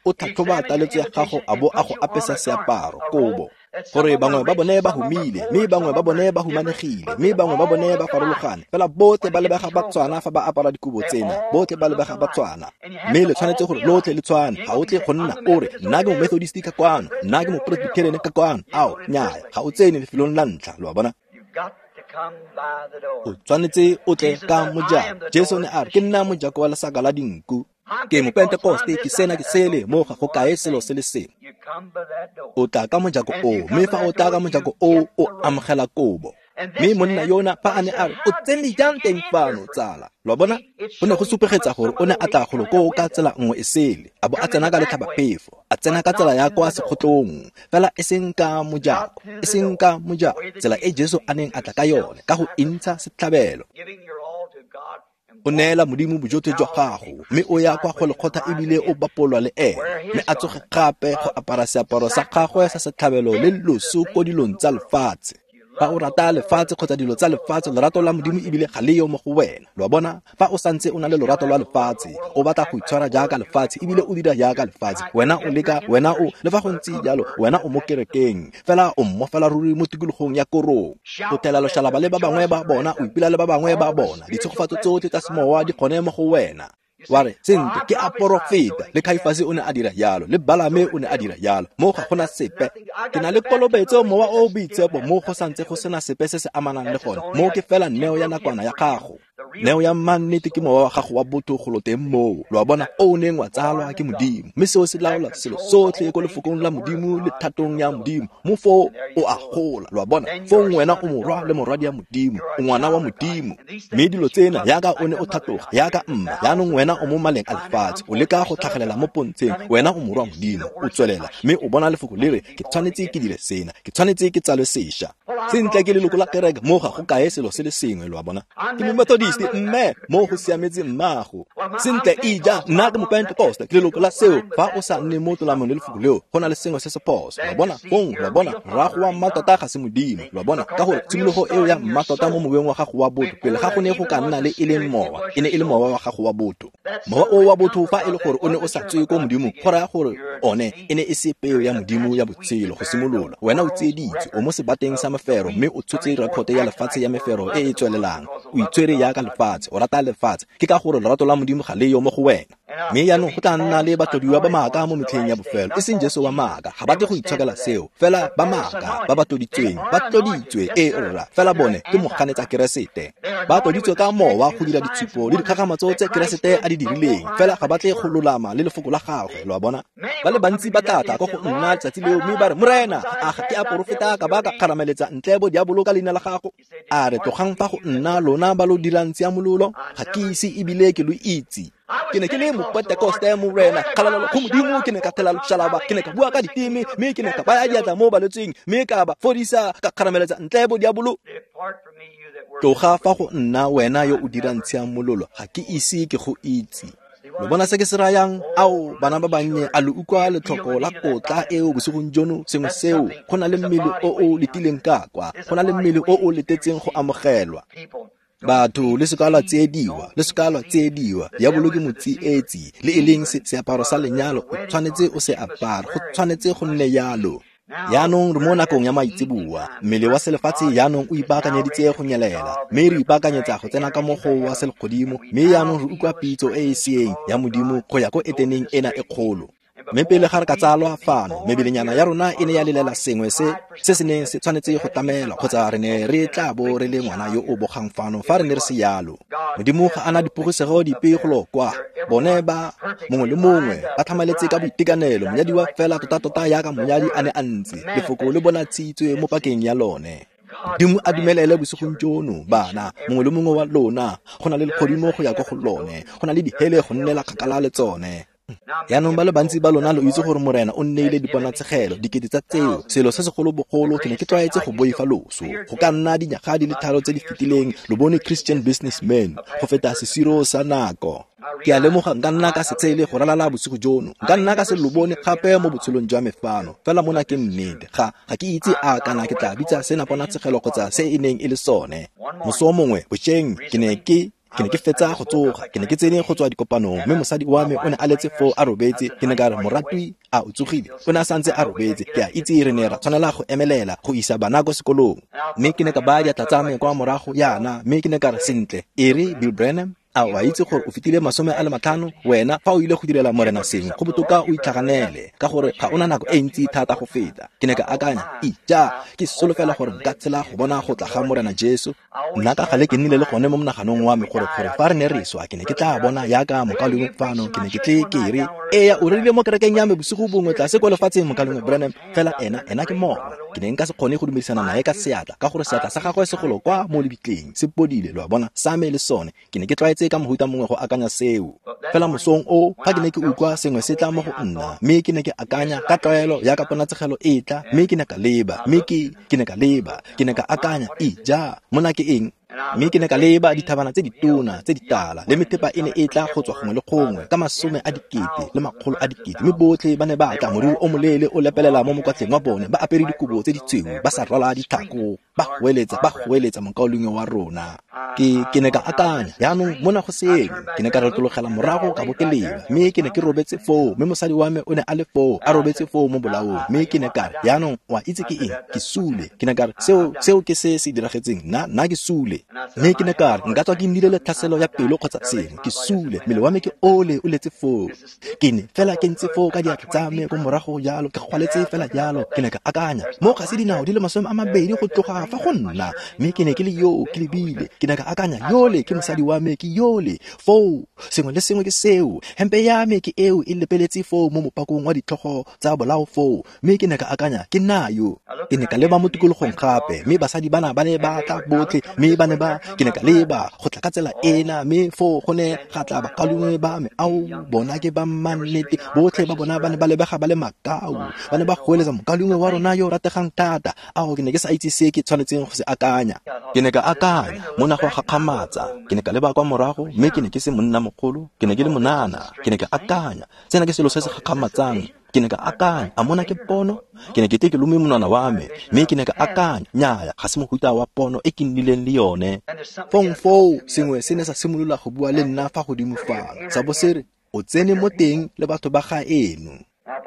o tlhatlhoba taletso ya gago a bo a go apesa seaparo, kobo. Gore bangwe ba bone ba humile, mme bangwe ba bone ba humanegile, mme bangwe ba bone ba farologane. Fela botlhe ba lebega ba tshwana fa ba apara dikobo tsena, botlhe ba lebega ba tshwana. Mme le tshwanetse gore lotlhe le tshwane, ga o tle go nna o re nna ke mo-Methodist ka kwano, nna ke mo-Presbyterian ka kwano. Ao, nnyaya, ga o tsene lefelong la ntlha, lo a bona. O tshwanetse o tle ka mojako. Jesu ne a re, ke nna mojako wa lesaka la dinku. Ke mo-Pentekoste, ke sena ke sele, mo ga go kae selo se le sengwe. O tla ka mojako oo, mme fa o tla ka mojako oo, o amogela kobo. Mme monna yona fa a ne a re, o tsene jang teng fano, tsala? Lo a bona? Go ne go supegetsa gore o ne a tla golo koo ka tsela nngwe e sele, a bo a tsena ka letlhabaphefo, a tsena ka tsela ya kwa sekgotlong, fela e seng ka mojako, e seng ka mojako, tsela e Jesu a neng a tla ka yone, ka go intsha setlhabelo. O neela Modimo bojotlhe jwa gago, mme o ya kwa go lekgotla ebile o bapolwa le ene, mme a tsoge gape go apara seaparo sa gagwe sa setlhabelo le loso ko dilong tsa lefatshe. Fa o rata lefatshe kgotsa dilo tsa lefatshe, lorato la Modimo ebile ga le yo mo go wena. Lo a bona? Fa o santse o na le lorato lwa lefatshe, o batla go itshwara jaaka lefatshe ebile o dira jaaka lefatshe, wena o leka, wena o, le fa go ntse jalo, wena o mo kerekeng, fela o mmofela ruri mo tikologong ya korong. O thela loshalaba le ba bangwe ba bona, o ipela le ba bangwe ba bona, ditshegofatso tsotlhe tsa semowa di gone mo go wena. Wa re, sentle, ke a porofeta. Le Kaifase o ne a dira jalo, le Balame o ne a dira jalo. Mo ga gona sepe. Ke na le kolobetso, mowa o o boitshepo, mo go santse go sena sepe se se amanang le gone. Mo ke fela neo ya nakwana ya gago. Neo ya mannete ke mowa wa gago wa botho golo teng moo. Lo a bona, o neng wa tsalwa ke Modimo. Mme seo se laola selo sotlhe ko lefokong la Modimo le thatong ya Modimo. Mo foo o a gola, lo a bona. Fong wena o morwa le morwadi ya Modimo, o ngwana wa Modimo. Mme dilo tsena yaka o ne o tlhatloga, yaka mma, jaanong wena o mo maleng a lefatshe, o leka go tlhagelela mo pontsheng, wena o morwa Modimo, o tswelela, mme o bona lefoko le re, ke tshwanetse ke dire sena, ke tshwanetse ke tsalwe sešwa. Sentle ke leloko la kereke, mo ga go kae selo se le sengwe, lo a bona. Ke mo-Methodist, mme mo go siametse mmago. Sentle ija, nna ke mo-Pentecost, ke leloko la seo. Fa o sa nne mo tolamong le lefoko leo, go na le sengwe se se phoso. Lo a bona? Fong, lo a bona, rrago wa mmatota ga se Modimo, lo a bona, ka gore tshimologo eo ya mmatota mo moweng wa gago wa botho, pele ga go ne go ka nna le e leng mowa, e ne e le mowa wa gago wa botho. Mowa o wa botho fa e le gore o ne o sa tswe ko Modimo, go raya gore one e ne e se peo ya Modimo ya botshelo go simolola. Wena o tsieditswe, o mo sebateng sa mefero, mme o tshotse rekote ya lefatshe ya mefero e e tswelelang. O itshwere jaaka lefatshe, o rata lefatshe, ke ka gore lorato la Modimo ga le yo mo go wena. Mme jaanong go tla nna le batlodiwa ba maaka mo metlheng ya bofelo, e seng Jesu wa maaka, ga ba tle go itshokela seo, fela ba maaka ba ba tloditsweng, ba tloditswe, ee rra, fela bone ke moganetsa Keresete. Ba tloditswe ka mowa go dira ditshupo le dikgakgamatso tse Keresete a di dirileng, fela ga ba tle go lolama le lefoko la gagwe, lo a bona. Ba le bantsi ba tla tla ko go nna letsatsi leo, mme ba re, Morena, a ga ke a porofeta ka ba ka kgarameletsa ntle bo diabolo ka leina la gago? A re, tlogang fa go nna lona ba lo dirang tshiamololo, ga ke ise ebile ke lo itse. Ke ne ke le mo-Pentekoste, Morena, kgalalelo go Modimo, ke ne ka thela loshalaba, ke ne ka bua ka diteme, mme ke ne ka baya diatla mo balwetseng, mme ka ba fodisa, ka kgarameletsa ntle bo diabolo. Tloga fa go nna wena yo o dirang tshiamololo, ga ke ise ke go itse. Lo bona se ke se rayang? Ao, bana ba bannye, a lo utlwa letlhoko la kotla eo bosigong jono? Sengwe seo, go na le mmele o o letileng ka kwa, go na le mmele o o letetseng go amogelwa. Batho, le seka lwa tsiediwa, le seka lwa tsiediwa. Diabolo ke motsietsi, le e leng seaparo sa lenyalo, o tshwanetse o se apare, go tshwanetse go nne jalo. Jaanong re mo nakong ya maitseboa, mmele wa selefatshe jaanong o ipaakanyeditse go nyelela, mme re ipaakanyetsa go tsena ka mo go wa selegodimo, mme jaanong re utlwa pitso e e seeng ya Modimo go ya ko eteneng ena e kgolo. Mme pele ga re ka tsalwa fano, mebelenyana ya rona e ne ya lelela sengwe se se se neng se tshwanetse go tlamelwa, kgotsa re ne re tla bo re le ngwana yo o bogang fano fa re ne re se yalo. Modimo ga ana dipogisego dipe golo kwa. Bone ba mongwe le mongwe ba tlhamaletse ka boitekanelo, monyadiwa fela tota-tota jaaka monyadi a ne a ntse, lefoko le bonatshitswe mo pakeng ya lone. Modimo a dumelele bosigong jono, bana, mongwe le mongwe wa lona, go na le legodimo go ya ko go lone, go na le dihele go nnela kgakala le tsone. Jaanong ba le bantsi ba lona lo itse gore Morena o nneile diponatshegelo, dikete tsa tseo, selo se segolobogolo, ke ne ke tlwaetse go boifa loso. Go ka nna dinyaga di le tharo tse di fetileng, lo bone Christian Businessman, go feta sesiro sa nako. Ke a lemoga nka nna ka se tshele go ralala bosigo jono, nka nna ka se lo bone gape mo botshelong jwa me fano, fela mona ke nnete. Ga ga ke itse a kana ke tla bitsa sena ponatshegelo kgotsa se e neng e le sone. Moso mongwe bošeng ke ne ke ke ne ke fetsa go tsoga, ke ne ke tsene go tswa dikopanong, mme mosadi wa me o ne a letse foo a robetse. Ke ne ka re, moratwi, a o tsogile? O ne a santse a robetse. Ke a itse re ne ra tshwanela go emelela go isa bana ko sekolong. Mme ke ne ka baya diatla tsa me kwa morago yana, mme ke ne ka re, sentle, e re Bill Branham, a o a itse gore o fetile masome a le matlhano? Wena fa o ile go direla morena sengwe, go botoka o itlhaganele, ka gore ga ona nako e ntsi thata go feta. Ke ne ka akanya, ija, ke solofela gore nka tshela go bona go tla ga morena Jesu. Nna ka gale ke nnile le gone mo monaganong wa me gore gore fa re ne re swa, ke ne ke tla bona yaka mokaulengwe fano, ke ne ke tle ke re, eya, o rerile mo kerekeng ya me bosigo bongwe tlase kwa lefatsheng, mokaulengwe Branham, fela ena ena ke morwa. Ke ne nka se kgone go dumedisana nae ka seatla, ka gore seatla sa gagwe se golo kwa mo lebitleng, se podile, lo a bona, sa me le sone. Ke ne ke tlwaetse ka mohuta mongwe go akanya seo. Fela mosong o, fa ke ne ke utlwa sengwe se tla mo go nna, mme ke ne ke akanya ka tlwaelo ya ka ponatshegelo e tla, mme ke ne ka leba, mme ke ke ne ka leba, ke ne ka akanya, ija, mona ke eng? Mme ke ne ka leba dithabana tse ditona tse ditala, le methepa e ne e tla go tswa gongwe le gongwe ka masome a dikete le makgolo a dikete, mme botlhe ba ne ba tla moriri o moleele o lepelela mo mokwatleng wa bone, ba apere dikobo tse ditshweu, ba sa rwala ditlhako, ba goeletsa, ba goeletsa mokaulengwe wa rona. Ke ke ne ka akanya, jaanong mona go sengwe. Ke ne ka retologela morago ka bo ke leba, mme ke ne ke robetse foo, mme mosadi wa me o ne a le foo, a robetse foo mo bolaong. Mme ke ne ka re, jaanong o a itse ke eng? Ke sule. Ke ne ka re, seo seo ke se se diragetseng, nna nna ke sule. Mme ke ne ka re, nka tswa ke nnile le tlhaselo ya pelo kgotsa sengwe, ke sule, mmele wa me ke ole o letse foo. Ke ne fela ke ntse foo ka diatla tsa me ko morago jalo, ke gwaletse fela jalo. Ke ne ka akanya, mo ga se dinao di le masome a mabedi go tloga fa go nna, mme ke ne ke le yo ke lebile. Ke ne ka akanya, yole ke mosadi wa me, ke yole foo, sengwe le sengwe ke seo, hempe ya me ke eo e lepeletse foo mo mopakong wa ditlhogo tsa bolao foo. Mme ke ne ka akanya, ke nna yo. Ke ne ka leba mo tikologong gape, mme basadi bana ba ne ba tla botlhe, mme ba ne ba, ke ne ka leba go tla ka tsela ena, mme foo go ne ga tla bakaulengwe ba me, ao bona ke ba mannete, botlhe ba bona ba ne ba lebega ba le makau, ba ne ba goeletsa mokaulengwe wa rona yo rategang thata. Ao, ke ne ke sa itse se ke tshwanetseng go se akanya. Ke ne ka akanya, mona go gakgamatsa. Ke ne ka leba kwa morago, mme ke ne ke se monna mogolo, ke ne ke le monana. Ke ne ka akanya, sena ke selo se se gakgamatsang. Ke ne ka akanya, a mona ke pono? Ke ne ke tle ke lome monwana wa me, mme ke ne ka akanya, nnyaya, ga se mohuta wa pono e ke nnileng le yone. Fong foo sengwe se ne sa simolola go bua le nna fa godimo fano, sa bo se re, o tsene mo teng le batho ba gaeno.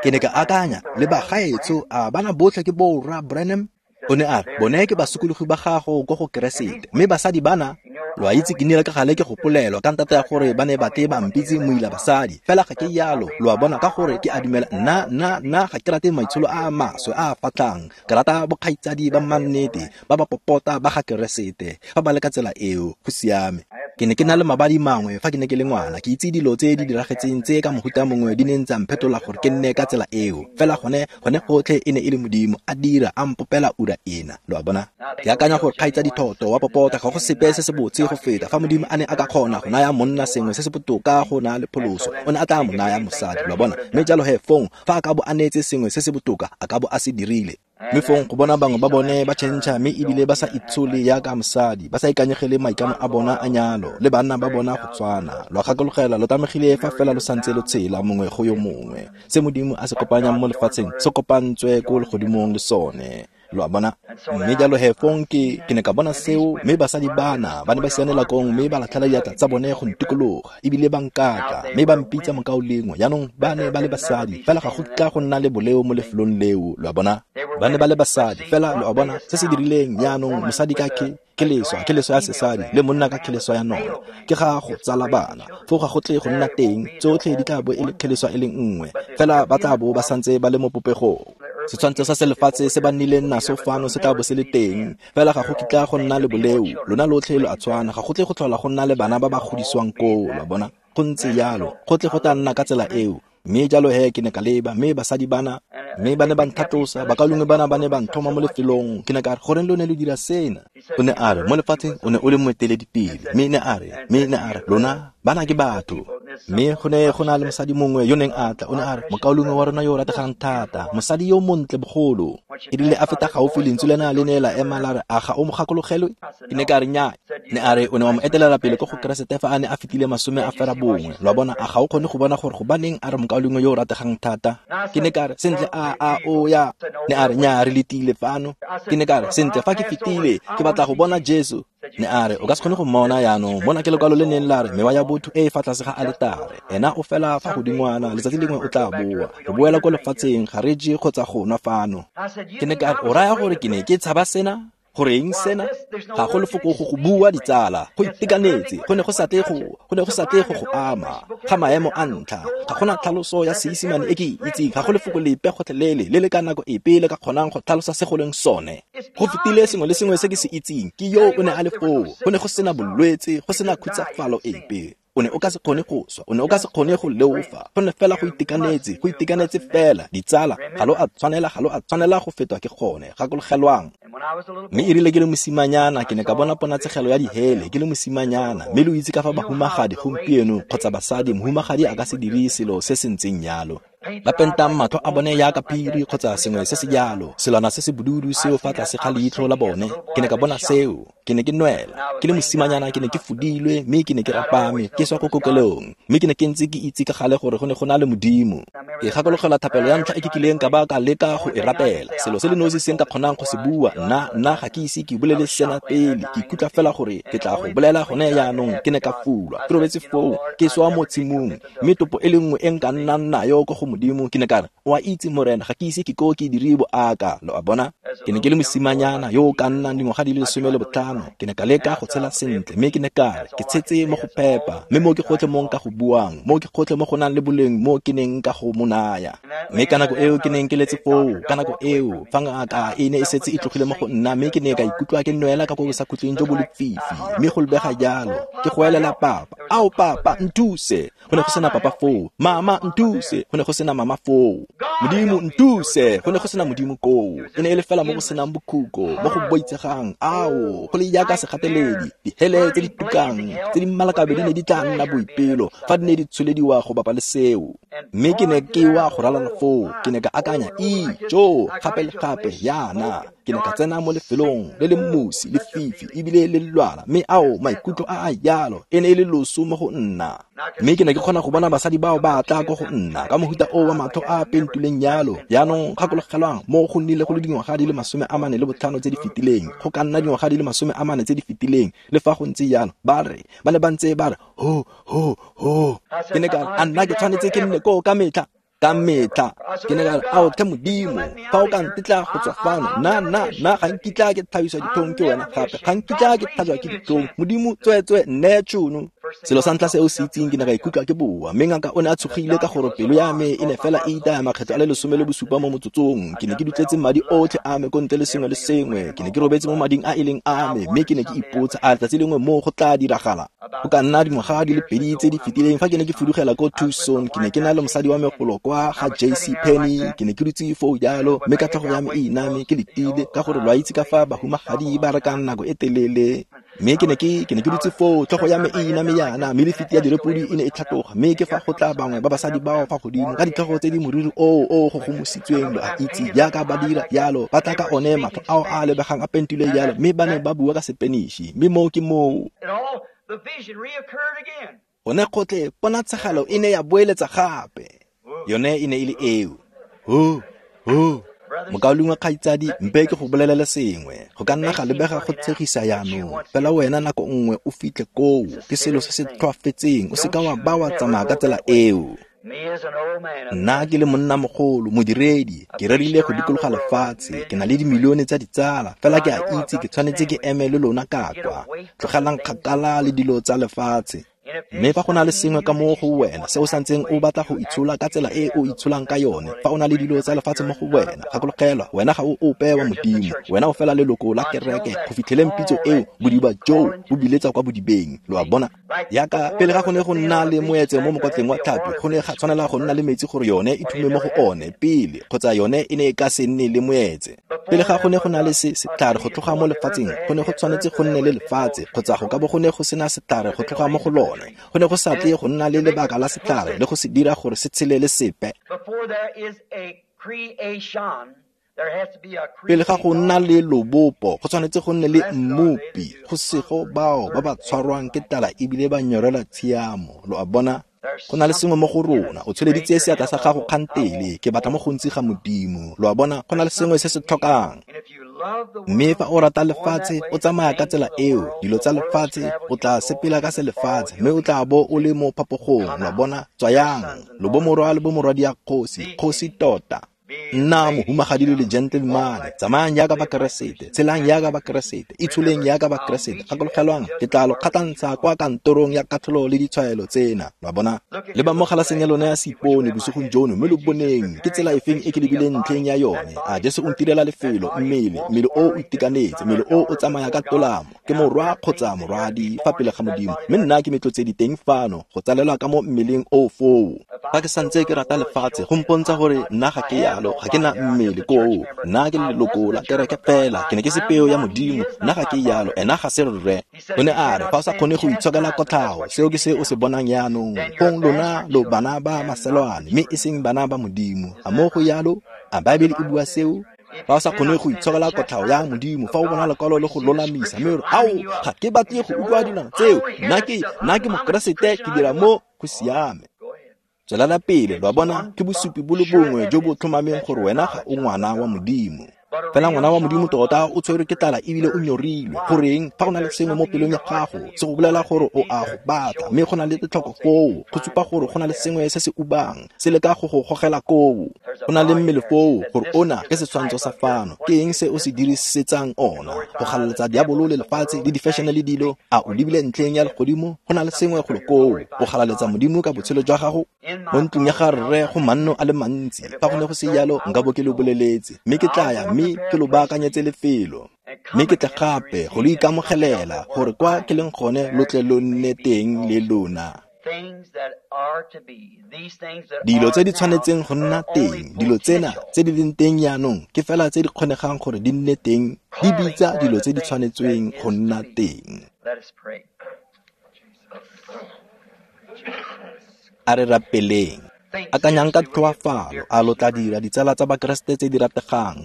Ke ne ka akanya, le ba gaetsho, a bana botlhe ke bo rra Branham? O ne a re, bone ke basokologi ba gago ko go Keresete, mme basadi bana, lo a itse ke nnile ka gale ke gopolelwa ka ntata ya gore ba ne ba tle ba mpitse moila basadi, fela ga ke yalo, lo a bona, ka gore ke a dumela, nna nna nna ga ke rate maitsholo a a maswe a a fatlang, ke rata bokgaitsadi ba mannete ba ba popota ba ga Keresete, fa ba le ka tsela eo, go siame. Ke ne ke na le mabadi mangwe fa ke ne ke le ngwana, ke itse dilo tse di diragetseng tse ka mohuta mongwe di neng tsa mphetola gore ke nne ka tsela eo, fela gone gone gotlhe e ne e le Modimo a dira a mpopela ura ena, lo a bona. Ke akanya gore kgaitsadi Thoto wa popota ga go sepe se se botse go feta fa Modimo a ne a ka kgona go naya monna sengwe se se botoka go na le pholoso, o ne a tla mo naya mosadi, lo a bona. Mme jalo he fong fa a ka bo a neetse sengwe se se botoka, a ka bo a se dirile. Mme fong go bona bangwe ba bone ba tšhentšha, mme ebile ba sa itshole yaka mosadi, ba sa ikanyegele maikano a bona a nyalo, le banna ba bona go tshwana. Lo a gakologela, lo tlamegile fa fela lo santse lo tshela mongwe go yo mongwe. Se Modimo a se kopanyang mo lefatsheng se kopantswe ko legodimong le sone, lo a bona. Mme jalo he fong ke ke ne ka bona seo, mme basadi bana ba ne ba sianela kong, mme ba latlhela diatla tsa bone go ntikologa, ebile ba nkatla, mme ba mpitsa mokaulengwe. Jaanong ba ne ba le basadi, fela ga go kitla go nna le boleo mo lefelong leo, lo a bona. Ba ne ba le basadi, fela lo a bona se se dirileng. Jaanong mosadi ka ke ke leswa, ke leswa ya sesadi, le monna ka kheleswa ya nona, ke ga go tsala bana, foo ga go tle go nna teng, tsotlhe di tla bo e le kheleswa e le nngwe, fela ba tla bo ba santse ba le mo popegong. Setshwantsho sa selefatshe se ba nnileng naso fano se tla bo se le teng, fela ga go kitla go nna le boleo. Lona lotlhe lo a tshwana, ga go tle go tlhola go nna le bana ba ba godisiwang koo, lo a bona. Go ntse jalo, go tle go tla nna ka tsela eo. Mme jalo he ke ne ka leba, mme basadi bana, mme ba ne ba nthatlosa, bakaulengwe bana ba ne ba nthoma mo lefelong. Ke ne ka re, goreng lo ne lo dira sena? O ne a re, mo lefatsheng o ne o le moeteledipele. Mme ne a re, mme ne a re, lona bana ke batho. Mme go ne go na le mosadi mongwe yo neng a tla, o ne a re, mokaulengwe wa rona yo o rategang thata, mosadi yo montle bogolo. E rile a feta gaufi, lentswe lena le ne la ema la re, a ga o mo gakologelwe? Ke ne ka re, nnyaa. Ne a re, o ne wa mo etelela pele ko go Keresete fa a ne a fetile masome a fera bongwe. Lo a bona, a ga o kgone go bona gore gobaneng a re mokaulengwe yo o rategang thata? Ke ne ka re, sentle, a a o ya. Ne a re, nnyaa, re letile fano. Ke ne ka re, sentle, fa ke fetile, ke batla go bona Jesu. Ne a re, o ka se kgone go mmona jaanong. Mona ke lekwalo le neng la re, mewa ya botho e e fa tlase ga aletare. Ena o fela fa godingwana, letsatsi lengwe o tla boa. Re boela ko lefatsheng, ga re je kgotsa go nwa fano. Ke ne ka re, o raya gore ke ne ke tshaba sena? Goreng sena? Ga go lefoko go go bua ditsala, go itekanetse, go ne go sa tle go, go ne go sa tle go go ama. Ga maemo a ntlha, ga gona tlhaloso ya Seesimane e ke e itseng, ga go lefoko lepe gotlhelele le le ka nako epe le ka kgonang go tlhalosa se go leng sone. Go fetile sengwe le sengwe se ke se itseng, ke yo o ne a le foo. Go ne go sena bolwetse, go sena khutsafalo epe. O ne o ka se kgone go swa, o ne o ka se kgone go leofa. Go ne fela go itekanetse, go itekanetse fela. Ditsala, ga lo a tshwanela, ga lo a tshwanela go fetwa ke gone. Gakologelwang. Mme e rile ke le mosimanyana, ke ne ka bona ponatshegelo ya dihele ke le mosimanyana. Mme lo itse ka fa bahumagadi gompieno kgotsa basadi, mohumagadi a ka se dire selo se se ntseng jalo. Ba pentang matlho a bone jaaka phiri kgotsa sengwe se se jalo, selwana se se bodudu seo fa tlase ga leitlho la bone. Ke ne ka bona seo, ke ne ke nwela. Ke le mosimanyana, ke ne ke fodilwe, mme ke ne ke rapame, ke swa ko kokelong. Mme ke ne ke ntse ke itse ka gale gore go ne go na le Modimo. Ke gakologelwa thapelo ya ntlha e ke kileng ka ba ka leka go e rapela. Selo se le nosi se nka kgonang go se bua, nna nna ga ke ise ke bolele sena pele. Ke ikutlwa fela gore ke tla go bolela gone jaanong. Ke ne ka fulwa, ke robetse foo, ke swa mo tshimong, mme topo e le nngwe e nka nnang nayo ko go Modimo. Ke ne ka re, o a itse Morena, ga ke ise ke ko ke dire boaka. Lo a bona? Ke ne ke le mosimanyana yo o ka nnang dingwaga di le lesome le botlhano. Ke ne ka leka go tshela sentle, mme ke ne ka re, ke tshetse mo go phepa, mme mo ke gotlhe mo nka go buang, mo ke gotlhe mo go nang le boleng mo ke neng ka go mo naya. Mme ka nako eo ke neng ke letse foo, ka nako eo fa ngaka e ne e setse e tlogile mo go nna, mme ke ne ka ikutlwa ke nwela ka ko bosakhutleng jo bo lefifi, mme go lebega jalo ke goelela papa, ao papa nthuse. Go ne go sena papa foo. Mama nthuse. Go ne go sena mama foo. Modimo nthuse. Go ne go sena Modimo koo. E ne e le fela mo go senang bokhutlo, mo go boitsegang. Ao, go le jaaka segateledi, dihele tse di tukang, tse di mmalakabe di ne di tla nna boipelo fa di ne di tsholediwa go bapa le seo. Mme ke ne ke wa go ralala foo, ke ne ka akanya, ijo, gape le gape yana. Ke ne ka tsena mo lefelong le le mosi, lefifi, ebile le lwala, mme ao maikutlo a a jalo e ne e le loso mo go nna. Mme ke ne ke kgona go bona basadi bao ba tla ko go nna ka mohuta o wa matlho a pentuleng jalo. Jaanong gakologelwang, mo go nnile go le dingwaga di le masome a mane le botlhano tse di fetileng, go ka nna dingwaga di le masome a mane tse di fetileng. Le fa go ntse jalo, ba re ba ne ba ntse ba re ho ho ho. Ke ne ka re, a nna ke tshwanetse ke nne koo ka metlha? Ka metlha. Ke ne ka re, ao tlhe Modimo, fa o ka ntetla go tswa fano, nna nna nna ga nkitla ke tlhabiswa ditlhong ke wena gape, ga nkitla ke tlhajwa ke ditlhong. Modimo, tsweetswe nneye tšhono. Selo sa ntlha se o se itseng, ke ne ka ikutlwa ke boa, mme ngaka o ne a tshogile ka gore pelo ya me e ne fela e itaya makgetlo a le lesome le bosupa mo motsotsong. Ke ne ke dutletse madi otlhe a me ko ntle le sengwe le sengwe. Ke ne ke robetse mo mading a e leng a me, mme ke ne ke ipotsa, a letsatsi lengwe mo go tla diragala? Go ka nna dingwaga di le pedi tse di fetileng fa ke ne ke fudugela ko Tucson, ke ne ke na le mosadi wa me golo kwa ga J C Penney. Ke ne ke dutse foo jalo, mme ka tlhogo ya me e iname ke letile, ka gore lo a itse ka fa bahumagadi ba rekang nako e telele. Mme ke ne ke ke ne ke dutse foo, tlhogo ya me e iname yana, mme lefiti ya direpodi e ne e tlhatloga. Mme ke fa go tla bangwe ba basadi bao fa godimo ka ditlhogo tse di moriri oo o gogomositsweng, lo a itse jaaka ba dira jalo, ba tla ka one matlho ao a lebegang a pentilwe jalo, mme ba ne ba bua ka Sepeniši. Mme moo ke moo gone gotlhe ponatshegelo e ne ya boeletsa gape. Yone e ne e le eo. Ho ho. Mokaulengwe kgaitsadi, mpe ke go bolelele sengwe. Go ka nna ga lebega go tshegisa jaanong, fela wena nako nngwe o fitlhe koo. Ke selo se se tlhoafetseng, o seka wa ba wa tsamaya ka tsela eo. Nna ke le monnamogolo, modiredi, ke rerile go dikologa lefatshe, ke na le dimilione tsa ditsala, fela ke a itse ke tshwanetse ke eme le lona ka kwa. Tlogelang kgakala le dilo tsa lefatshe. Mme fa go na le sengwe ka mo go wena se o santseng o batla go itshola ka tsela e o itsholang ka yone, fa o na le dilo tsa lefatshe mo go wena, gakologelwa, wena ga o ope wa Modimo, wena o fela leloko la kereke go fitlheleng pitso eo, bodiba joo bo biletsa kwa bodibeng. Lo a bona? Yaka pele ga go ne go nna le moetse mo mokotleng wa tlhapi, go ne ga tshwanela go nna le metsi gore yone e thume mo go one pele, kgotsa yone e ne e ka se nne le moetse. Pele ga go ne go na le se setlhare go tloga mo lefatsheng, go ne go tshwanetse go nne le lefatshe, kgotsa go ka bo go ne go sena setlhare go tloga mo go lone. Go ne go sa tle go nna le lebaka la setlhare le go se dira gore se tshele le sepe. Pele ga go nna le lobopo, go tshwanetse go nne le mmopi, go sego bao ba ba tshwarwang ke tlala ebile ba nyorelwa tshiamo. Lo a bona? Go na le sengwe mo go rona. O tsholeditse seatla sa gago kgantele, ke batla mo gontsi ga Modimo. Lo a bona? Go na le sengwe se se tlhokang. Mme fa o rata lefatshe, o tsamaya ka tsela eo, dilo tsa lefatshe, o tla sepela ka se lefatshe, mme o tla bo o le mo phapogong. Lo a bona? Tswayang, lo bomorwa le bomorwadia kgosi, kgosi tota. Nna mohumagadi le gentleman, tsamayang jaaka Bakeresete, tshelang jaaka Bakeresete, itsholeng jaaka Bakeresete. Gakologelwang, ke tla lo kgatlhantsha kwa kantorong ya katlholo le ditshwaelo tsena. Lo a bona? Leba mo galaseng ya lona ya seipone bosigong jono, mme lo boneng ke tsela efeng e ke lebileng ntlheng ya yone. A Jesu o ntirela lefelo, mmele, mmele o o itekanetse, mmele o o tsamaya ka tolamo. Ke morwa kgotsa morwadi fa pele ga Modimo, mme nna ke metlotsedi teng fano go tsalelwa ka mo mmeleng o foo. Fa ke santse ke rata lefatshe, go mpontsha gore nna ga ke yalo, ga ke na mmele koo. Nna ke leloko la kereke fela, ke ne ke se peo ya Modimo, nna ga ke yalo, ena ga se rre. O ne a re, fa o sa kgone go itshokela kotlhao, seo ke se o se bonang jaanong. Fong lona lo bana ba maselwane, mme e seng bana ba Modimo. A mo go yalo? A Baebele e bua seo? Fa o sa kgone go itshokela kotlhao ya Modimo, fa o bona lekwalo le go lolamisa, mme o re, ao, ga ke batle go utlwa dilwana tseo, nna ke nna ke Mokeresete, ke dira mo go siame. Tswelela pele, lo a bona, ke bosupi bo le bongwe jo bo tlhomameng gore wena ga o ngwana wa Modimo. Fela ngwana wa Modimo tota o tshwerwe ke tlala ebile o nyorilwe. Goreng? Fa go na le sengwe mo pelong ya gago se go bolela gore o a go batla, mme go na le tlhoko foo, go supa gore go na le sengwe se se ubang, se leka go go gogela koo. Go na le mmele foo, gore ona ke setshwantsho sa fano. Ke eng se o se dirisetsang ona? Go galaletsa diabolo le lefatshe le di-fashion le dilo. A o lebile ntlheng ya legodimo? Go na le sengwe golo koo. O galaletsa Modimo ka botshelo jwa gago. Mo ntlong ya ga rre go manno a le mantsi. Fa go ne go se jalo, nka bo ke lo boleletse, mme ke tla ya mme ke lo baakanyetse lefelo. Mme ke tle gape go lo ikamogelela, gore kwa ke leng gone lo tle lo nne teng le lona. Dilo tse di tshwanetseng go nna teng, dilo tsena tse di leng teng jaanong, ke fela tse di kgonegang gore di nne teng, di bitsa dilo tse di tshwanetsweng go nna teng. A re rapeleng. Akanyang ka tlhoafalo, a lo tla dira ditsala tsa Bakeresete tse di rategang.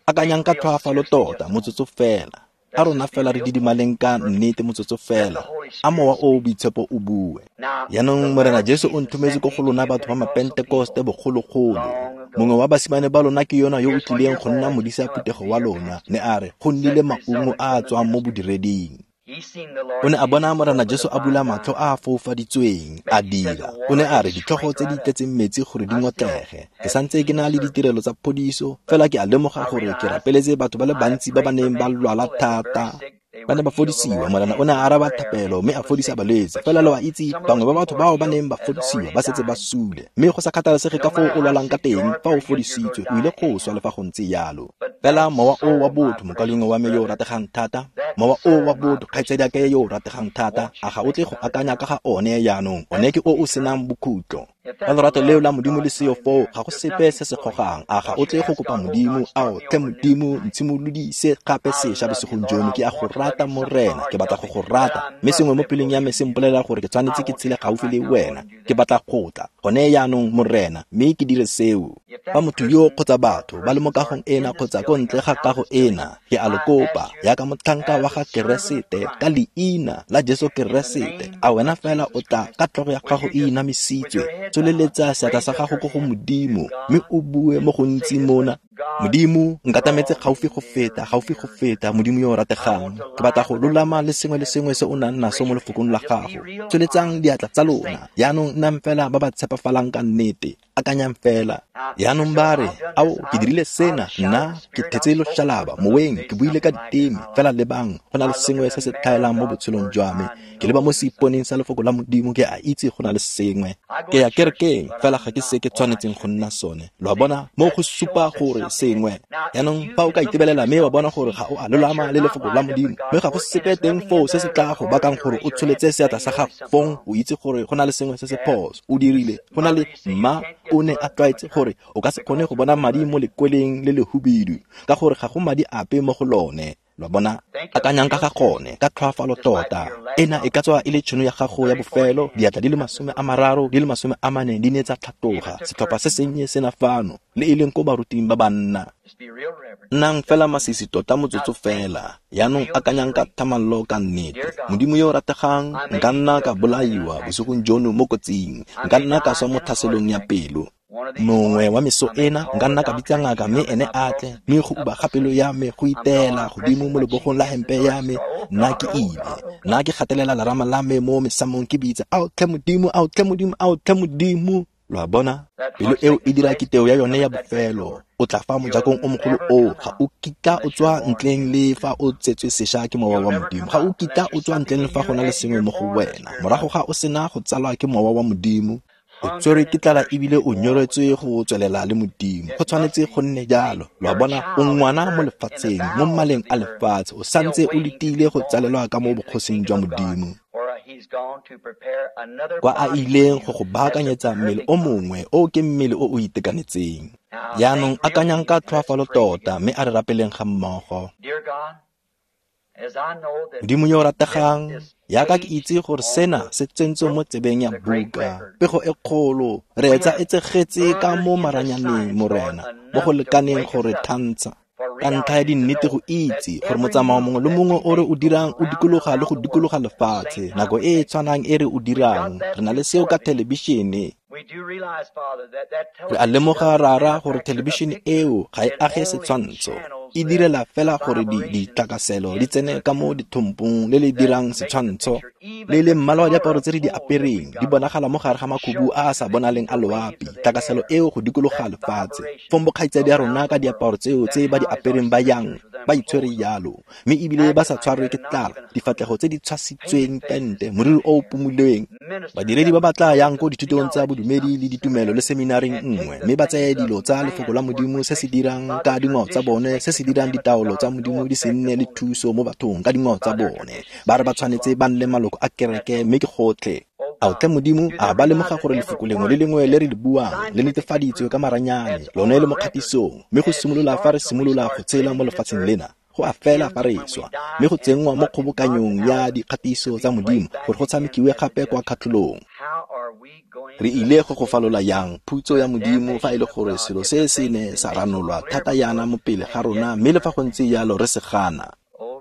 Akanyang ka tlhoafalo tota, motsotso fela. A rona fela re didimaleng ka nnete motsotso fela. A mowa o o boitshepo o bue. Jaanong Morena Jesu o nthometse ko go lona batho ba Mapentekoste bogologolo. Mongwe wa basimane ba lona ke yona yo o tlileng go nna modisa phuthego wa lona, ne a re go nnile maungo a a tswang mo bodireding. O ne a bona Morena Jesu a bula matlho a a foufaditsweng, a dira. O ne a re ditlhogo tse di tletseng metsi gore di ngotlege. Ke santse ke na le ditirelo tsa phodiso, fela ke a lemoga gore ke rapeletse batho ba le bantsi ba ba neng ba lwala thata. Ba ne ba fodisiwa. Morena o ne a araba thapelo mme a fodisa balwetse. Fela lo a itse, bangwe ba batho bao ba neng ba fodisiwa ba setse ba sule. Mme go sa kgathalesege ka foo o lwalang ka teng, fa o fodisitswe, o ile go swa le fa go ntse jalo. Fela mowa o wa botho, mokaulengwe wa me yo o rategang thata, mowa o wa botho, kgaitsadiake yo o rategang thata, a ga o tle go akanya ka ga one jaanong? One ke o o senang bokhutlo. Fa lorato leo la Modimo le seo foo, ga go sepe se se gogang. A ga o tle go kopa Modimo, ao tlhe Modimo, ntshimolodise gape sešwa bosigong jono. Ke a go rata Morena, ke batla go go rata, mme sengwe mo pelong ya me se mpolelela gore ke tshwanetse ke tshele gaufi le wena. Ke batla go tla gone jaanong Morena, mme ke dire seo. Fa motho yo kgotsa batho ba le mo kagong ena kgotsa ko ntle ga kago ena, ke a lo kopa jaaka motlhanka wa ga Keresete, ka leina la Jesu Keresete, a wena fela o tla ka tlhogo ya gago e inamisitswe, tsholeletsa seatla sa gago ko go Modimo, mme o bue mo gontsi mona. Modimo, nkatametse gaufi go feta, gaufi go feta, Modimo yo o rategang. Ke batla go lolama le sengwe le sengwe se o nang naso mo lefokong la gago. Tsholetsang diatla tsa lona. Jaanong nnang fela ba ba tshepafalang ka nnete. Akanyang fela. Jaanong ba re, ao, ke dirile sena, nna ke thetse loshalaba moweng, ke buile ka diteme. Fela lebang, go na le sengwe se se tlhaelang mo botshelong jwa me. Ke leba mo seiponeng sa lefoko la Modimo, ke a itse go na le sengwe. Ke ya kerekeng, fela ga ke se ke tshwanetseng go nna sone. Lo a bona, mo go supa gore sengwe. Jaanong fa o ka itebelela mme wa bona gore ga o a lolama le lefoko la Modimo, mme ga go sepe teng foo se se tla go bakang gore o tsholetse seatla sa gago, fong o itse gore go na le sengwe se se phoso. O dirile. Go na le mma o ne a tlwaetse gore o ka se kgone go bona madi mo lekweleng le lehubidu, ka gore ga go madi ape mo go lone. Lo bona, akanyang ka ga gone ka tlhoafalo tota. Ena e ka tswa e le tšhono ya gago ya bofelo. Diatla di le masome a mararo di le masome a mane di ne tsa tlhatloga. Setlhopha se sennye sena fano, le e leng ko baruting ba banna. Nnang fela masisi tota motsotso fela. Jaanong akanyang ka thamallo ka nnete. Modimo yo o rategang, nka nna ka bolaiwa bosigong jono mo kotsing, nka nna ka swa mo tlhaselong ya pelo. Mongwe wa meso ena nka nna ka bitsa ngaka mme ene a tle, mme go uba ga pelo ya me go itela godimo mo lebogong la hempe ya me, nna ke ile. Nna ke gatelela lerama la me mo mesamong ke bitsa, ao tlhe Modimo, ao tlhe Modimo, ao tlhe Modimo. Lo a bona, pelo eo e dira kiteo ya yone ya bofelo. O tla fa mojakong o mogolo oo, ga o kitla o tswa ntleng le fa o tsetswe sešwa ke mowa wa Modimo. Ga o kitla o tswa ntleng le fa go na le sengwe mo go wena. Morago ga o sena go tsalwa ke mowa wa Modimo, o tswerwe ke tlala ebile o nyoretswe go tswelela le Modimo. Go tshwanetse go nne jalo. Lo a bona, o ngwana mo lefatsheng, mo mmaleng a lefatshe, o santse o letile go tsalelwa ka mo bogosing jwa Modimo, kwa a ileng go go baakanyetsa mmele o mongwe o ke mmele o o itekanetseng. Jaanong akanyang ka tlhoafalo tota, mme a re rapeleng ga mmogo. Modimo yo o rategang, jaaka ke itse gore sena se tsentswe mo tsebeng ya buka, pego e kgolo, re etsa e tsegetse ka mo maranyaneng, Morena, mo go lekaneng gore thantsha. Ka ntlha ya dinnete go itse gore motsamao mongwe le mongwe o re o dirang o dikologa le go dikologa lefatshe, nako e e tshwanang e re o dirang, re na le seo ka thelebišene. Re a lemoga, Rara, gore thelebišene eo ga e age setshwantsho, e direla fela gore ditlakaselo di tsene ka mo dithompong le le dirang setshwantsho. Le le mmala wa diaparo tse re di apereng di bonagala mo gare ga makhubu a a sa bonaleng a loapi, tlakaselo eo go dikologa lefatshe. Fong bokgaitsadi ya rona ka diaparo tseo tse ba di apereng ba yang ba itshwere jalo, mme ebile ba sa tshwarwe ke tlala, difatlhego tse di tshwasitsweng pente, moriri o o pumulweng. Badiredi ba ba tla yang ko dithutong tsa bodumedi le ditumelo le seminaring nngwe, mme ba tseye dilo tsa lefoko la Modimo se se dirang ka dingwao tsa bone, se se dirang ditaolo tsa Modimo di se nne le thuso mo bathong ka dingwao tsa bone. Ba re ba tshwanetse ba nne maloko a kereke, mme ke gotlhe. Ao tlhe Modimo, a ba lemoga gore lefoko lengwe le lengwe le re le buang le netefaditswe ka maranyane, lone le mo kgatisong, mme go simolola fa re simolola go tshela mo lefatsheng lena, go a fela fa re swa, mme go tsenngwa mo kgobokanyong ya dikgatiso tsa Modimo gore go tshamekiwe gape kwa kgatlholong. Re ile go go falola yang phutso ya Modimo fa e le gore selo se se ne sa ranolwa thata yana mo pele ga rona, mme le fa go ntse jalo re se gana.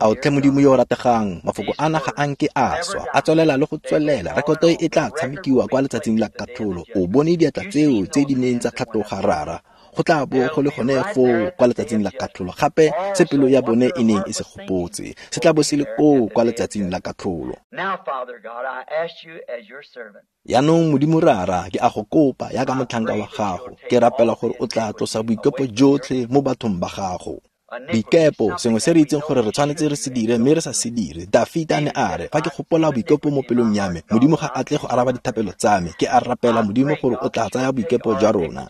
Ao tlhe Modimo yo o rategang, mafoko ana ga a nke a swa, a tswelela le go tswelela. Rekoto e tla tshamekiwa kwa letsatsing la katlholo. O bone diatla tseo tse di neng tsa tlhatloga, Rara. Go tla bo go le gone foo kwa letsatsing la katlholo. Gape se pelo ya bone e neng e se gopotse, se tla bo se le koo kwa letsatsing la katlholo. Jaanong Modimo Rara, ke a go kopa jaaka motlhanka wa gago, ke rapela gore o tla tlosa boikepo jotlhe mo bathong ba gago. Boikepo, sengwe se re itseng gore re tshwanetse re se dire mme re sa se dire. Dafita ne a re, fa ke gopola boikepo mo pelong ya me, Modimo ga a tle go araba dithapelo tsa me. Ke a rapela Modimo gore o tla tsaya boikepo jwa rona,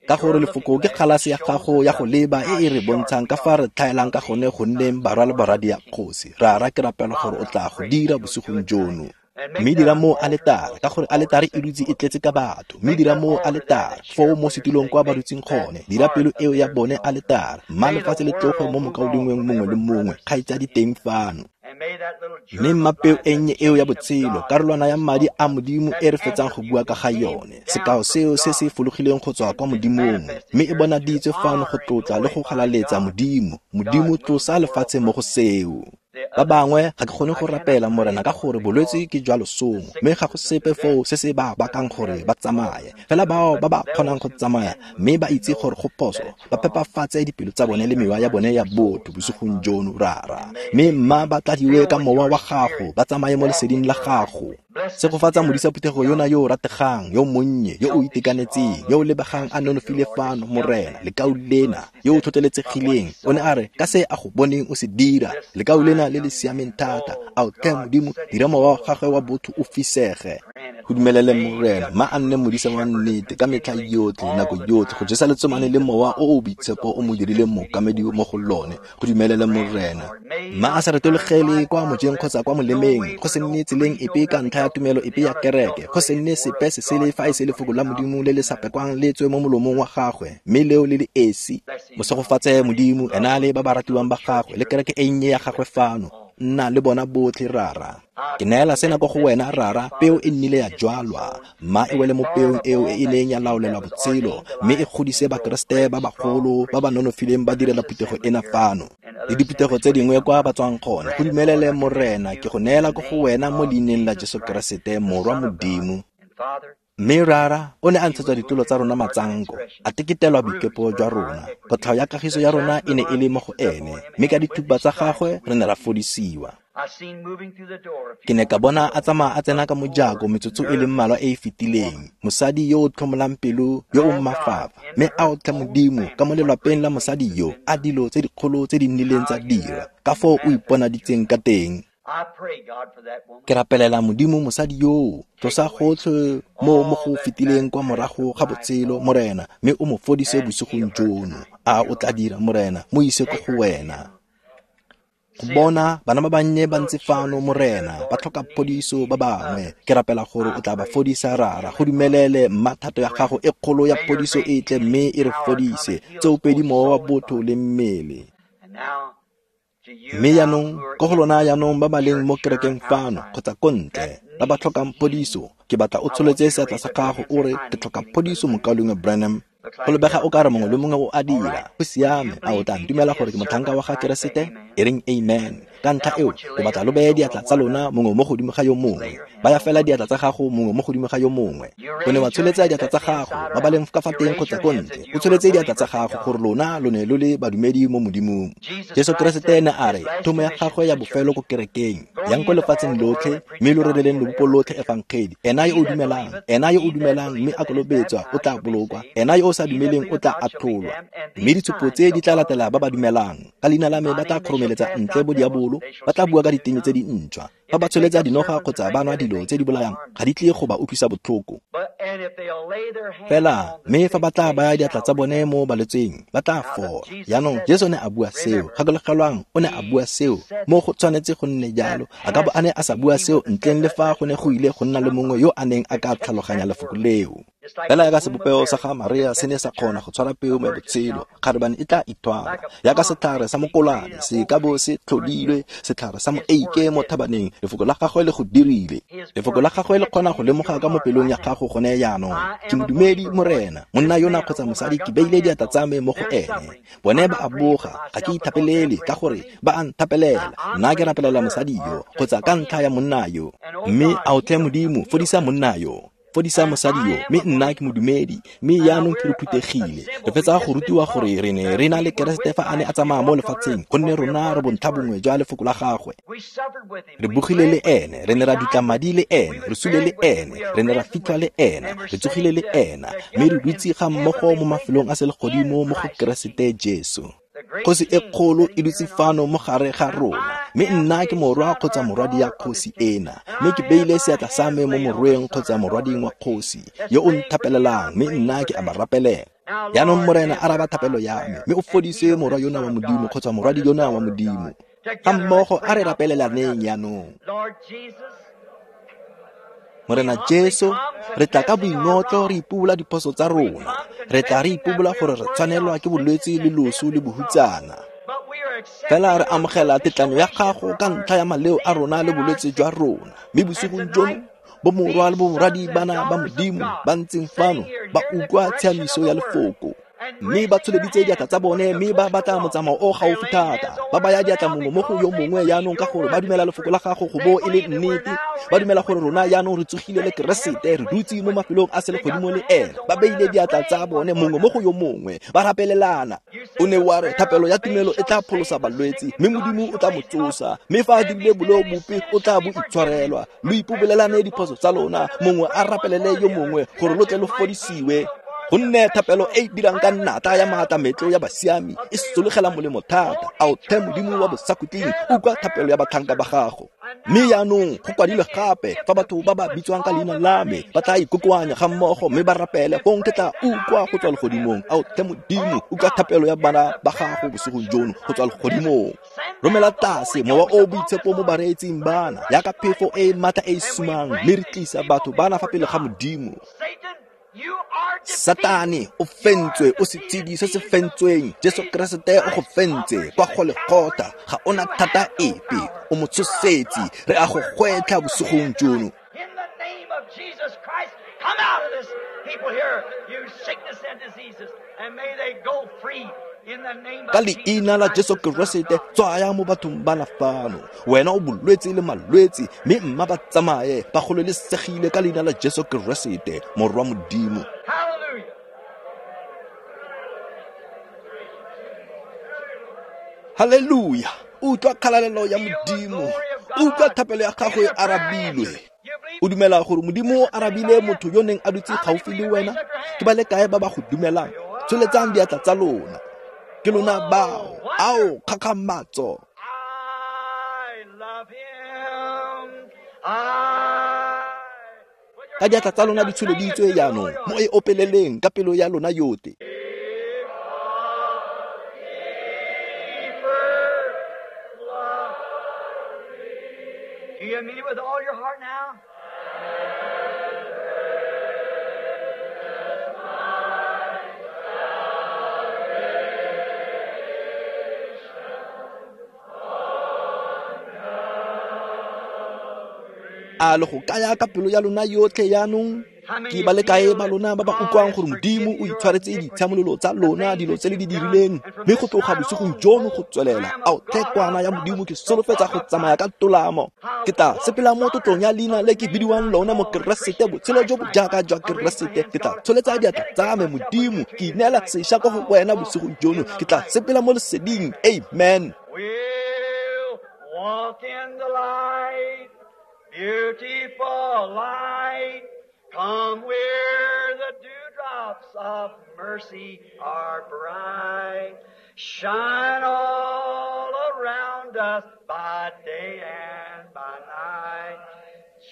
ka gore lefoko ke kgalase ya gago ya go leba e e re bontshang ka fa re tlhaelang ka gone go nneng barwa le barwadi ya kgosi. Rara, ke rapela gore o tla go dira bosigong jono. Mme dira mo aletare, ka gore aletare e dutse e tletse ka batho. Mme dira mo aletare, foo mo setulong kwa ba dutseng gone, dira pelo eo ya bone aletare. Mma lefatshe le tloge mo mokaulengweng mongwe le mongwe, kgaitsadi teng fano. Mme mma peo e nnye eo ya botshelo, karolwana ya madi a Modimo e re fetsang go bua ka ga yone, sekao seo se se fologileng go tswa kwa Modimong, mme e bonaditswe fano go tlotla le go galaletsa Modimo. Modimo, tlosa lefatshe mo go seo. Ba bangwe ga ke kgone go rapela, Morena, ka gore bolwetse ke jwa losong, mme ga go sepe foo se se ba bakang gore ba tsamaye. Fela bao ba ba kgonang go tsamaya mme ba itse gore go phoso, ba phepafatse dipelo tsa bone le mewa ya bone ya botho bosigong jono, Rara. Mme mma ba tladiwe ka mowa wa gago, ba tsamaye mo leseding la gago. Segofatsa modisa phuthego yona yo o rategang, yo monnye, yo o itekanetseng, yo o lebegang a nonofile fano, Morena, lekau lena, yo o tlhotlheletsegileng. O ne a re, ka se a go boneng o se dira, lekau lena le le siameng thata. Ao tlhe Modimo, dira mowa wa gagwe wa botho o fisege. Go dumelele Morena, ma a nne modisa wa nnete ka metlha yotlhe, nako yotlhe, go jesa letsomane le mowa o o boitshepo o mo dirileng mookamedi mo go lone. Go dumelele Morena. Ma a sa retologele kwa mojeng kgotsa kwa molemeng, go se nne tseleng epe ka ntlha ya tumelo epe ya kereke, go se nne sepe se sele fa e se lefoko la Modimo le le sa pekwang le tswe mo molomong wa gagwe, mme leo le le esi. Mosegofatse Modimo, ena le ba ba ratiwang ba gagwe, le kereke e nnye ya gagwe fano. Nna le bona botlhe, Rara. Ke neela sena ko go wena, Rara. Peo e nnile ya jwalwa, mma e wele mo peong eo e e neng ya laolelwa botshelo, mme e godise Bakeresete ba bagolo ba ba nonofileng ba direla phuthego ena fano le diphuthego tse dingwe kwa ba tswang gone. Go dumelele Morena, ke go neela ko go wena mo leineng la Jesu Keresete, Morwa Modimo. Mme Rara o ne a ntshetswa ditulo tsa rona matsanko, a teketelwa boikepo jwa rona. Kotlhao ya kagiso ya rona e ne e le mo go ene, mme ka dithupa tsa gagwe re ne ra fodisiwa. Ke ne ka bona a tsamaya a tsena ka mojako metsotso e le mmalwa e e fetileng, mosadi yo o tlhomolang pelo, yo o mafafa. Mme a o tlhe Modimo ka mo lelwapeng la mosadi yo, a dilo tse dikgolo tse di nnileng tsa dira, ka foo o iponaditseng ka teng. Ke rapelela Modimo mosadi yoo, tlosa gotlhe mo mo go fetileng kwa morago ga botshelo, Morena, mme o mo fodise bosigong jono. A o tla dira, Morena, mo ise ko go wena. Go bona bana ba bannye ba ntse fano, Morena, ba tlhoka phodiso ba bangwe. Ke rapela gore o tla ba fodisa, Rara. Go dumelele mma thato ya gago e kgolo ya phodiso e tle, mme e re fodise tsoopedi mowa wa botho le mmele. Mme jaanong, ko go lona jaanong ba ba leng mo kerekeng fano kgotsa ko ntle, ba ba tlhokang phodiso, ke batla o tsholetse seatla sa gago o re, ke tlhoka phodiso, mokaulengwe Branham. Go lebega o ka re mongwe le mongwe o a dira. Go siame, a o tla ntumela gore ke motlhanka wa ga Keresete? E reng amen. Ka ntlha eo, ke batla lo beye diatla tsa lona mongwe mo godimo ga yo mongwe. Baya fela diatla tsa gago mongwe mo godimo ga yo mongwe. O ne wa tsholetsa diatla tsa gago, ba ba leng ka fa teng kgotsa ko ntle. O tsholetse diatla tsa gago gore lona lo ne lo le badumedi mo Modimong. Jesu Keresete ne a re, thomo ya gagwe ya bofelo ko kerekeng, yang ko lefatsheng lotlhe, mme lo rereleng lobopo lotlhe efangedi. Ena yo o dumelang, ena yo o dumelang mme a kolobetswa o tla bolokwa. Ena yo o sa dumeleng o tla atlholwa. Mme ditshupo tse di tla latela ba ba dumelang. Ka leina la me ba tla kgoromeletsa ntle bo diabolo, ba tla bua ka diteme tse dintšhwa. Fa ba tsholetsa dinoga kgotsa ba nwa dilo tse di bolayang, ga di tle go ba utlwisa botlhoko. Fela mme fa ba tla baya diatla tsa bone mo balwetseng, ba tla fola. Jaanong Jesu ne a bua seo. Gakologelwang, o ne a bua seo. Mo go tshwanetse go nne jalo. A ka bo a ne a sa bua seo ntleng le fa go ne go ile go nna le mongwe yo a neng a ka tlhaloganya lefoko leo. Fela yaka sebopego sa ga Maria se ne sa kgona go tshwara peo mo botshelo, kgarebane e tla ithwala. Yaka setlhare sa mokolane se ka bo se tlhodilwe, setlhare sa moeike mo thabaneng, lefoko la gagwe le go dirile. Lefoko la gagwe le kgona go lemoga ka mo pelong ya gago gone jaanong. Ke modumedi, Morena, monna yona kgotsa mosadi, ke beile diatla tsa me mo go ene. Bone ba a boga, ga ke ithapelele ka gore ba a nthapelela. Nna ke rapelela mosadi yo kgotsa ka ntlha ya monna yo. Mme a o tlhe Modimo, fodisa monna yo, fodisa mosadi yo, mme nna ke modumedi, mme jaanong ke re phuthegile. Re fetsa go rutiwa gore re ne re na le Keresete fa a ne a tsamaya mo lefatsheng, gonne rona re bontlha bongwe jwa lefoko la gagwe. Re bogile le ene, re ne ra dutla madi le ene, re sule le ene, re ne ra fitlhwa le ene, re tsogile le ena, mme re dutse ga mmogo mo mafelong a selegodimo mo go Keresete Jesu. Kgosi e kgolo e dutse fano mo gare ga rona, mme nna ke morwa kgotsa morwadi ya kgosi ena, mme ke beile seatla sa me mo morweng kgotsa morwading wa kgosi yo o nthapelelang, mme nna ke a ba rapelela. Jaanong Morena, araba thapelo ya me, mme o fodise morwa yona wa Modimo kgotsa morwadi yona wa Modimo. Ga mmogo a re rapelelaneng jaanong. Morena Jesu, re tla ka boingotlo re ipobola diphoso tsa rona. Re tla re ipobola gore re tshwanelwa ke bolwetse le loso le bohutsana. Fela re amogela tetlanyo ya gago ka ntlha ya maleo a rona le bolwetse jwa rona. Mme bosigong jono, bomorwa le bomorwadi bana ba Modimo ba ntseng fano ba utlwa tshiamiso ya lefoko. Mme ba tsholeditse diatla tsa bone, mme ba batla motsamao o gaufi thata. Ba baya diatla mongwe mo go yo mongwe jaanong ka gore ba dumela lefoko la gago go bo e le nnete. Ba dumela gore rona jaanong re tsogile le Keresete, re dutse mo mafelong a selegodimo le ene. Ba beile diatla tsa bone mongwe mo go yo mongwe, ba rapelelana. O ne wa re thapelo ya tumelo e tla pholosa balwetse, mme Modimo o tla mo tsosa. Mme fa a dirile boleo bope, o tla bo itshwarelwa. Lo ipobelelane diphoso tsa lona, mongwe a rapelele yo mongwe gore lo tle lo fodisiwe. Gonne thapelo e e dirang ka nnata ya maatlametlo ya basiami e sologela molemo thata. A o tlhe Modimo wa bosakhutleng, utlwa thapelo ya batlhanka ba gago. Mme jaanong go kwadilwe gape fa batho ba ba bitswang ka leina la me ba tla ikokoanya ga mmogo mme ba rapele, fong ke tla utlwa go tswa legodimong. Ao tlhe Modimo, utlwa thapelo ya bana ba gago bosigong jono go tswa legodimong. Romela tlase mowa o boitshepo mo bareetsing bana yaka phefo e e maatla e e sumang, mme re tlisa batho bana fa pele ga Modimo. Satane o fentswe, o setshedi se se fentsweng. Jesu Keresete o go fentse kwa Golgotha, ga ona thata epe, o mo tshosetsi. Re a go gwetlha bosigong jono. In the name of Jesus Christ, come out of this people here, you sickness and diseases, and may they go free. Ka leina la Jesu Keresete, tswaya mo bathong bana fano. Wena o bolwetse le malwetse, mme mma ba tsamaye ba gololesegile ka leina la Jesu Keresete, Morwa Modimo. Haleluya! Utlwa kgalalelo ya Modimo, utlwa thapelo ya gago e arabilwe. O dumela gore Modimo o arabile motho yo neng a dutse gaufi le wena? Ke ba le kae ba ba go dumelang? Tsholetsang diatla tsa lona. Ke lona bao. Ao, kgakgamatso. Ka diatla tsa lona di tsholeditswe jaanong, mo e opeleleng ka pelo ya lona yotlhe. Do you mean it with all your heart now? A le go kaya ka pelo ya lona yotlhe jaanong? Ke ba le kae ba lona ba ba utlwang gore Modimo o itshwaretse ditshiamololo tsa lona, dilo tse le di dirileng, mme go tloga bosigong jono go tswelela, ao tlhe kwana ya Modimo, ke solofetsa go tsamaya ka tolamo. Ke tla sepela mo tlotlong ya leina le ke bidiwang lona mo Keresete, botshelo jo bo jaaka jwa Keresete. Ke tla tsholetsa diatla tsa me, Modimo, ke ineela sešwa ko go wena bosigong jono. Ke tla sepela mo leseding. Amen. We'll walk in the light, beautiful light. Come where the dewdrops of mercy are bright. Shine all around us by day and by night.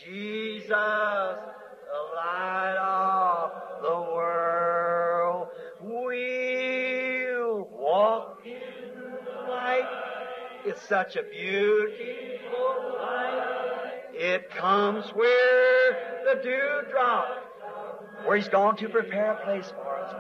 Jesus, the light of the world. We'll walk in the light. It's such a beautiful light. It comes where the dewdrop, where he's gone to prepare a place for us.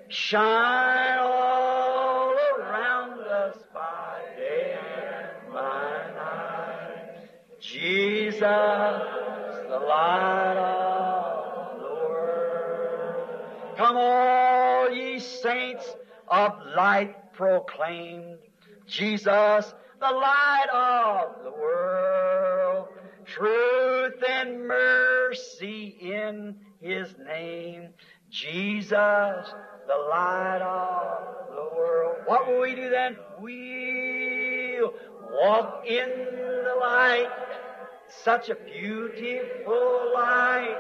Shine all around us by day and by night. Jesus, the light of the world. Come all ye saints of light proclaimed, Jesus, the light of the world. Truth and mercy in his name. Jesus, the light of the world. What will we do then? We'll walk in the light. Such a beautiful light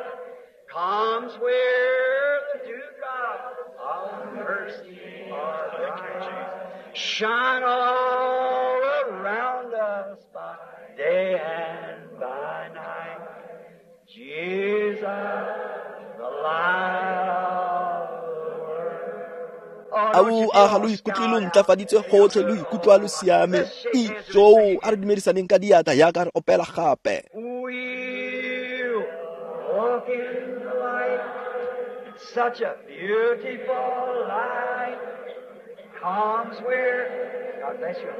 comes where the dewdrops of mercy are bright. Shine all around us by day and by night. Jesus, the light of the world. Ao a ga lo ikutlwe lo ntlafaditswe gotlhe, lo ikutlwa lo siame. Ijoo, a re dumedisaneng ka diatla yaka re opela gape. We'll walk in the light, such a beautiful light comes where, God bless you,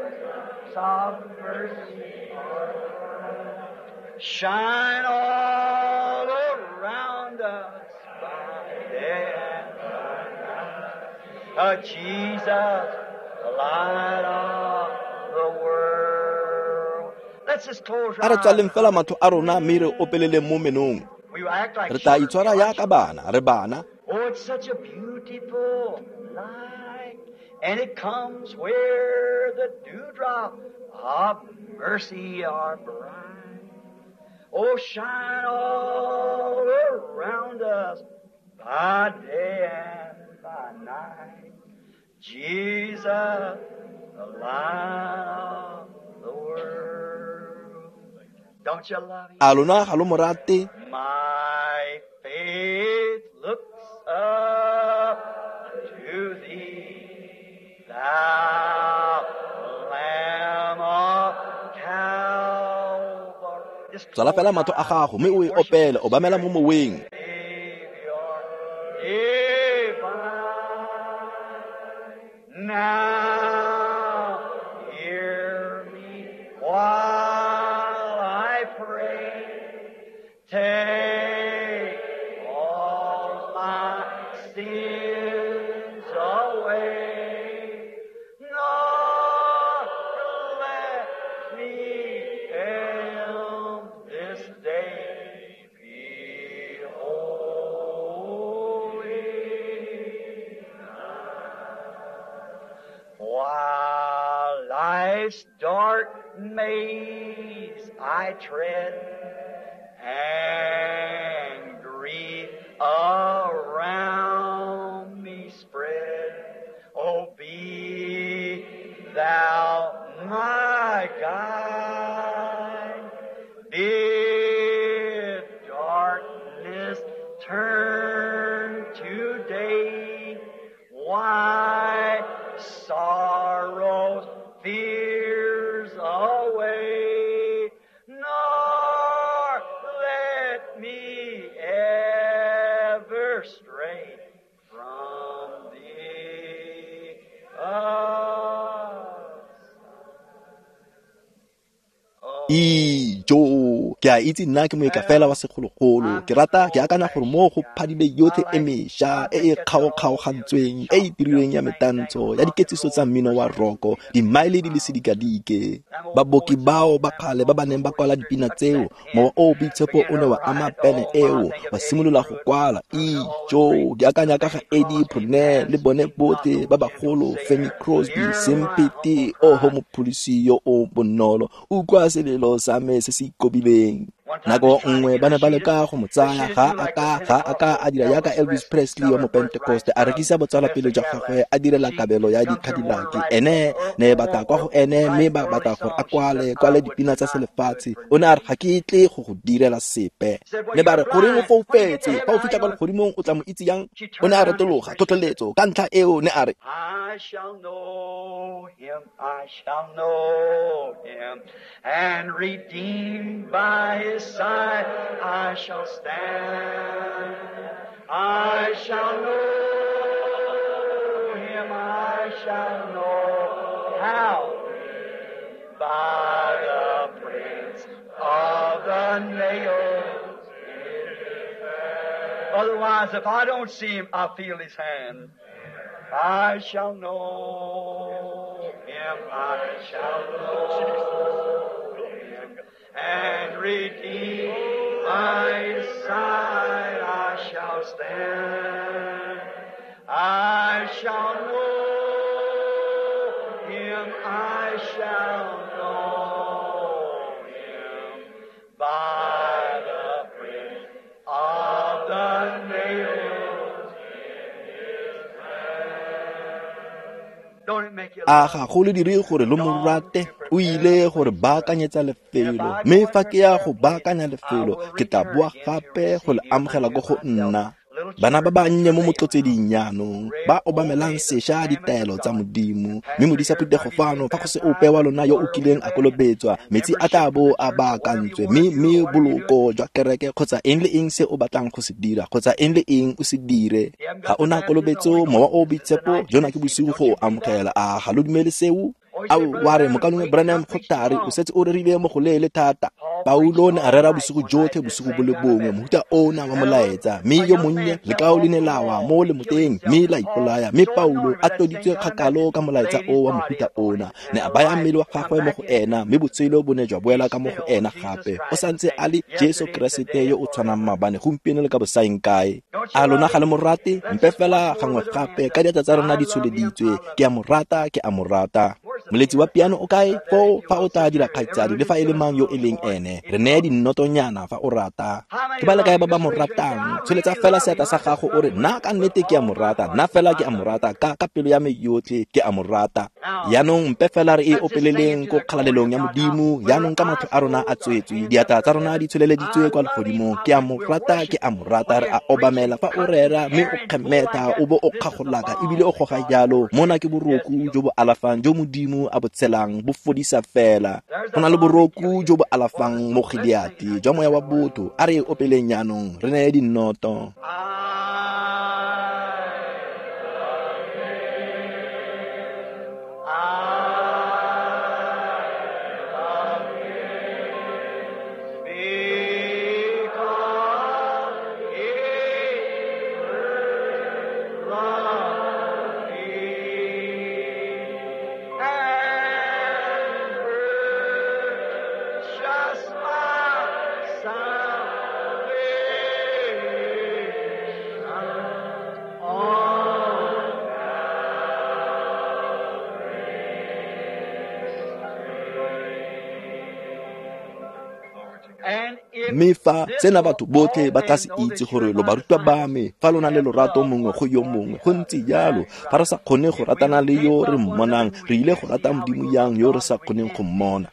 sovereign mercy are bright. Shine all around us by day and by night. Oh, Jesus, the light of the world. Let's just close A re our tswaleng eyes. fela matlho a rona mme re opeleleng mo menong. We will act like Re tla children. itshwara yaka bana, re bana. Oh, it's such a beautiful light, and it comes where the dewdrop of mercy are bright. Oh, shine all around us by day and by night. Jesus, the light of the world. Don't you love him? A lona ga lo mo rate? My faith looks up to thee, thou Lamb of Calvary. Just Tswala fela matlho a gago mme o e opele, obamela mo moweng. Savior divine. Now hear me while I pray. Take all my sins away. Nor let me end this day be holy. While life's dark maze I tread, and grief around me spread, oh, be thou my guide. Bid darkness turn to day, why sorrows, fears away, nor let me ever stray from thee. Ijo, ke a itse nna ke moeka fela wa segologolo. Ke rata ke akanya gore mo go phadile yotlhe e mešwa e e kgaokgaogantsweng e e dirilweng ya metantsho ya diketsiso tsa mmino wa roko dimaele di le sedikadike. Baboki bao ba kgale ba ba neng ba kwala dipina tseo, mowa o o boitshepo o ne wa ama pene eo, wa simolola go kwala. Ijo, ke akanya ka ga Eddie Brunel le bone botlhe ba bagolo, Fanny Crosby, Sempete, oho mopholosi yo o bonolo, utlwa selelo sa me se se ikobileng. Nako nngwe ba ne ba leka go mo tsaya, ga a ka ga a ka a dira jaaka Elvis Presley wa mopentekoste, a rekisa botsalwapele jwa gagwe, a direla kabelo ya di-Cadillac. Ene ne ba tla kwa go ene mme ba batla gore a kwale kwale dipina tsa selefatshe. O ne a re ga ke tle go go direla sepe. Ne ba re goreng o foufetse, fa o fitlha kwa legodimong o tla mo itse yang? O ne a retologa, tlhotlheletso ka ntlha eo ne a re, I shall know him, I shall know him, and redeemed by his side I shall stand. I shall know him, I shall know how, by the prints of the nails. Otherwise, if I don't see him, I feel his hand. I shall know him, I shall know him, and redeemed by his side I shall stand. I shall know him, I shall know him, by the print of the nails in his hand. Don't it make you a ga go le dire gore lo mo rate? O ile gore baakanyetsa lefelo, mme fa ke ya go baakanya lefelo, ke tla boa gape go le amogela ko go nna. Bana ba bannye mo motlotseding jaanong ba obamelang sešwa ditaelo tsa Modimo, mme modisa phuthego fano fa go se ope wa lona yo o kileng a kolobetswa, metsi a tla bo a baakantswe, mme mme boloko jwa kereke kgotsa eng le eng se o batlang go se dira kgotsa eng le eng o se dire. Ga o na kolobetso, mowa o o boitshepo, jona ke bosigo go o amogela. A ga lo dumele seo? Ao, wa re mokaulengwe Branham go thari, o setse o rerile mo go leele thata. Paulo ne a rera bosigo jotlhe bosigo bo le bongwe, mohuta ona wa molaetsa, mme yo monnye lekao le ne la wa mo lemoteng mme la ipolaya. Mme Paulo a tloditswe kgakalo ka molaetsa o wa mohuta ona, ne a baya mmele wa gagwe mo go ena, mme botshelo bo ne jwa boela ka mo go ena gape. O santse a le Jesu Keresete yo o tshwanang maabane, gompieno le ka bosaeng kae. A lona ga le mo rate? Mpe fela gangwe gape ka diatla tsa rona di tsholeditswe, ke a mo rata, ke a mo rata. Moletsi wa piano o kae? Foo fa o tla dira kgaitsadi le fa e le mang yo e leng ene, re neye dinnotonyana fa o rata. Ke ba le kae ba ba mo ratang? Tsholetsa fela seatla sa gago o re, nna ka nnete ke a mo rata, nna fela ke a mo rata, ka ka pelo ya me yotlhe ke a mo rata. Yaanong mpe fela re e opeleleng ko kgalalelong ya Modimo, yaanong ka matlho a rona a tswetswe, diatla tsa rona di tsholeleditswe kwa legodimong. Ke a mo rata, ke a mo rata. Re a obamela fa o rera mme o kgemetha o bo o kgagolaka ebile o goga jalo. Mona ke boroku jo bo alafang jo Modimo a bo tshelang, bo fodisa fela. Go na le boroku jo bo alafang mo Gileate jwa moya wa botho. A re e opeleng jaanong, re neye dinnoto. Mme fa tsena batho botlhe ba tla se itse gore lo barutwa ba me fa lo na le lorato mongwe go yo mongwe. Go ntse jalo, fa re sa kgone go ratana le yo re mmonang, re ile go rata Modimo yang yo re sa kgoneng go mmona.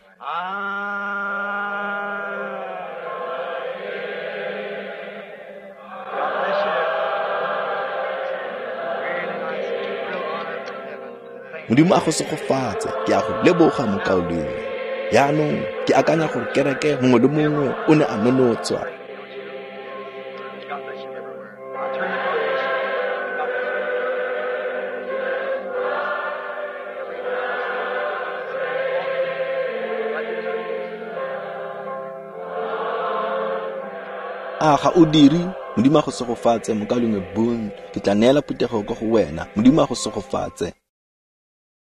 Modimo a go segofatse, ke a go leboga mokaulengwe. Yaanong ke akanya gore kereke mongwe le mongwe o ne a nonotswa. A ga o dire? Modimo a go segofatse mokaulengwe Boone, ke tla neela phuthego ko go wena. Modimo a go segofatse.